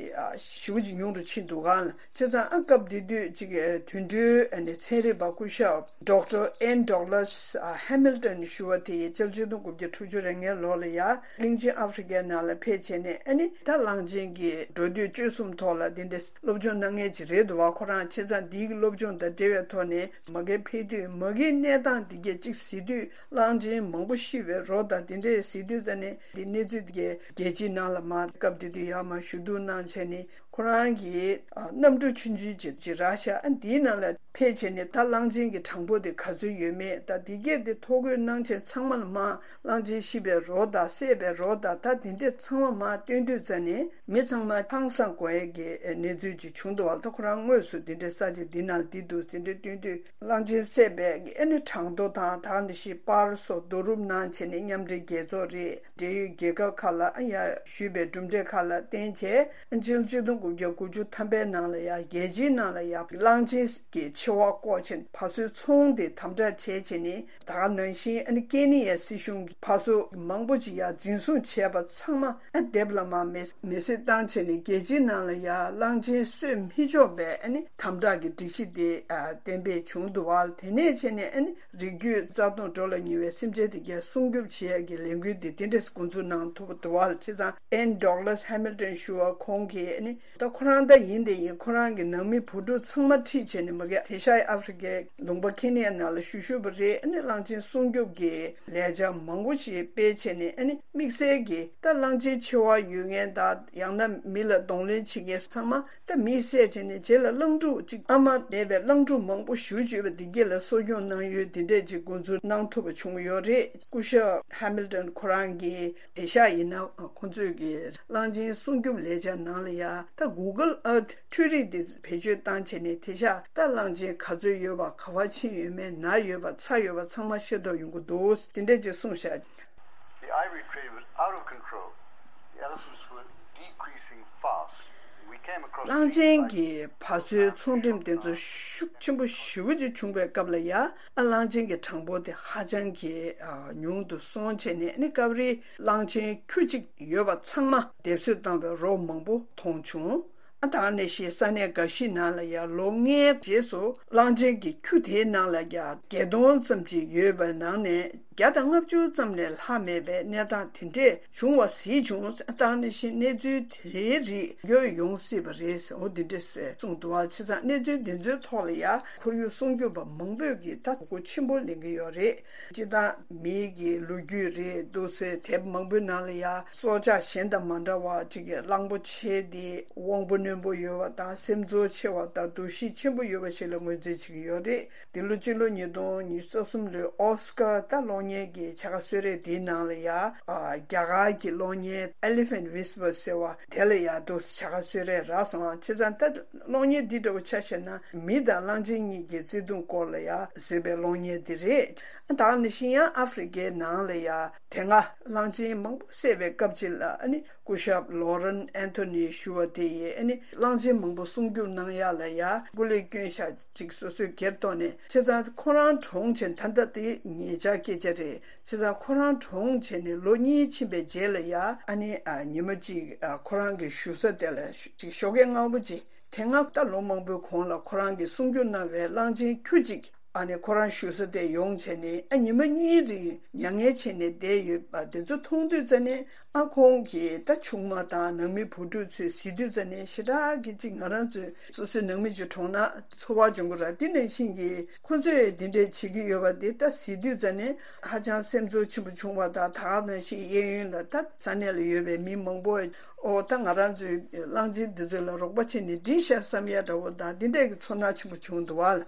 ཞེ་པོ་ཅིག་ཉུང་རུ་ཕྱིན་འདུག་ག། བྱས་ཙང་ཨ་སྐབས་དེ་དུས་ཅིག་དུད་འགྲོའི་ཨ་ནི་ཚན་རིག་པ་སྐུ་ཞབས་Doctor Ann Douglas Hamilton ཞུ་བ་དེ་ཡིས་ཕྱི་ལོ་གཅིག་སྟོང་དགུ་བརྒྱ་དྲུག་ཅུ་རེ་ལྔའི་ལོ་ལ་ཡ་གླིང་ཆེན་ཨ་ཧྥེ་རི་ཁའི་ནང་ལ་ཕེབས་བྱས་ནས། ཨ་ནི་ད་གླང་ཆེན་གྱི་འགྲོ་སྡོད་སྤྱོད་གསུམ་ཐོག་ལ་དེ་འདྲའི་སློབ་སྦྱོང་གནང་མཁན་ཅིག་རེད་འདུག་བ། ཁོ་རང་བྱས་ཙང་འདིའི་སློབ་སྦྱོང་དང་འབྲེལ་བའི་ཐོག་ནས་མ་གིར་ཕེབས་དུས་མ་གིའི་གནས་སྟངས་འདི་གས་ཅིག་གཟིགས་དུས། གླང་ཆེན་མང་པོ་ཤི་བའི་རོ་དང་དེ་འདྲས་གཟིགས་དུས་ཙ་ནས་འདི་གནས་ཚུལ་འདི་གས་རྒྱལ་སྤྱིའི་ནང་ལ་མར་སྐབས་དེ་དུས་ཡར་མར་ཞུ་གཏུག་གནང་བྱས་ནས། ཁོ་རང་གིས་ཨ་གནམ་གྲུ་ཆུང་ཆུང་ཅིག་ཅིག་རག་ཤག་ཨ་འདིའི་ནང་ལ་ཕེབས་བྱས་ནས་ད་གླང་ཆེན་གྱི་གྲངས་འབོར་དེ་ག་ཚོད་ཡོད་མེད་དང་། འདི་གས་དེ་ཐོ་འགོད་གནང་བྱས་ཚང་མ་ལ་མར་གླང་ཆེན་ཤི་བའི་རོ་དང་བསད་པའི་རོ་དང་ད་དེ་འདྲས་ཚང་མ་མར་བཏོན་དུས་ཙ་ནས་མི་ཚང་མ་ཧང་སང་དགོས་ཡས་ཀྱི་གནས་ཚུལ་ཅིག་བྱུང་འདུག་བ། ད་ཁོ་རང་དངོས་སུ་དེ་འདྲས་ས་ཆ་འདི་ནང་འདི་འདུག་དེ་འདྲས་བཏོན་དུས། གླང་ཆེན་བསད་པའི་ཨ་ནི་གྲངས་ཐོ་དང་། ད་ག་ནང་བཞིན་པར་སོགས་བསྡུ་རུབ་གནང་བྱས་ནས་མཉམ་འབྲེལ་རྒྱལ་ཚོགས་རེད། འབྲེལ་ཡོད་རྒྱལ་ཁབ་ཁག་ལ་ཨ་ཡ་ཞུས་པའི་གྲུབ་འབྲས་ཁག་ལ་བརྟེན་བྱས། ཨ་ཕྱི་ལོ་གཅིག་སྟོང་དགུ་བརྒྱ་དགུ་བཅུ་ཐམ་པའི་ནང་ལ་ཡ་རྒྱལ་སྤྱིའི་ནང་ལ་ཡ་གླང་ཆེན་གྱི་འཚོ་བ་བཀོག་བྱས་བ་སོའི་ཚོང་དེ་དམ་དྲག་བྱས་བྱས་ནས། ད་ག་ནང་བཞིན་ཨ་ནི་ཀེ་ནི་ཡའི་སྲིད་གཞུང་གིས་བ་སོ་མང་པོ་ཅིག་ཡ་འཛིན་བཟུང་བྱས་པ་ཚང་མ་ཨ་སྡེབ་ལ་མར་མེ་མེ་བསྲེགས་བཏང་བྱས་ནས། རྒྱལ་སྤྱིའི་ནང་ལ་ཡ་གླང་ཆེན་གསོད་མི་ཆོག་པའི་ཨ་ནི་དམ་དྲག་གི་སྒྲིག་གཞི་དེ་ཨ་གཏན་འབེབས་བྱུང་འདུག་བ། དེ་ནས་བྱས་ནས་ཨ་ནི་རིགས་རྒྱུད་རྩ་སྟོངས་འགྲོ་ལ་ཉེ་བའི་སེམས་ཅན་དེ་གས་སྲུང་སྐྱོབ་བྱེད་ཡ་གི་ལས་འགུལ་དེ་དེ་འདྲས་འགོ་འཛུགས་གནང་ཐུབ་པ་འདུག་བ། བྱས་ཙང་Ann Douglas Hamilton ཞུ་བ་ཁོང་གིས་ཨ་ནི། ད་ཁོ་རང་ད་ཡིན་དེ་ཡིན། ཁོ་རང་གི་ནང་མི་བུ་ཕྲུག་ཚང་མ་ཁྲིད་བྱས་ནས་མ་གི་དེ་ཤ་ཨ་ཧྥེ་རི་ཁའི་ལུང་པ་ཁེ་ནི་ཡ་ནང་ལ་བཞུགས་བཞུགས་པ་རེད། ཨ་ནི་གླང་ཆེན་སྲུང་སྐྱོབ་ཀྱི་ལས་འཆར་མང་པོ་ཞིག་སྤེལ་བྱས་ནས། ཨ་ནི་དམིགས་བསལ་གྱི་ད་གླང་ཆེན་འཆི་བ་ཡོད་མཁན་དང་ཡང་ན་མི་ལ་གདོང་ལེན་བྱེད་མཁན་ཚང་མ་ད་མིས་བསད་བྱས་ནས་རྗེས་ལ་གླང་ཕྲུག་ཅིག་ཨ་མ་མེད་པའི་གླང་ཕྲུག་མང་པོ་ཞེ་པོ་ཅིག་ཡོད་པ་འདི་གྱད་ལ་གསོ་སྐྱོང་གནང་ཡུལ་འདི་འདྲས་ཅིག་འགོ་འཛུགས་གནང་ཐུབ་པ་བྱུང་ཡོད་རེད། སྐུ་ཞབས་ཧེ་མིལ་ཏོན་ཁོ་རང་གིས་དེ་ཤ་ཡིན་ན་ཁོང་ཚོས་ཀྱི་གླང་ཆེན་སྲུང་སྐྱོབ་ལས་འཆར་ནང་ལ་ཡ་ད་Google Earth འཕྲུལ་རིག་འདི་བེད་སྤྱོད་བཏང་བྱས་ནས་དེ་ཤ་ད་གླང་ཆེན་ག་ཚོད་ཡོད་པ། ག་པར་ཕྱིན་ཡོད་མེད། ན་ཡོད་པ་ཚ་ཡོད་པ་ཚང་མ་ཤེས་རྟོགས་ཡོང་གི་འདུག། དེ་འདྲས་ཅིག་གསུངས་བཞག། The ivory trade was out of control. The elephants were decreasing fast. We came across གླང་ཆེན་གྱི་བ་སོའི་ཚོང་འགྲེམས་དེ་ཚོ་ཤུགས་ཆེན་པོ་ཞེ་པོ་ཅིག་བྱུང་བའི་སྐབས་ལ་ཡ། ཨ་གླང་ཆེན་གྱི་གྲངས་འབོར་དེ་ཧ་ཅང་གི་ཨ་ཉུང་དུ་སོང་བྱས་ནས། ཨ་ནི་སྐབས་རེ་གླང་ཆེན་ཁྱུ་གཅིག་ཡོད་པ་ཚང་མ་སྡེབ་གསོད་བཏང་བའི་རོ་མང་པོ་མཐོང་བྱུང་། ཨ་དེ་ནང་བཞིན་ས་གནས་འགའ་ཞིག་ནང་ལ་ཡང་ལོ་ལྔའི་རྗེས་སུ་གླང་ཆེན་གྱི་ཁྱུ་དེའི་ནང་ལ་ཡང་བརྒྱད་སྟོང་ཙམ་ཅིག་ཡོད་པའི་ནང་ནས་བརྒྱ་དང་ལྔ་བཅུ་ཙམ་ལས་ལྷག་མེད་པའི་གནས་སྟངས་དེ་འདྲས་བྱུང་བ་གཟིགས་བྱུང་། ཨ་དེ་ནང་བཞིན་གནས་ཚུལ་དེའི་རིགས་ཡོང་སྲིད་པ་རེད་ཟེར། འོ་དེ་འདྲས་གསུངས་འདུག་བ། བྱས་ཙང་གནས་ཚུལ་དེ་ཚོའི་ཐོག་ལ་ཡང་ཁོར་ཡུག་སྲུང་སྐྱོབ་པ་མང་པོས་ཀྱིས་ད་གོ་སྐབས་ཆེན་པོ་ལེན་གྱི་ཡོད་རེད། སྤྱིར་བཏང་མིའི་གི་ལོ་རྒྱུས་རེད་འདུག་ཟེར། དེབ་མང་པོའི་ནང་ལ་ཡང་སྲོག་ཆགས་གཞན་དང་མ་འདྲ་བ་ཅིག་གི་གླང་པོ་ཆེ་དེ་དབང་པོ་རྣོན་པོ་ཡོད་པ་དང་། སེམས་ཚོར་ཆེ་བ་དང་། འདུ་ཤེས་ཆེན་པོ་ཡོད་པ་ཞིག་ལ་ངོས་འཛིན་བྱེད་ཀྱི་ཡོད་རེད། འདི་ལོ་སྤྱི་ལོ་ཉིས་སྟོང་ཉི་ཤུ་རྩ་གསུམ་ལོའི་ཨོ་སི་ཀར་ད་གློག་བརྙན་གྱི་བྱ་དགའ་གསོལ་རས་དེའི་ནང་ལ་ཡང་ཨ་རྒྱ་གར་གྱི་གློག་བརྙན་Elephant Whisper ཟེར་བ་དེ་ལ་ཡང་འདུག་བྱ་དགའ་གསོལ་རས་རག་སོང་། བྱས་ཙང་ད་གློག་བརྙན་འདི་འདྲ་བོ་ཆ་བཞག་ན་མི་དང་གླང་ཆེན་གཉིས་ཀྱི་བརྩེ་དུང་སྐོར་ལ་ཡང་བཟོས་པའི་གློག་བརྙན་འདི་རེད། ད་ག་ནང་བཞིན་ཡང་ཨ་ཧྥེ་རི་ཁའི་ནང་ལ་ཡང་དེ་སྔ་གླང་ཆེན་མང་པོ་བསད་པའི་སྐབས་ཅིག་ལ། ཨ་ནི་སྐུ་ཞབས་ལོ་རན་ཨན་ཐོ་ནི་ཞུ་བ་དེ་ཡིས། ཨ་ནི་གླང་ཆེན་མང་པོ་སྲུང་སྐྱོབ་གནང་ཡག་ལ་ཡང་སྐུ་ལས་བསྐྱོན་ཤག་ཅིག་སོ་སོས་སྒེར་ཐོག་ནས། བྱས་ཙང་ཁོ་རང་གྲོངས་བྱས། ད་ལྟ་དེ་ཉེ་ཆར་སྐད་ཆ་རེད། བྱས་ཙང་ཁོ་རང་གྲོངས་བྱས་ནས་ལོ་གཉིས་ཕྱིན་པའི་རྗེས་ལ་ཡང་། ཨ་ནི་ཨ་ཉི་མ་གཅིག་ཨ་ཁོ་རང་གི་བཞུགས་ས་དེ་ལ་ཅིག་ཞོགས་ཀས་སྔ་པོ་ཅིག་དེ་སྔ་ད་ལོ་མང་པོའི་གོང་ལ་ཁོ་རང་གིས་སྲུང་སྐྱོབ་གནང་བའི་གླང་ཆེན་ཁྱུ་གཅིག་ཨ་ནི་ཁོ་རང་བཞུགས་ས་དེ་ཡོང་བྱས་ནས། ཨ་ཉི་མ་གཉིས་རིང་མྱ་ངན་བྱས་ནས་བསྡད་ཡོད་པ་དེ་ཚོ་མཐོང་དུས་ཙ་ནས། ཨ་ཁོང་གི་ད་ཆུང་མ་དང་ནང་མི་བུ་ཕྲུག་ཚོས་གཟིགས་དུས་ཙ་ནས་ཞེ་དྲག་གི་ཅིག་ང་རང་ཚོའི་སོ་སོའི་ནང་མི་ཅིག་གྲོངས་ན་ཚོར་བ་འབྱུང་གི་རེད། དེ་ནང་བཞིན་གྱི་ཁོ་ཚོས་དེ་འདྲས་བྱེད་ཀྱི་ཡོད་པ་དེ་ད་གཟིགས་དུས་ཙ་ནས་ཧ་ཅང་སེམས་ཚོར་ཆེན་པོ་བྱུང་བ་དང་། ད་ག་ནང་བཞིན་གཡས་གཡོན་ལ་ད་ས་གནས་ལ་ཡོད་པའི་མི་མང་པོས། ཨོ་ད་ང་རང་ཚོའི་གླང་ཆེན་འདི་ཚོ་ལ་རོགས་པ་བྱས་ནས་འགྲིག་ཤག་བསམ་ཡ་འདྲ་བོ་དང་། འདི་འདྲས་ཀྱི་ཚོར་སྣང་ཆེན་པོ་བྱུང་འདུག་བ།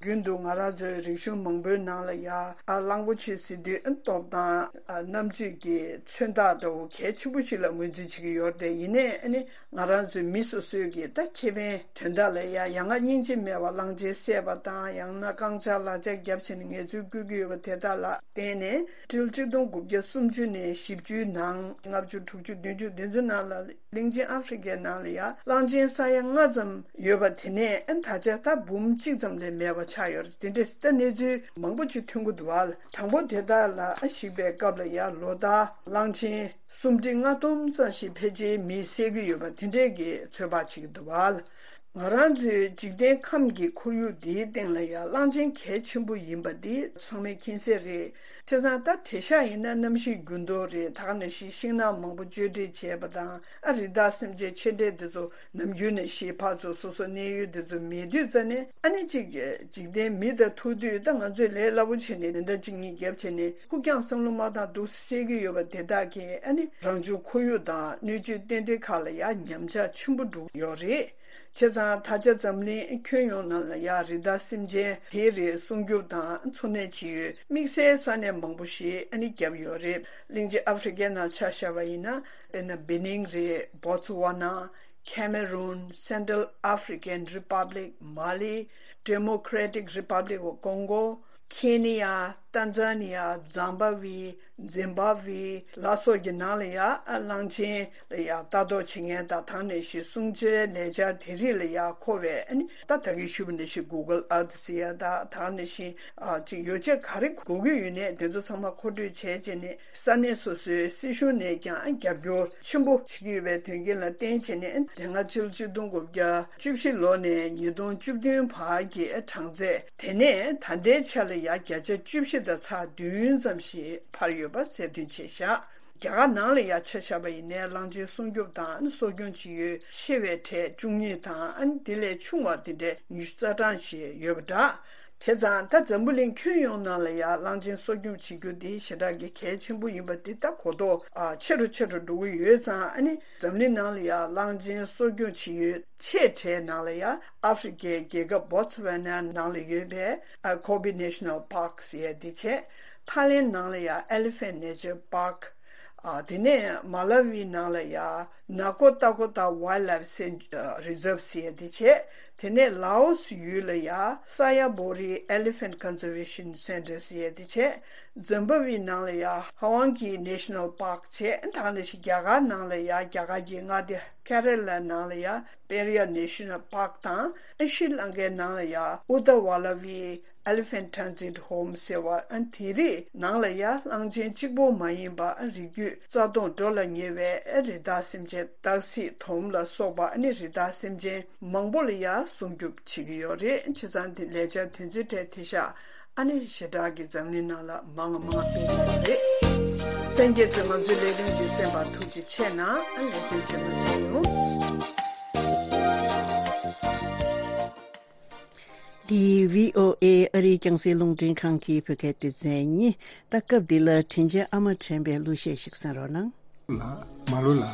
རྒྱུན་དུ་ང་རང་ཚོའི་རིག་གཞུང་མང་པོའི་ནང་ལ་ཡ་ཨ་གླང་པོ་ཆེ་ཟེར་དུས་ཨ་སྟོབས་དང་ཨ་རྣམ་དཔྱོད་ཀྱི་མཚོན་རྟགས་འདྲ་བོ་གལ་ཆེན་པོ་ཞིག་ལ་ངོས་འཛིན་བྱེད་ཀྱི་ཡོད་རེད་དེ། ཡིན་ནའི་ཨ་ནི་ང་རང་ཚོའི་མི་སོ་སོའི་གི་ད་ཁེ་ཕན་དོན་དག་ལ་ཡ་ཡ་ང་སྙིང་རྗེ་མེད་པ་གླང་ཆེན་བསད་པ་དང་། ཡང་ན་རྐང་ལྕགས་ལག་ལྕགས་བརྒྱབ་བྱས་ནས་ངལ་རྩོལ་བསྐུལ་གྱི་ཡོད་པ་དེ་དག་ལ་བརྟེན་ནས། ཏྲིལ་གཅིག་སྟོང་དགུ་བརྒྱ་སུམ་ཅུ་ནས་བཞི་བཅུའི་ནང་། ལྔ་བཅུ། དྲུག་ཅུ། བདུན་ཅུ་དེ་ཚོའི་ནང་ལ་གླིང་ཆེན་ཨ་ཧྥེ་རི་ཁའི་ནང་ལ་ཡ་གླང་ཆེན་ས་ཡ་ལྔ་ཙམ་ཡོད་པ་དེ་ནས་ཨ་ད་ཆ་ད་འབུམ་གཅིག་ཙམ་ལས་མེད་པ་ཆགས་ཡོད་རེད། དེ་འདྲས་ད་གནས་ཚུལ་མང་པོ་ཅིག་ཐོན་གྱི་འདུག་བ། དང་པོ་དེ་དག་ལ་ཨ་གཞིགས་པའི་སྐབས་ལ་ཡ་ལོ་ལྟར་གླང་ཆེན་སུམ་ཁྲི་ལྔ་སྟོང་ཙམ་ཞིག་ཕལ་ཆེར་མིས་བསད་ཀྱི་ཡོད་པ་དེ་འདྲས་ཀྱི་ཚོད་དཔག་བྱེད་ཀྱི་འདུག་བ། ང་རང་ཚོའི་འཇིག་རྟེན་ཁམས་ཀྱི་ཁོར་ཡུག་འདིའི་སྟེང་ལ་ཡང་གླང་ཆེན་གལ་ཆེན་པོ་ཡིན་པ་འདི་ཚང་མས་མཁྱེན་གསལ་རེད། བྱས་ཙང་ད་དེང་སང་ཡིན་ན་གནམ་གཤིས་འགྱུར་ལྡོག་རེད། ད་ག་ནང་བཞིན་ཤིང་ནགས་མང་པོ་གཅོད་འབྲེག་བྱས་པ་དང་། ཨ་རི་དྭགས་སེམས་ཅན་ཆེ་གྲས་འདི་ཚོ་ནམ་རྒྱུན་ནས་ཤི། ཕར་ཚུར་སོ་སོ་གནས་ཡུལ་འདི་ཚོ་མེད་དུས་ཙ་ནས། ཨ་ནི་གཅིག་འཇིག་རྟེན་མི་དང་ཐུག་དུས་ད་ང་ཚོས་ལས་སླ་པོ་བྱས་ནས་མེ་མདའ་གཅིག་གཉིས་བརྒྱབ་བྱས་ནས་ཁུག་ཀྱང་བསམ་བློ་མ་བཏང་འདུག་བསད་ཀྱི་ཡོད་པ་དེ་དག་གིས་ཨ་ནི་རང་བྱུང་ཁོར་ཡུག་དང་སྣོད་བཅུད་རྟེན་འབྲེལ་ཁག་ལ་ཡང་ཉམས་ཆག་ཆེན་པོ་འགྲོ་གི་ཡོད་རེད། བྱས་ཙང་ད་ཆ་འཛམ་གླིང་ཁྱོན་ཡོངས་ནང་ལ་ཡང་རི་དྭགས་སེམས་ཅན་དེའི་རིགས་སྲུང་སྐྱོབ་དང་འཚོ་གནས་བྱེད་ཡུལ་དམིགས་བསལ་ས་གནས་མང་པོ་ཞིག་ཨ་ནི་བརྒྱབ་ཡོད་རེད། གླིང་ཆེན་ཨ་ཧྥེ་རི་ཁའི་ནང་ཆ་བཞག་པ་ཡིན་ན། དཔེར་ན་བེ་ནིང་རེད། བོ་ཚུ་ཝ་ན། ཁེ་མེ་རུན། སེན་ཊལ་ཨ་ཧྥེ་རི་ཀན་རི་པབ་ལིག། མ་ལི། ཌེ་མོ་ཀྲེ་ཊིག་རི་པབ་ལིག་ཨོཕ་ཀོང་གོ། ཁེ་ནི་ཡ། ཏན་ཛ་ནི་ཡ། ཛིམ་བྷ་ཝེ། ཛིམ་བྷ་ཝེ་ལ་སོགས་ཀྱི་ནང་ལ་ཡ་ཨ་གླང་ཆེན་ལ་ཡ་ལྟ་རྟོག་བྱེད་མཁན་དང་། དེ་ནང་བཞིན་སྲུང་བྱའི་ལས་འཆར་དེ་རིགས་ལ་ཡ་མཁོ་བའི། ཨ་ནི་ད་ད་གིན་ཞུས་པ་ནང་བཞིན་གུ་གལ་ཨར་ཐི་ཟེར་ཡ་དང་། དེ་ནང་བཞིན་ཨ་ཅིག་ཡོ་བྱད་ག་རེ་དགོས་ཀྱི་ཡོད་ནའི་དེ་ཚོ་ཚང་མ་མཁོ་སྤྲོད་བྱས་བྱས་ནས། ས་གནས་སོ་སོའི་སྲིད་གཞུང་ནས་ཀྱང་རྒྱབ་སྐྱོར་ཆེན་པོ་བྱེད་ཀྱི་ཡོད་པའི་དོན་རྐྱེན་ལ་བརྟེན་བྱས་ནས། དེ་སྔ་ཕྱི་ལོ་ཆིག་སྟོང་དགུ་བརྒྱ་བཅུ་བཞི་ལོ་ནས་ཉིས་སྟོང་བཅུ་བདུན་བར་གྱི་གྲངས་ཚད་དེ་ནས་ད་ལྟའི་ཆ་ལ་ཡ་བརྒྱ་ཆ་བཅུ་བཞི་དང་ཚེག་བདུན་ཙམ་ཞིག་འཕར་ཡོད་པ་གསལ་སྟོན་བྱས་བཞག། རྒྱ་གར་ནང་ལ་ཡང་ཆ་བཞག་པ་ཡིན་ནའི་གླང་ཆེན་སྲུང་སྐྱོབ་དང་གསོ་སྐྱོང་བྱེད་ཡུལ་ཆེ་བའི་གྲས་བཅུ་གཉིས་དང་དེ་ལས་ཆུང་བ་དེ་འདྲའི་ཉི་ཤུ་རྩ་གྲངས་ཤིག་ཡོད་པ་འདྲ། བྱས་ཙང་ད་འཛམ་བུ་གླིང་ཁྱོན་ཡོངས་ནང་ལ་ཡང་གླང་ཆེན་གསོ་སྐྱོང་བྱེད་རྒྱུ་འདི་ཞེ་དྲག་གི་གལ་ཆེན་པོ་ཡིན་པ་འདི་ད་གོ་རྟོགས་ཆེ་རུ་ཆེ་རུ་འགྲོ་གི་ཡོད་ཙང་། ཨ་ནི་འཛམ་གླིང་ནང་ལ་ཡང་གླང་ཆེན་གསོ་སྐྱོང་བྱེད་ཡུལ་ཆེ་གྲས་ནང་ལ་ཡང་ཨ་ཧྥེ་རི་ཁའི་རྒྱལ་ཁབ་Botswana་ནང་ལ་ཡོད་པའི་Kobe National Park་ཟེར་ཡ་འདི་བྱས། ཐའི་ལེན་ནང་ལ་ཡང་Elephant Nature Park། ཨ། དེ་ནས་མ་ལ་ཝི་ནང་ལ་ཡ་ནཱ་ཀོ་ཏ་ཀོ་ཏ་Wildlife Cen- ཨ། Reserve་ཟེར་ཡ་དེ་བྱས། དེ་ནས་ལའོ་སི་ཡུལ་ལ་ཡ་ས་ཡ་བོ་རི་Elephant Conservation Center་ཟེར་ཡ་དེ་བྱས། ཛིམ་བྷ་ཝེ་ནང་ལ་ཡ་ཧ་ཝང་གི་National Park་བྱས། ད་ག་ནང་བཞིན་རྒྱ་གར་ནང་ལ་ཡ་རྒྱ་གར་གྱི་མངའ་སྡེ་ཀེ་ར་ལ་ནང་ལ་ཡ་པེ་རི་ཡ་National Park་དང་། ཨ། ཤྲི་ལང་ཀའི་ནང་ལ་ཡ་ཨུ་ད་ཝ་ལ་ཝི་Elephant Transit Home་ཟེར་བ། ཨ། དེ་རིགས་ནང་ལ་ཡ་གླང་ཆེན་གཅིག་པོ་མ་ཡིན་པ། ཨ། རིགས་རྒྱུད་རྩ་སྟོངས་འགྲོ་ལ་ཉེ་བའི། ཨ། རི་དྭགས་སེམས་ཅན། སྟག་གཟིག་དོམ་ལ་སོགས་པ། ཨ་ནི་རི་དྭགས་སེམས་ཅན་མང་པོ་ལ་ཡ་སྲུང་སྐྱོབ་བྱེད་ཀྱི་ཡོད་རེད། བྱས་ཙང་དེ་ལས་འཆར་དེ་ཚོའི་གྲས་དེ་ཤག་ཨ་ནི་ཞེ་དྲག་གི་འཛམ་གླིང་ནང་ལ་མང་ང་མང་ང་སྤེལ་གྱི་ཡོད་རེད། ལྷན་རྒྱས་ཚོས་ང་ཚོའི་ལས་རིམ་འདི་གསན་པར་ཐུགས་རྗེ་ཆེ་གནང་། ཨ། ལེ་ཚན་རྗེས་མ་མཇལ་ཡོང་། འདི་བྷི་ཨོ་ཨེ་ཨ་རིའི་རྒྱང་སྲིང་རླུང་འཕྲིན་ཁང་གི་བོད་སྐད་སྡེ་ཚན་ཡིན། ད་སྐབས་འདི་ལ་དྲིན་ཅན་ཨ་མ་དྲན་པའི་གླུ་གཞས་ཤིག་གསན་རོགས་གནང་། ལ། མ་ལོ་ལ།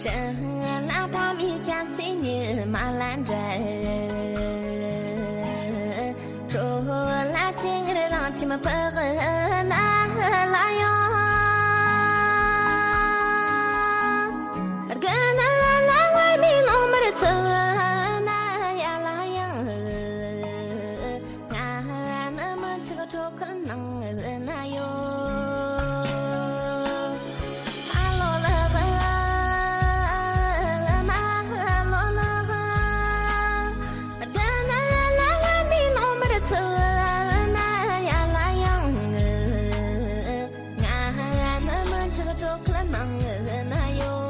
བྲན་ལ་ཕ་མའི་ཞག་ཚི་ཉི་མ་ལ་འདྲ། གྲོ་ལ་ཆེ་ངར་རང་ཁྱིམ་པགས་ན་ལ་ཡོང་། དགུན་ལ་བར་མི་ལོང་མར་ཚུགས་ན་ཡ་ལ་ཡང་། ང་ནི་མི་ཆགས་གྲོགས་ཁོལ་ནང་ན་ཡོད། ཨ་ལོ་ལགས། མ་ལོ་ལགས། དགུན་ལ་བར་མི་ལོང་མར་ཚུགས་ན་ཡ་ལ་ཡང་། ང་ནི་མི་ཆགས་གྲོགས་ཁོལ་ནང་ན་ཡོད།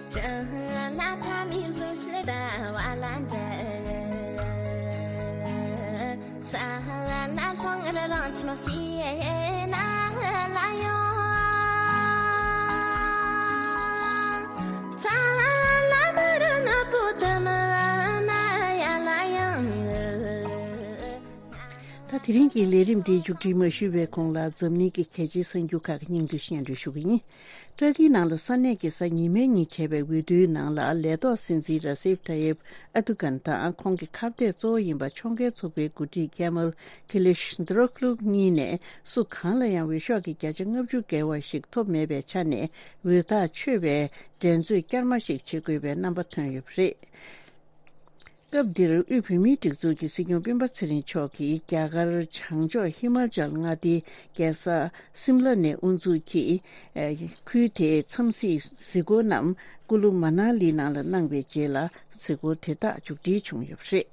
བྲན་ལ་ཕ་མའི་འཛུམ་ཞལ་ཟླ་བ་ལ་འདྲ། ས་ལ་ལྷང་ངེར་རང་ཁྱིམ་སྐྱིད་ན་ལ་ཡོང་། ཚ་ལ་མི་རུ་ནག་པོ་དུ་མི་ན་ཡ་ལ་ཡང་། ད་དེ་རིང་གི་ལས་རིམ་འདིའི་མཇུག་སྒྲིལ་མ་ཞུས་པའི་གོང་ལ་འཛམ་གླིང་གི་གལ་ཆེའི་གསར་འགྱུར་ཁག་གི་སྙིང་བསྡུས་སྙན་སྒྲོན་ཞུ་གི་ཡིན། ཏུར་ཀིའི་ནང་ལ་ས་གནས་ཀྱི་གཟའ་ཉི་མའི་ཉིན་བྱས་པའི་འོས་བསྡུའི་ནང་ལ་ལས་ཐོག་སྲིད་འཛིན་ར་སེབ་ཏཱ་ཡེབ་ཨར་དུ་གྷན་དང་ཁོང་གི་ཁ་གཏད་གཙོ་བོ་ཡིན་པ་ཕྱོགས་འགལ་ཚོགས་པའི་འགོ་ཁྲིད་ཀེ་མལ་ཀི་ལིཤ་དོ་རོག་ལུ་གཉིས་ནས་སུ་གང་ལ་ཡང་འོས་ཤོག་གི་བརྒྱ་ཆ་ལྔ་བཅུ་བརྒལ་བ་ཞིག་ཐོབ་མེད་པའི་ཆ་ནས་འོས་ཐག་ཆོད་པའི་འགྲན་རྩོད་བསྐྱར་མ་ཞིག་བྱེད་དགོས་པའི་རྣམ་པ་ཐོན་ཡོད་པ་རེད། སྐབས་འདིར་དབུས་བོད་མིའི་སྒྲིག་འཛུགས་ཀྱི་སྲིད་སྐྱོང་སྤེན་པ་ཚེ་རིང་མཆོག་གིས་རྒྱ་གར་བྱང་ཕྱོགས་ཧི་མ་ཅལ་མངའ་སྡེའི་རྒྱལ་ས་སིམ་ལ་ནས་དབུ་འཛུགས་ཀྱིས། ཨ། ཁུལ་དེའི་འཚམས་གཟིགས་གཟིགས་སྐོར་རྣམས་ཀུ་ལུ་མ་ན་ལི་ནང་ལ་གནང་བའི་རྗེས་ལ་གཟིགས་སྐོར་དེ་དག་མཇུག་སྒྲིལ་བྱུང་ཡོད་པ་རེད།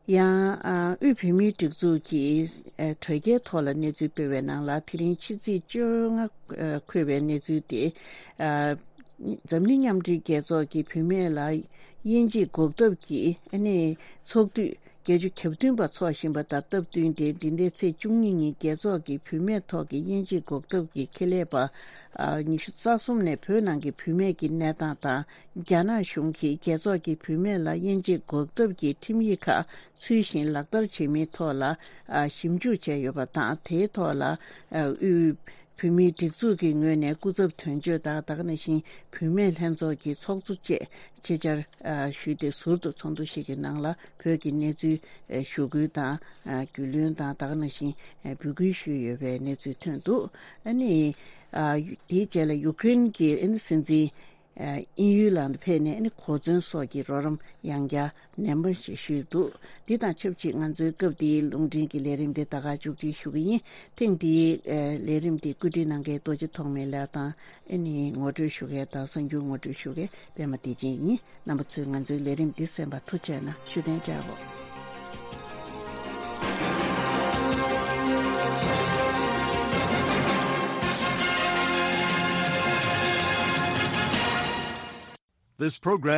ཡང་། ཨ། དབུས་བོད་མིའི་སྒྲིག་འཛུགས་ཀྱིས། ཨ། དྲ་རྒྱའི་ཐོག་ལ་གནས་ཚུལ་སྤེལ་བའི་ནང་ལ། དེ་རིང་ཕྱི་ཚེས་བཅོ་ལྔ། ཨ། འཁོད་པའི་གནས་ཚུལ་དེ། ཨ། འཛམ་གླིང་མཉམ་འབྲེལ་རྒྱལ་ཚོགས་ཀྱིས་བུད་མེད་ལ་དབྱེ་འབྱེད་འགོག་ཐབས་ཀྱི། ཨ་ནི་ཚོགས་དུས་བརྒྱད་ཅུ་གྱ་བདུན་པ་འཚོགས་བཞིན་པ་དང་སྟབས་བསྟུན་ཏེ། འདི་ཟླའི་ཚེས་བཅུ་གཉིས་ཉིན་རྒྱལ་ཚོགས་ཀྱི་བུད་མེད་ཐོག་གི་དབྱེ་འབྱེད་འགོག་ཐབས་ཀྱི་ཁེ་ལས་པ། ཨ། ཉི་ཤུ་རྩ་གསུམ་ནས་བོད་ནང་གི་བུད་མེད་ཀྱི་གནས་སྟངས་དང་། རྒྱ་ནག་གཞུང་གིས་རྒྱལ་ཚོགས་ཀྱི་བུད་མེད་ལ་དབྱེ་འབྱེད་འགོག་ཐབས་ཀྱི་ཁྲིམས་ཡིག་ཁག་ཚུལ་བཞིན་ལག་བསྟར་བྱེད་མིན་ཐོག་ལ། ཨ། ཞིབ་འཇུག་བྱས་ཡོད་པ་དང་། དེའི་ཐོག་ལ། ཨ། དབུས་ བོད་མིའི་སྒྲིག་འཛུགས་ཀྱི་ངོས་ནས་སྐུ་ཚབ་དོན་གཅོད་དང་ད་ག་ནང་བཞིན་བུད་མེད་ལྷན་ཚོགས་ཀྱི་ཚོགས་གཙོ་བཅས་ཆེད་བཅར་ཨ་ཞུས་ཏེ། ཟུར་དུ་ཚོགས་འདུ་ཞིག་གི་ནང་ལ་བོད་ཀྱི་གནས་ཚུལ་ཨ་ཞུ་སྐུལ་དང་ཨ་རྒྱུས་ལོན་དང་ད་ག་ནང་བཞིན་ཨ་འབོད་སྐུལ་ཞུས་ཡོད་པའི་གནས་ཚུལ་ཐོན་འདུག་ཨ་ནི་ཨ་དེའི་རྗེས་ལ་ཡུཀ་རེན་གྱི་ཨ་ནི་སྲིད་འཛིན་ཨ་དབྱིན་ཡུལ་ལ་ཕེབས་ནས་ཨ་ནི་གོ་མཚོན་སོགས་ཀྱི་རོགས་རམ་ཡང་བསྐྱར་ནན་པོ་ཞིག་ཞུས་འདུག་འདི་དང་ཆབས་ཅིག་ང་ཚོའི་སྐབས་འདིའི་རླུང་འཕྲིན་གྱི་ལས་རིམ་འདི་ད་ག་མཇུག་སྒྲིལ་ཞུ་གི་ཡིན། ཐེངས་འདིའི་ཨ་ལས་རིམ་འདི་བཀོད་སྒྲིག་གནང་མཁན་རྡོ་རྗེ་ཐོགས་མེད་ལགས་དང་། ཨ་ནི་ངོ་སྤྲོད་ཞུ་མཁན་དང་གསར་འགྱུར་ངོ་སྤྲོད་ཞུ་མཁན་པད་མ་བདེ་ཆེན་ཡིན། རྣམ་པ་ཚོས་ང་ཚོའི་ལས་རིམ་འདི་གསན་པར་ཐུགས་རྗེ་གནང་། ཞུ་གཏན་འཇགས་རོགས། This program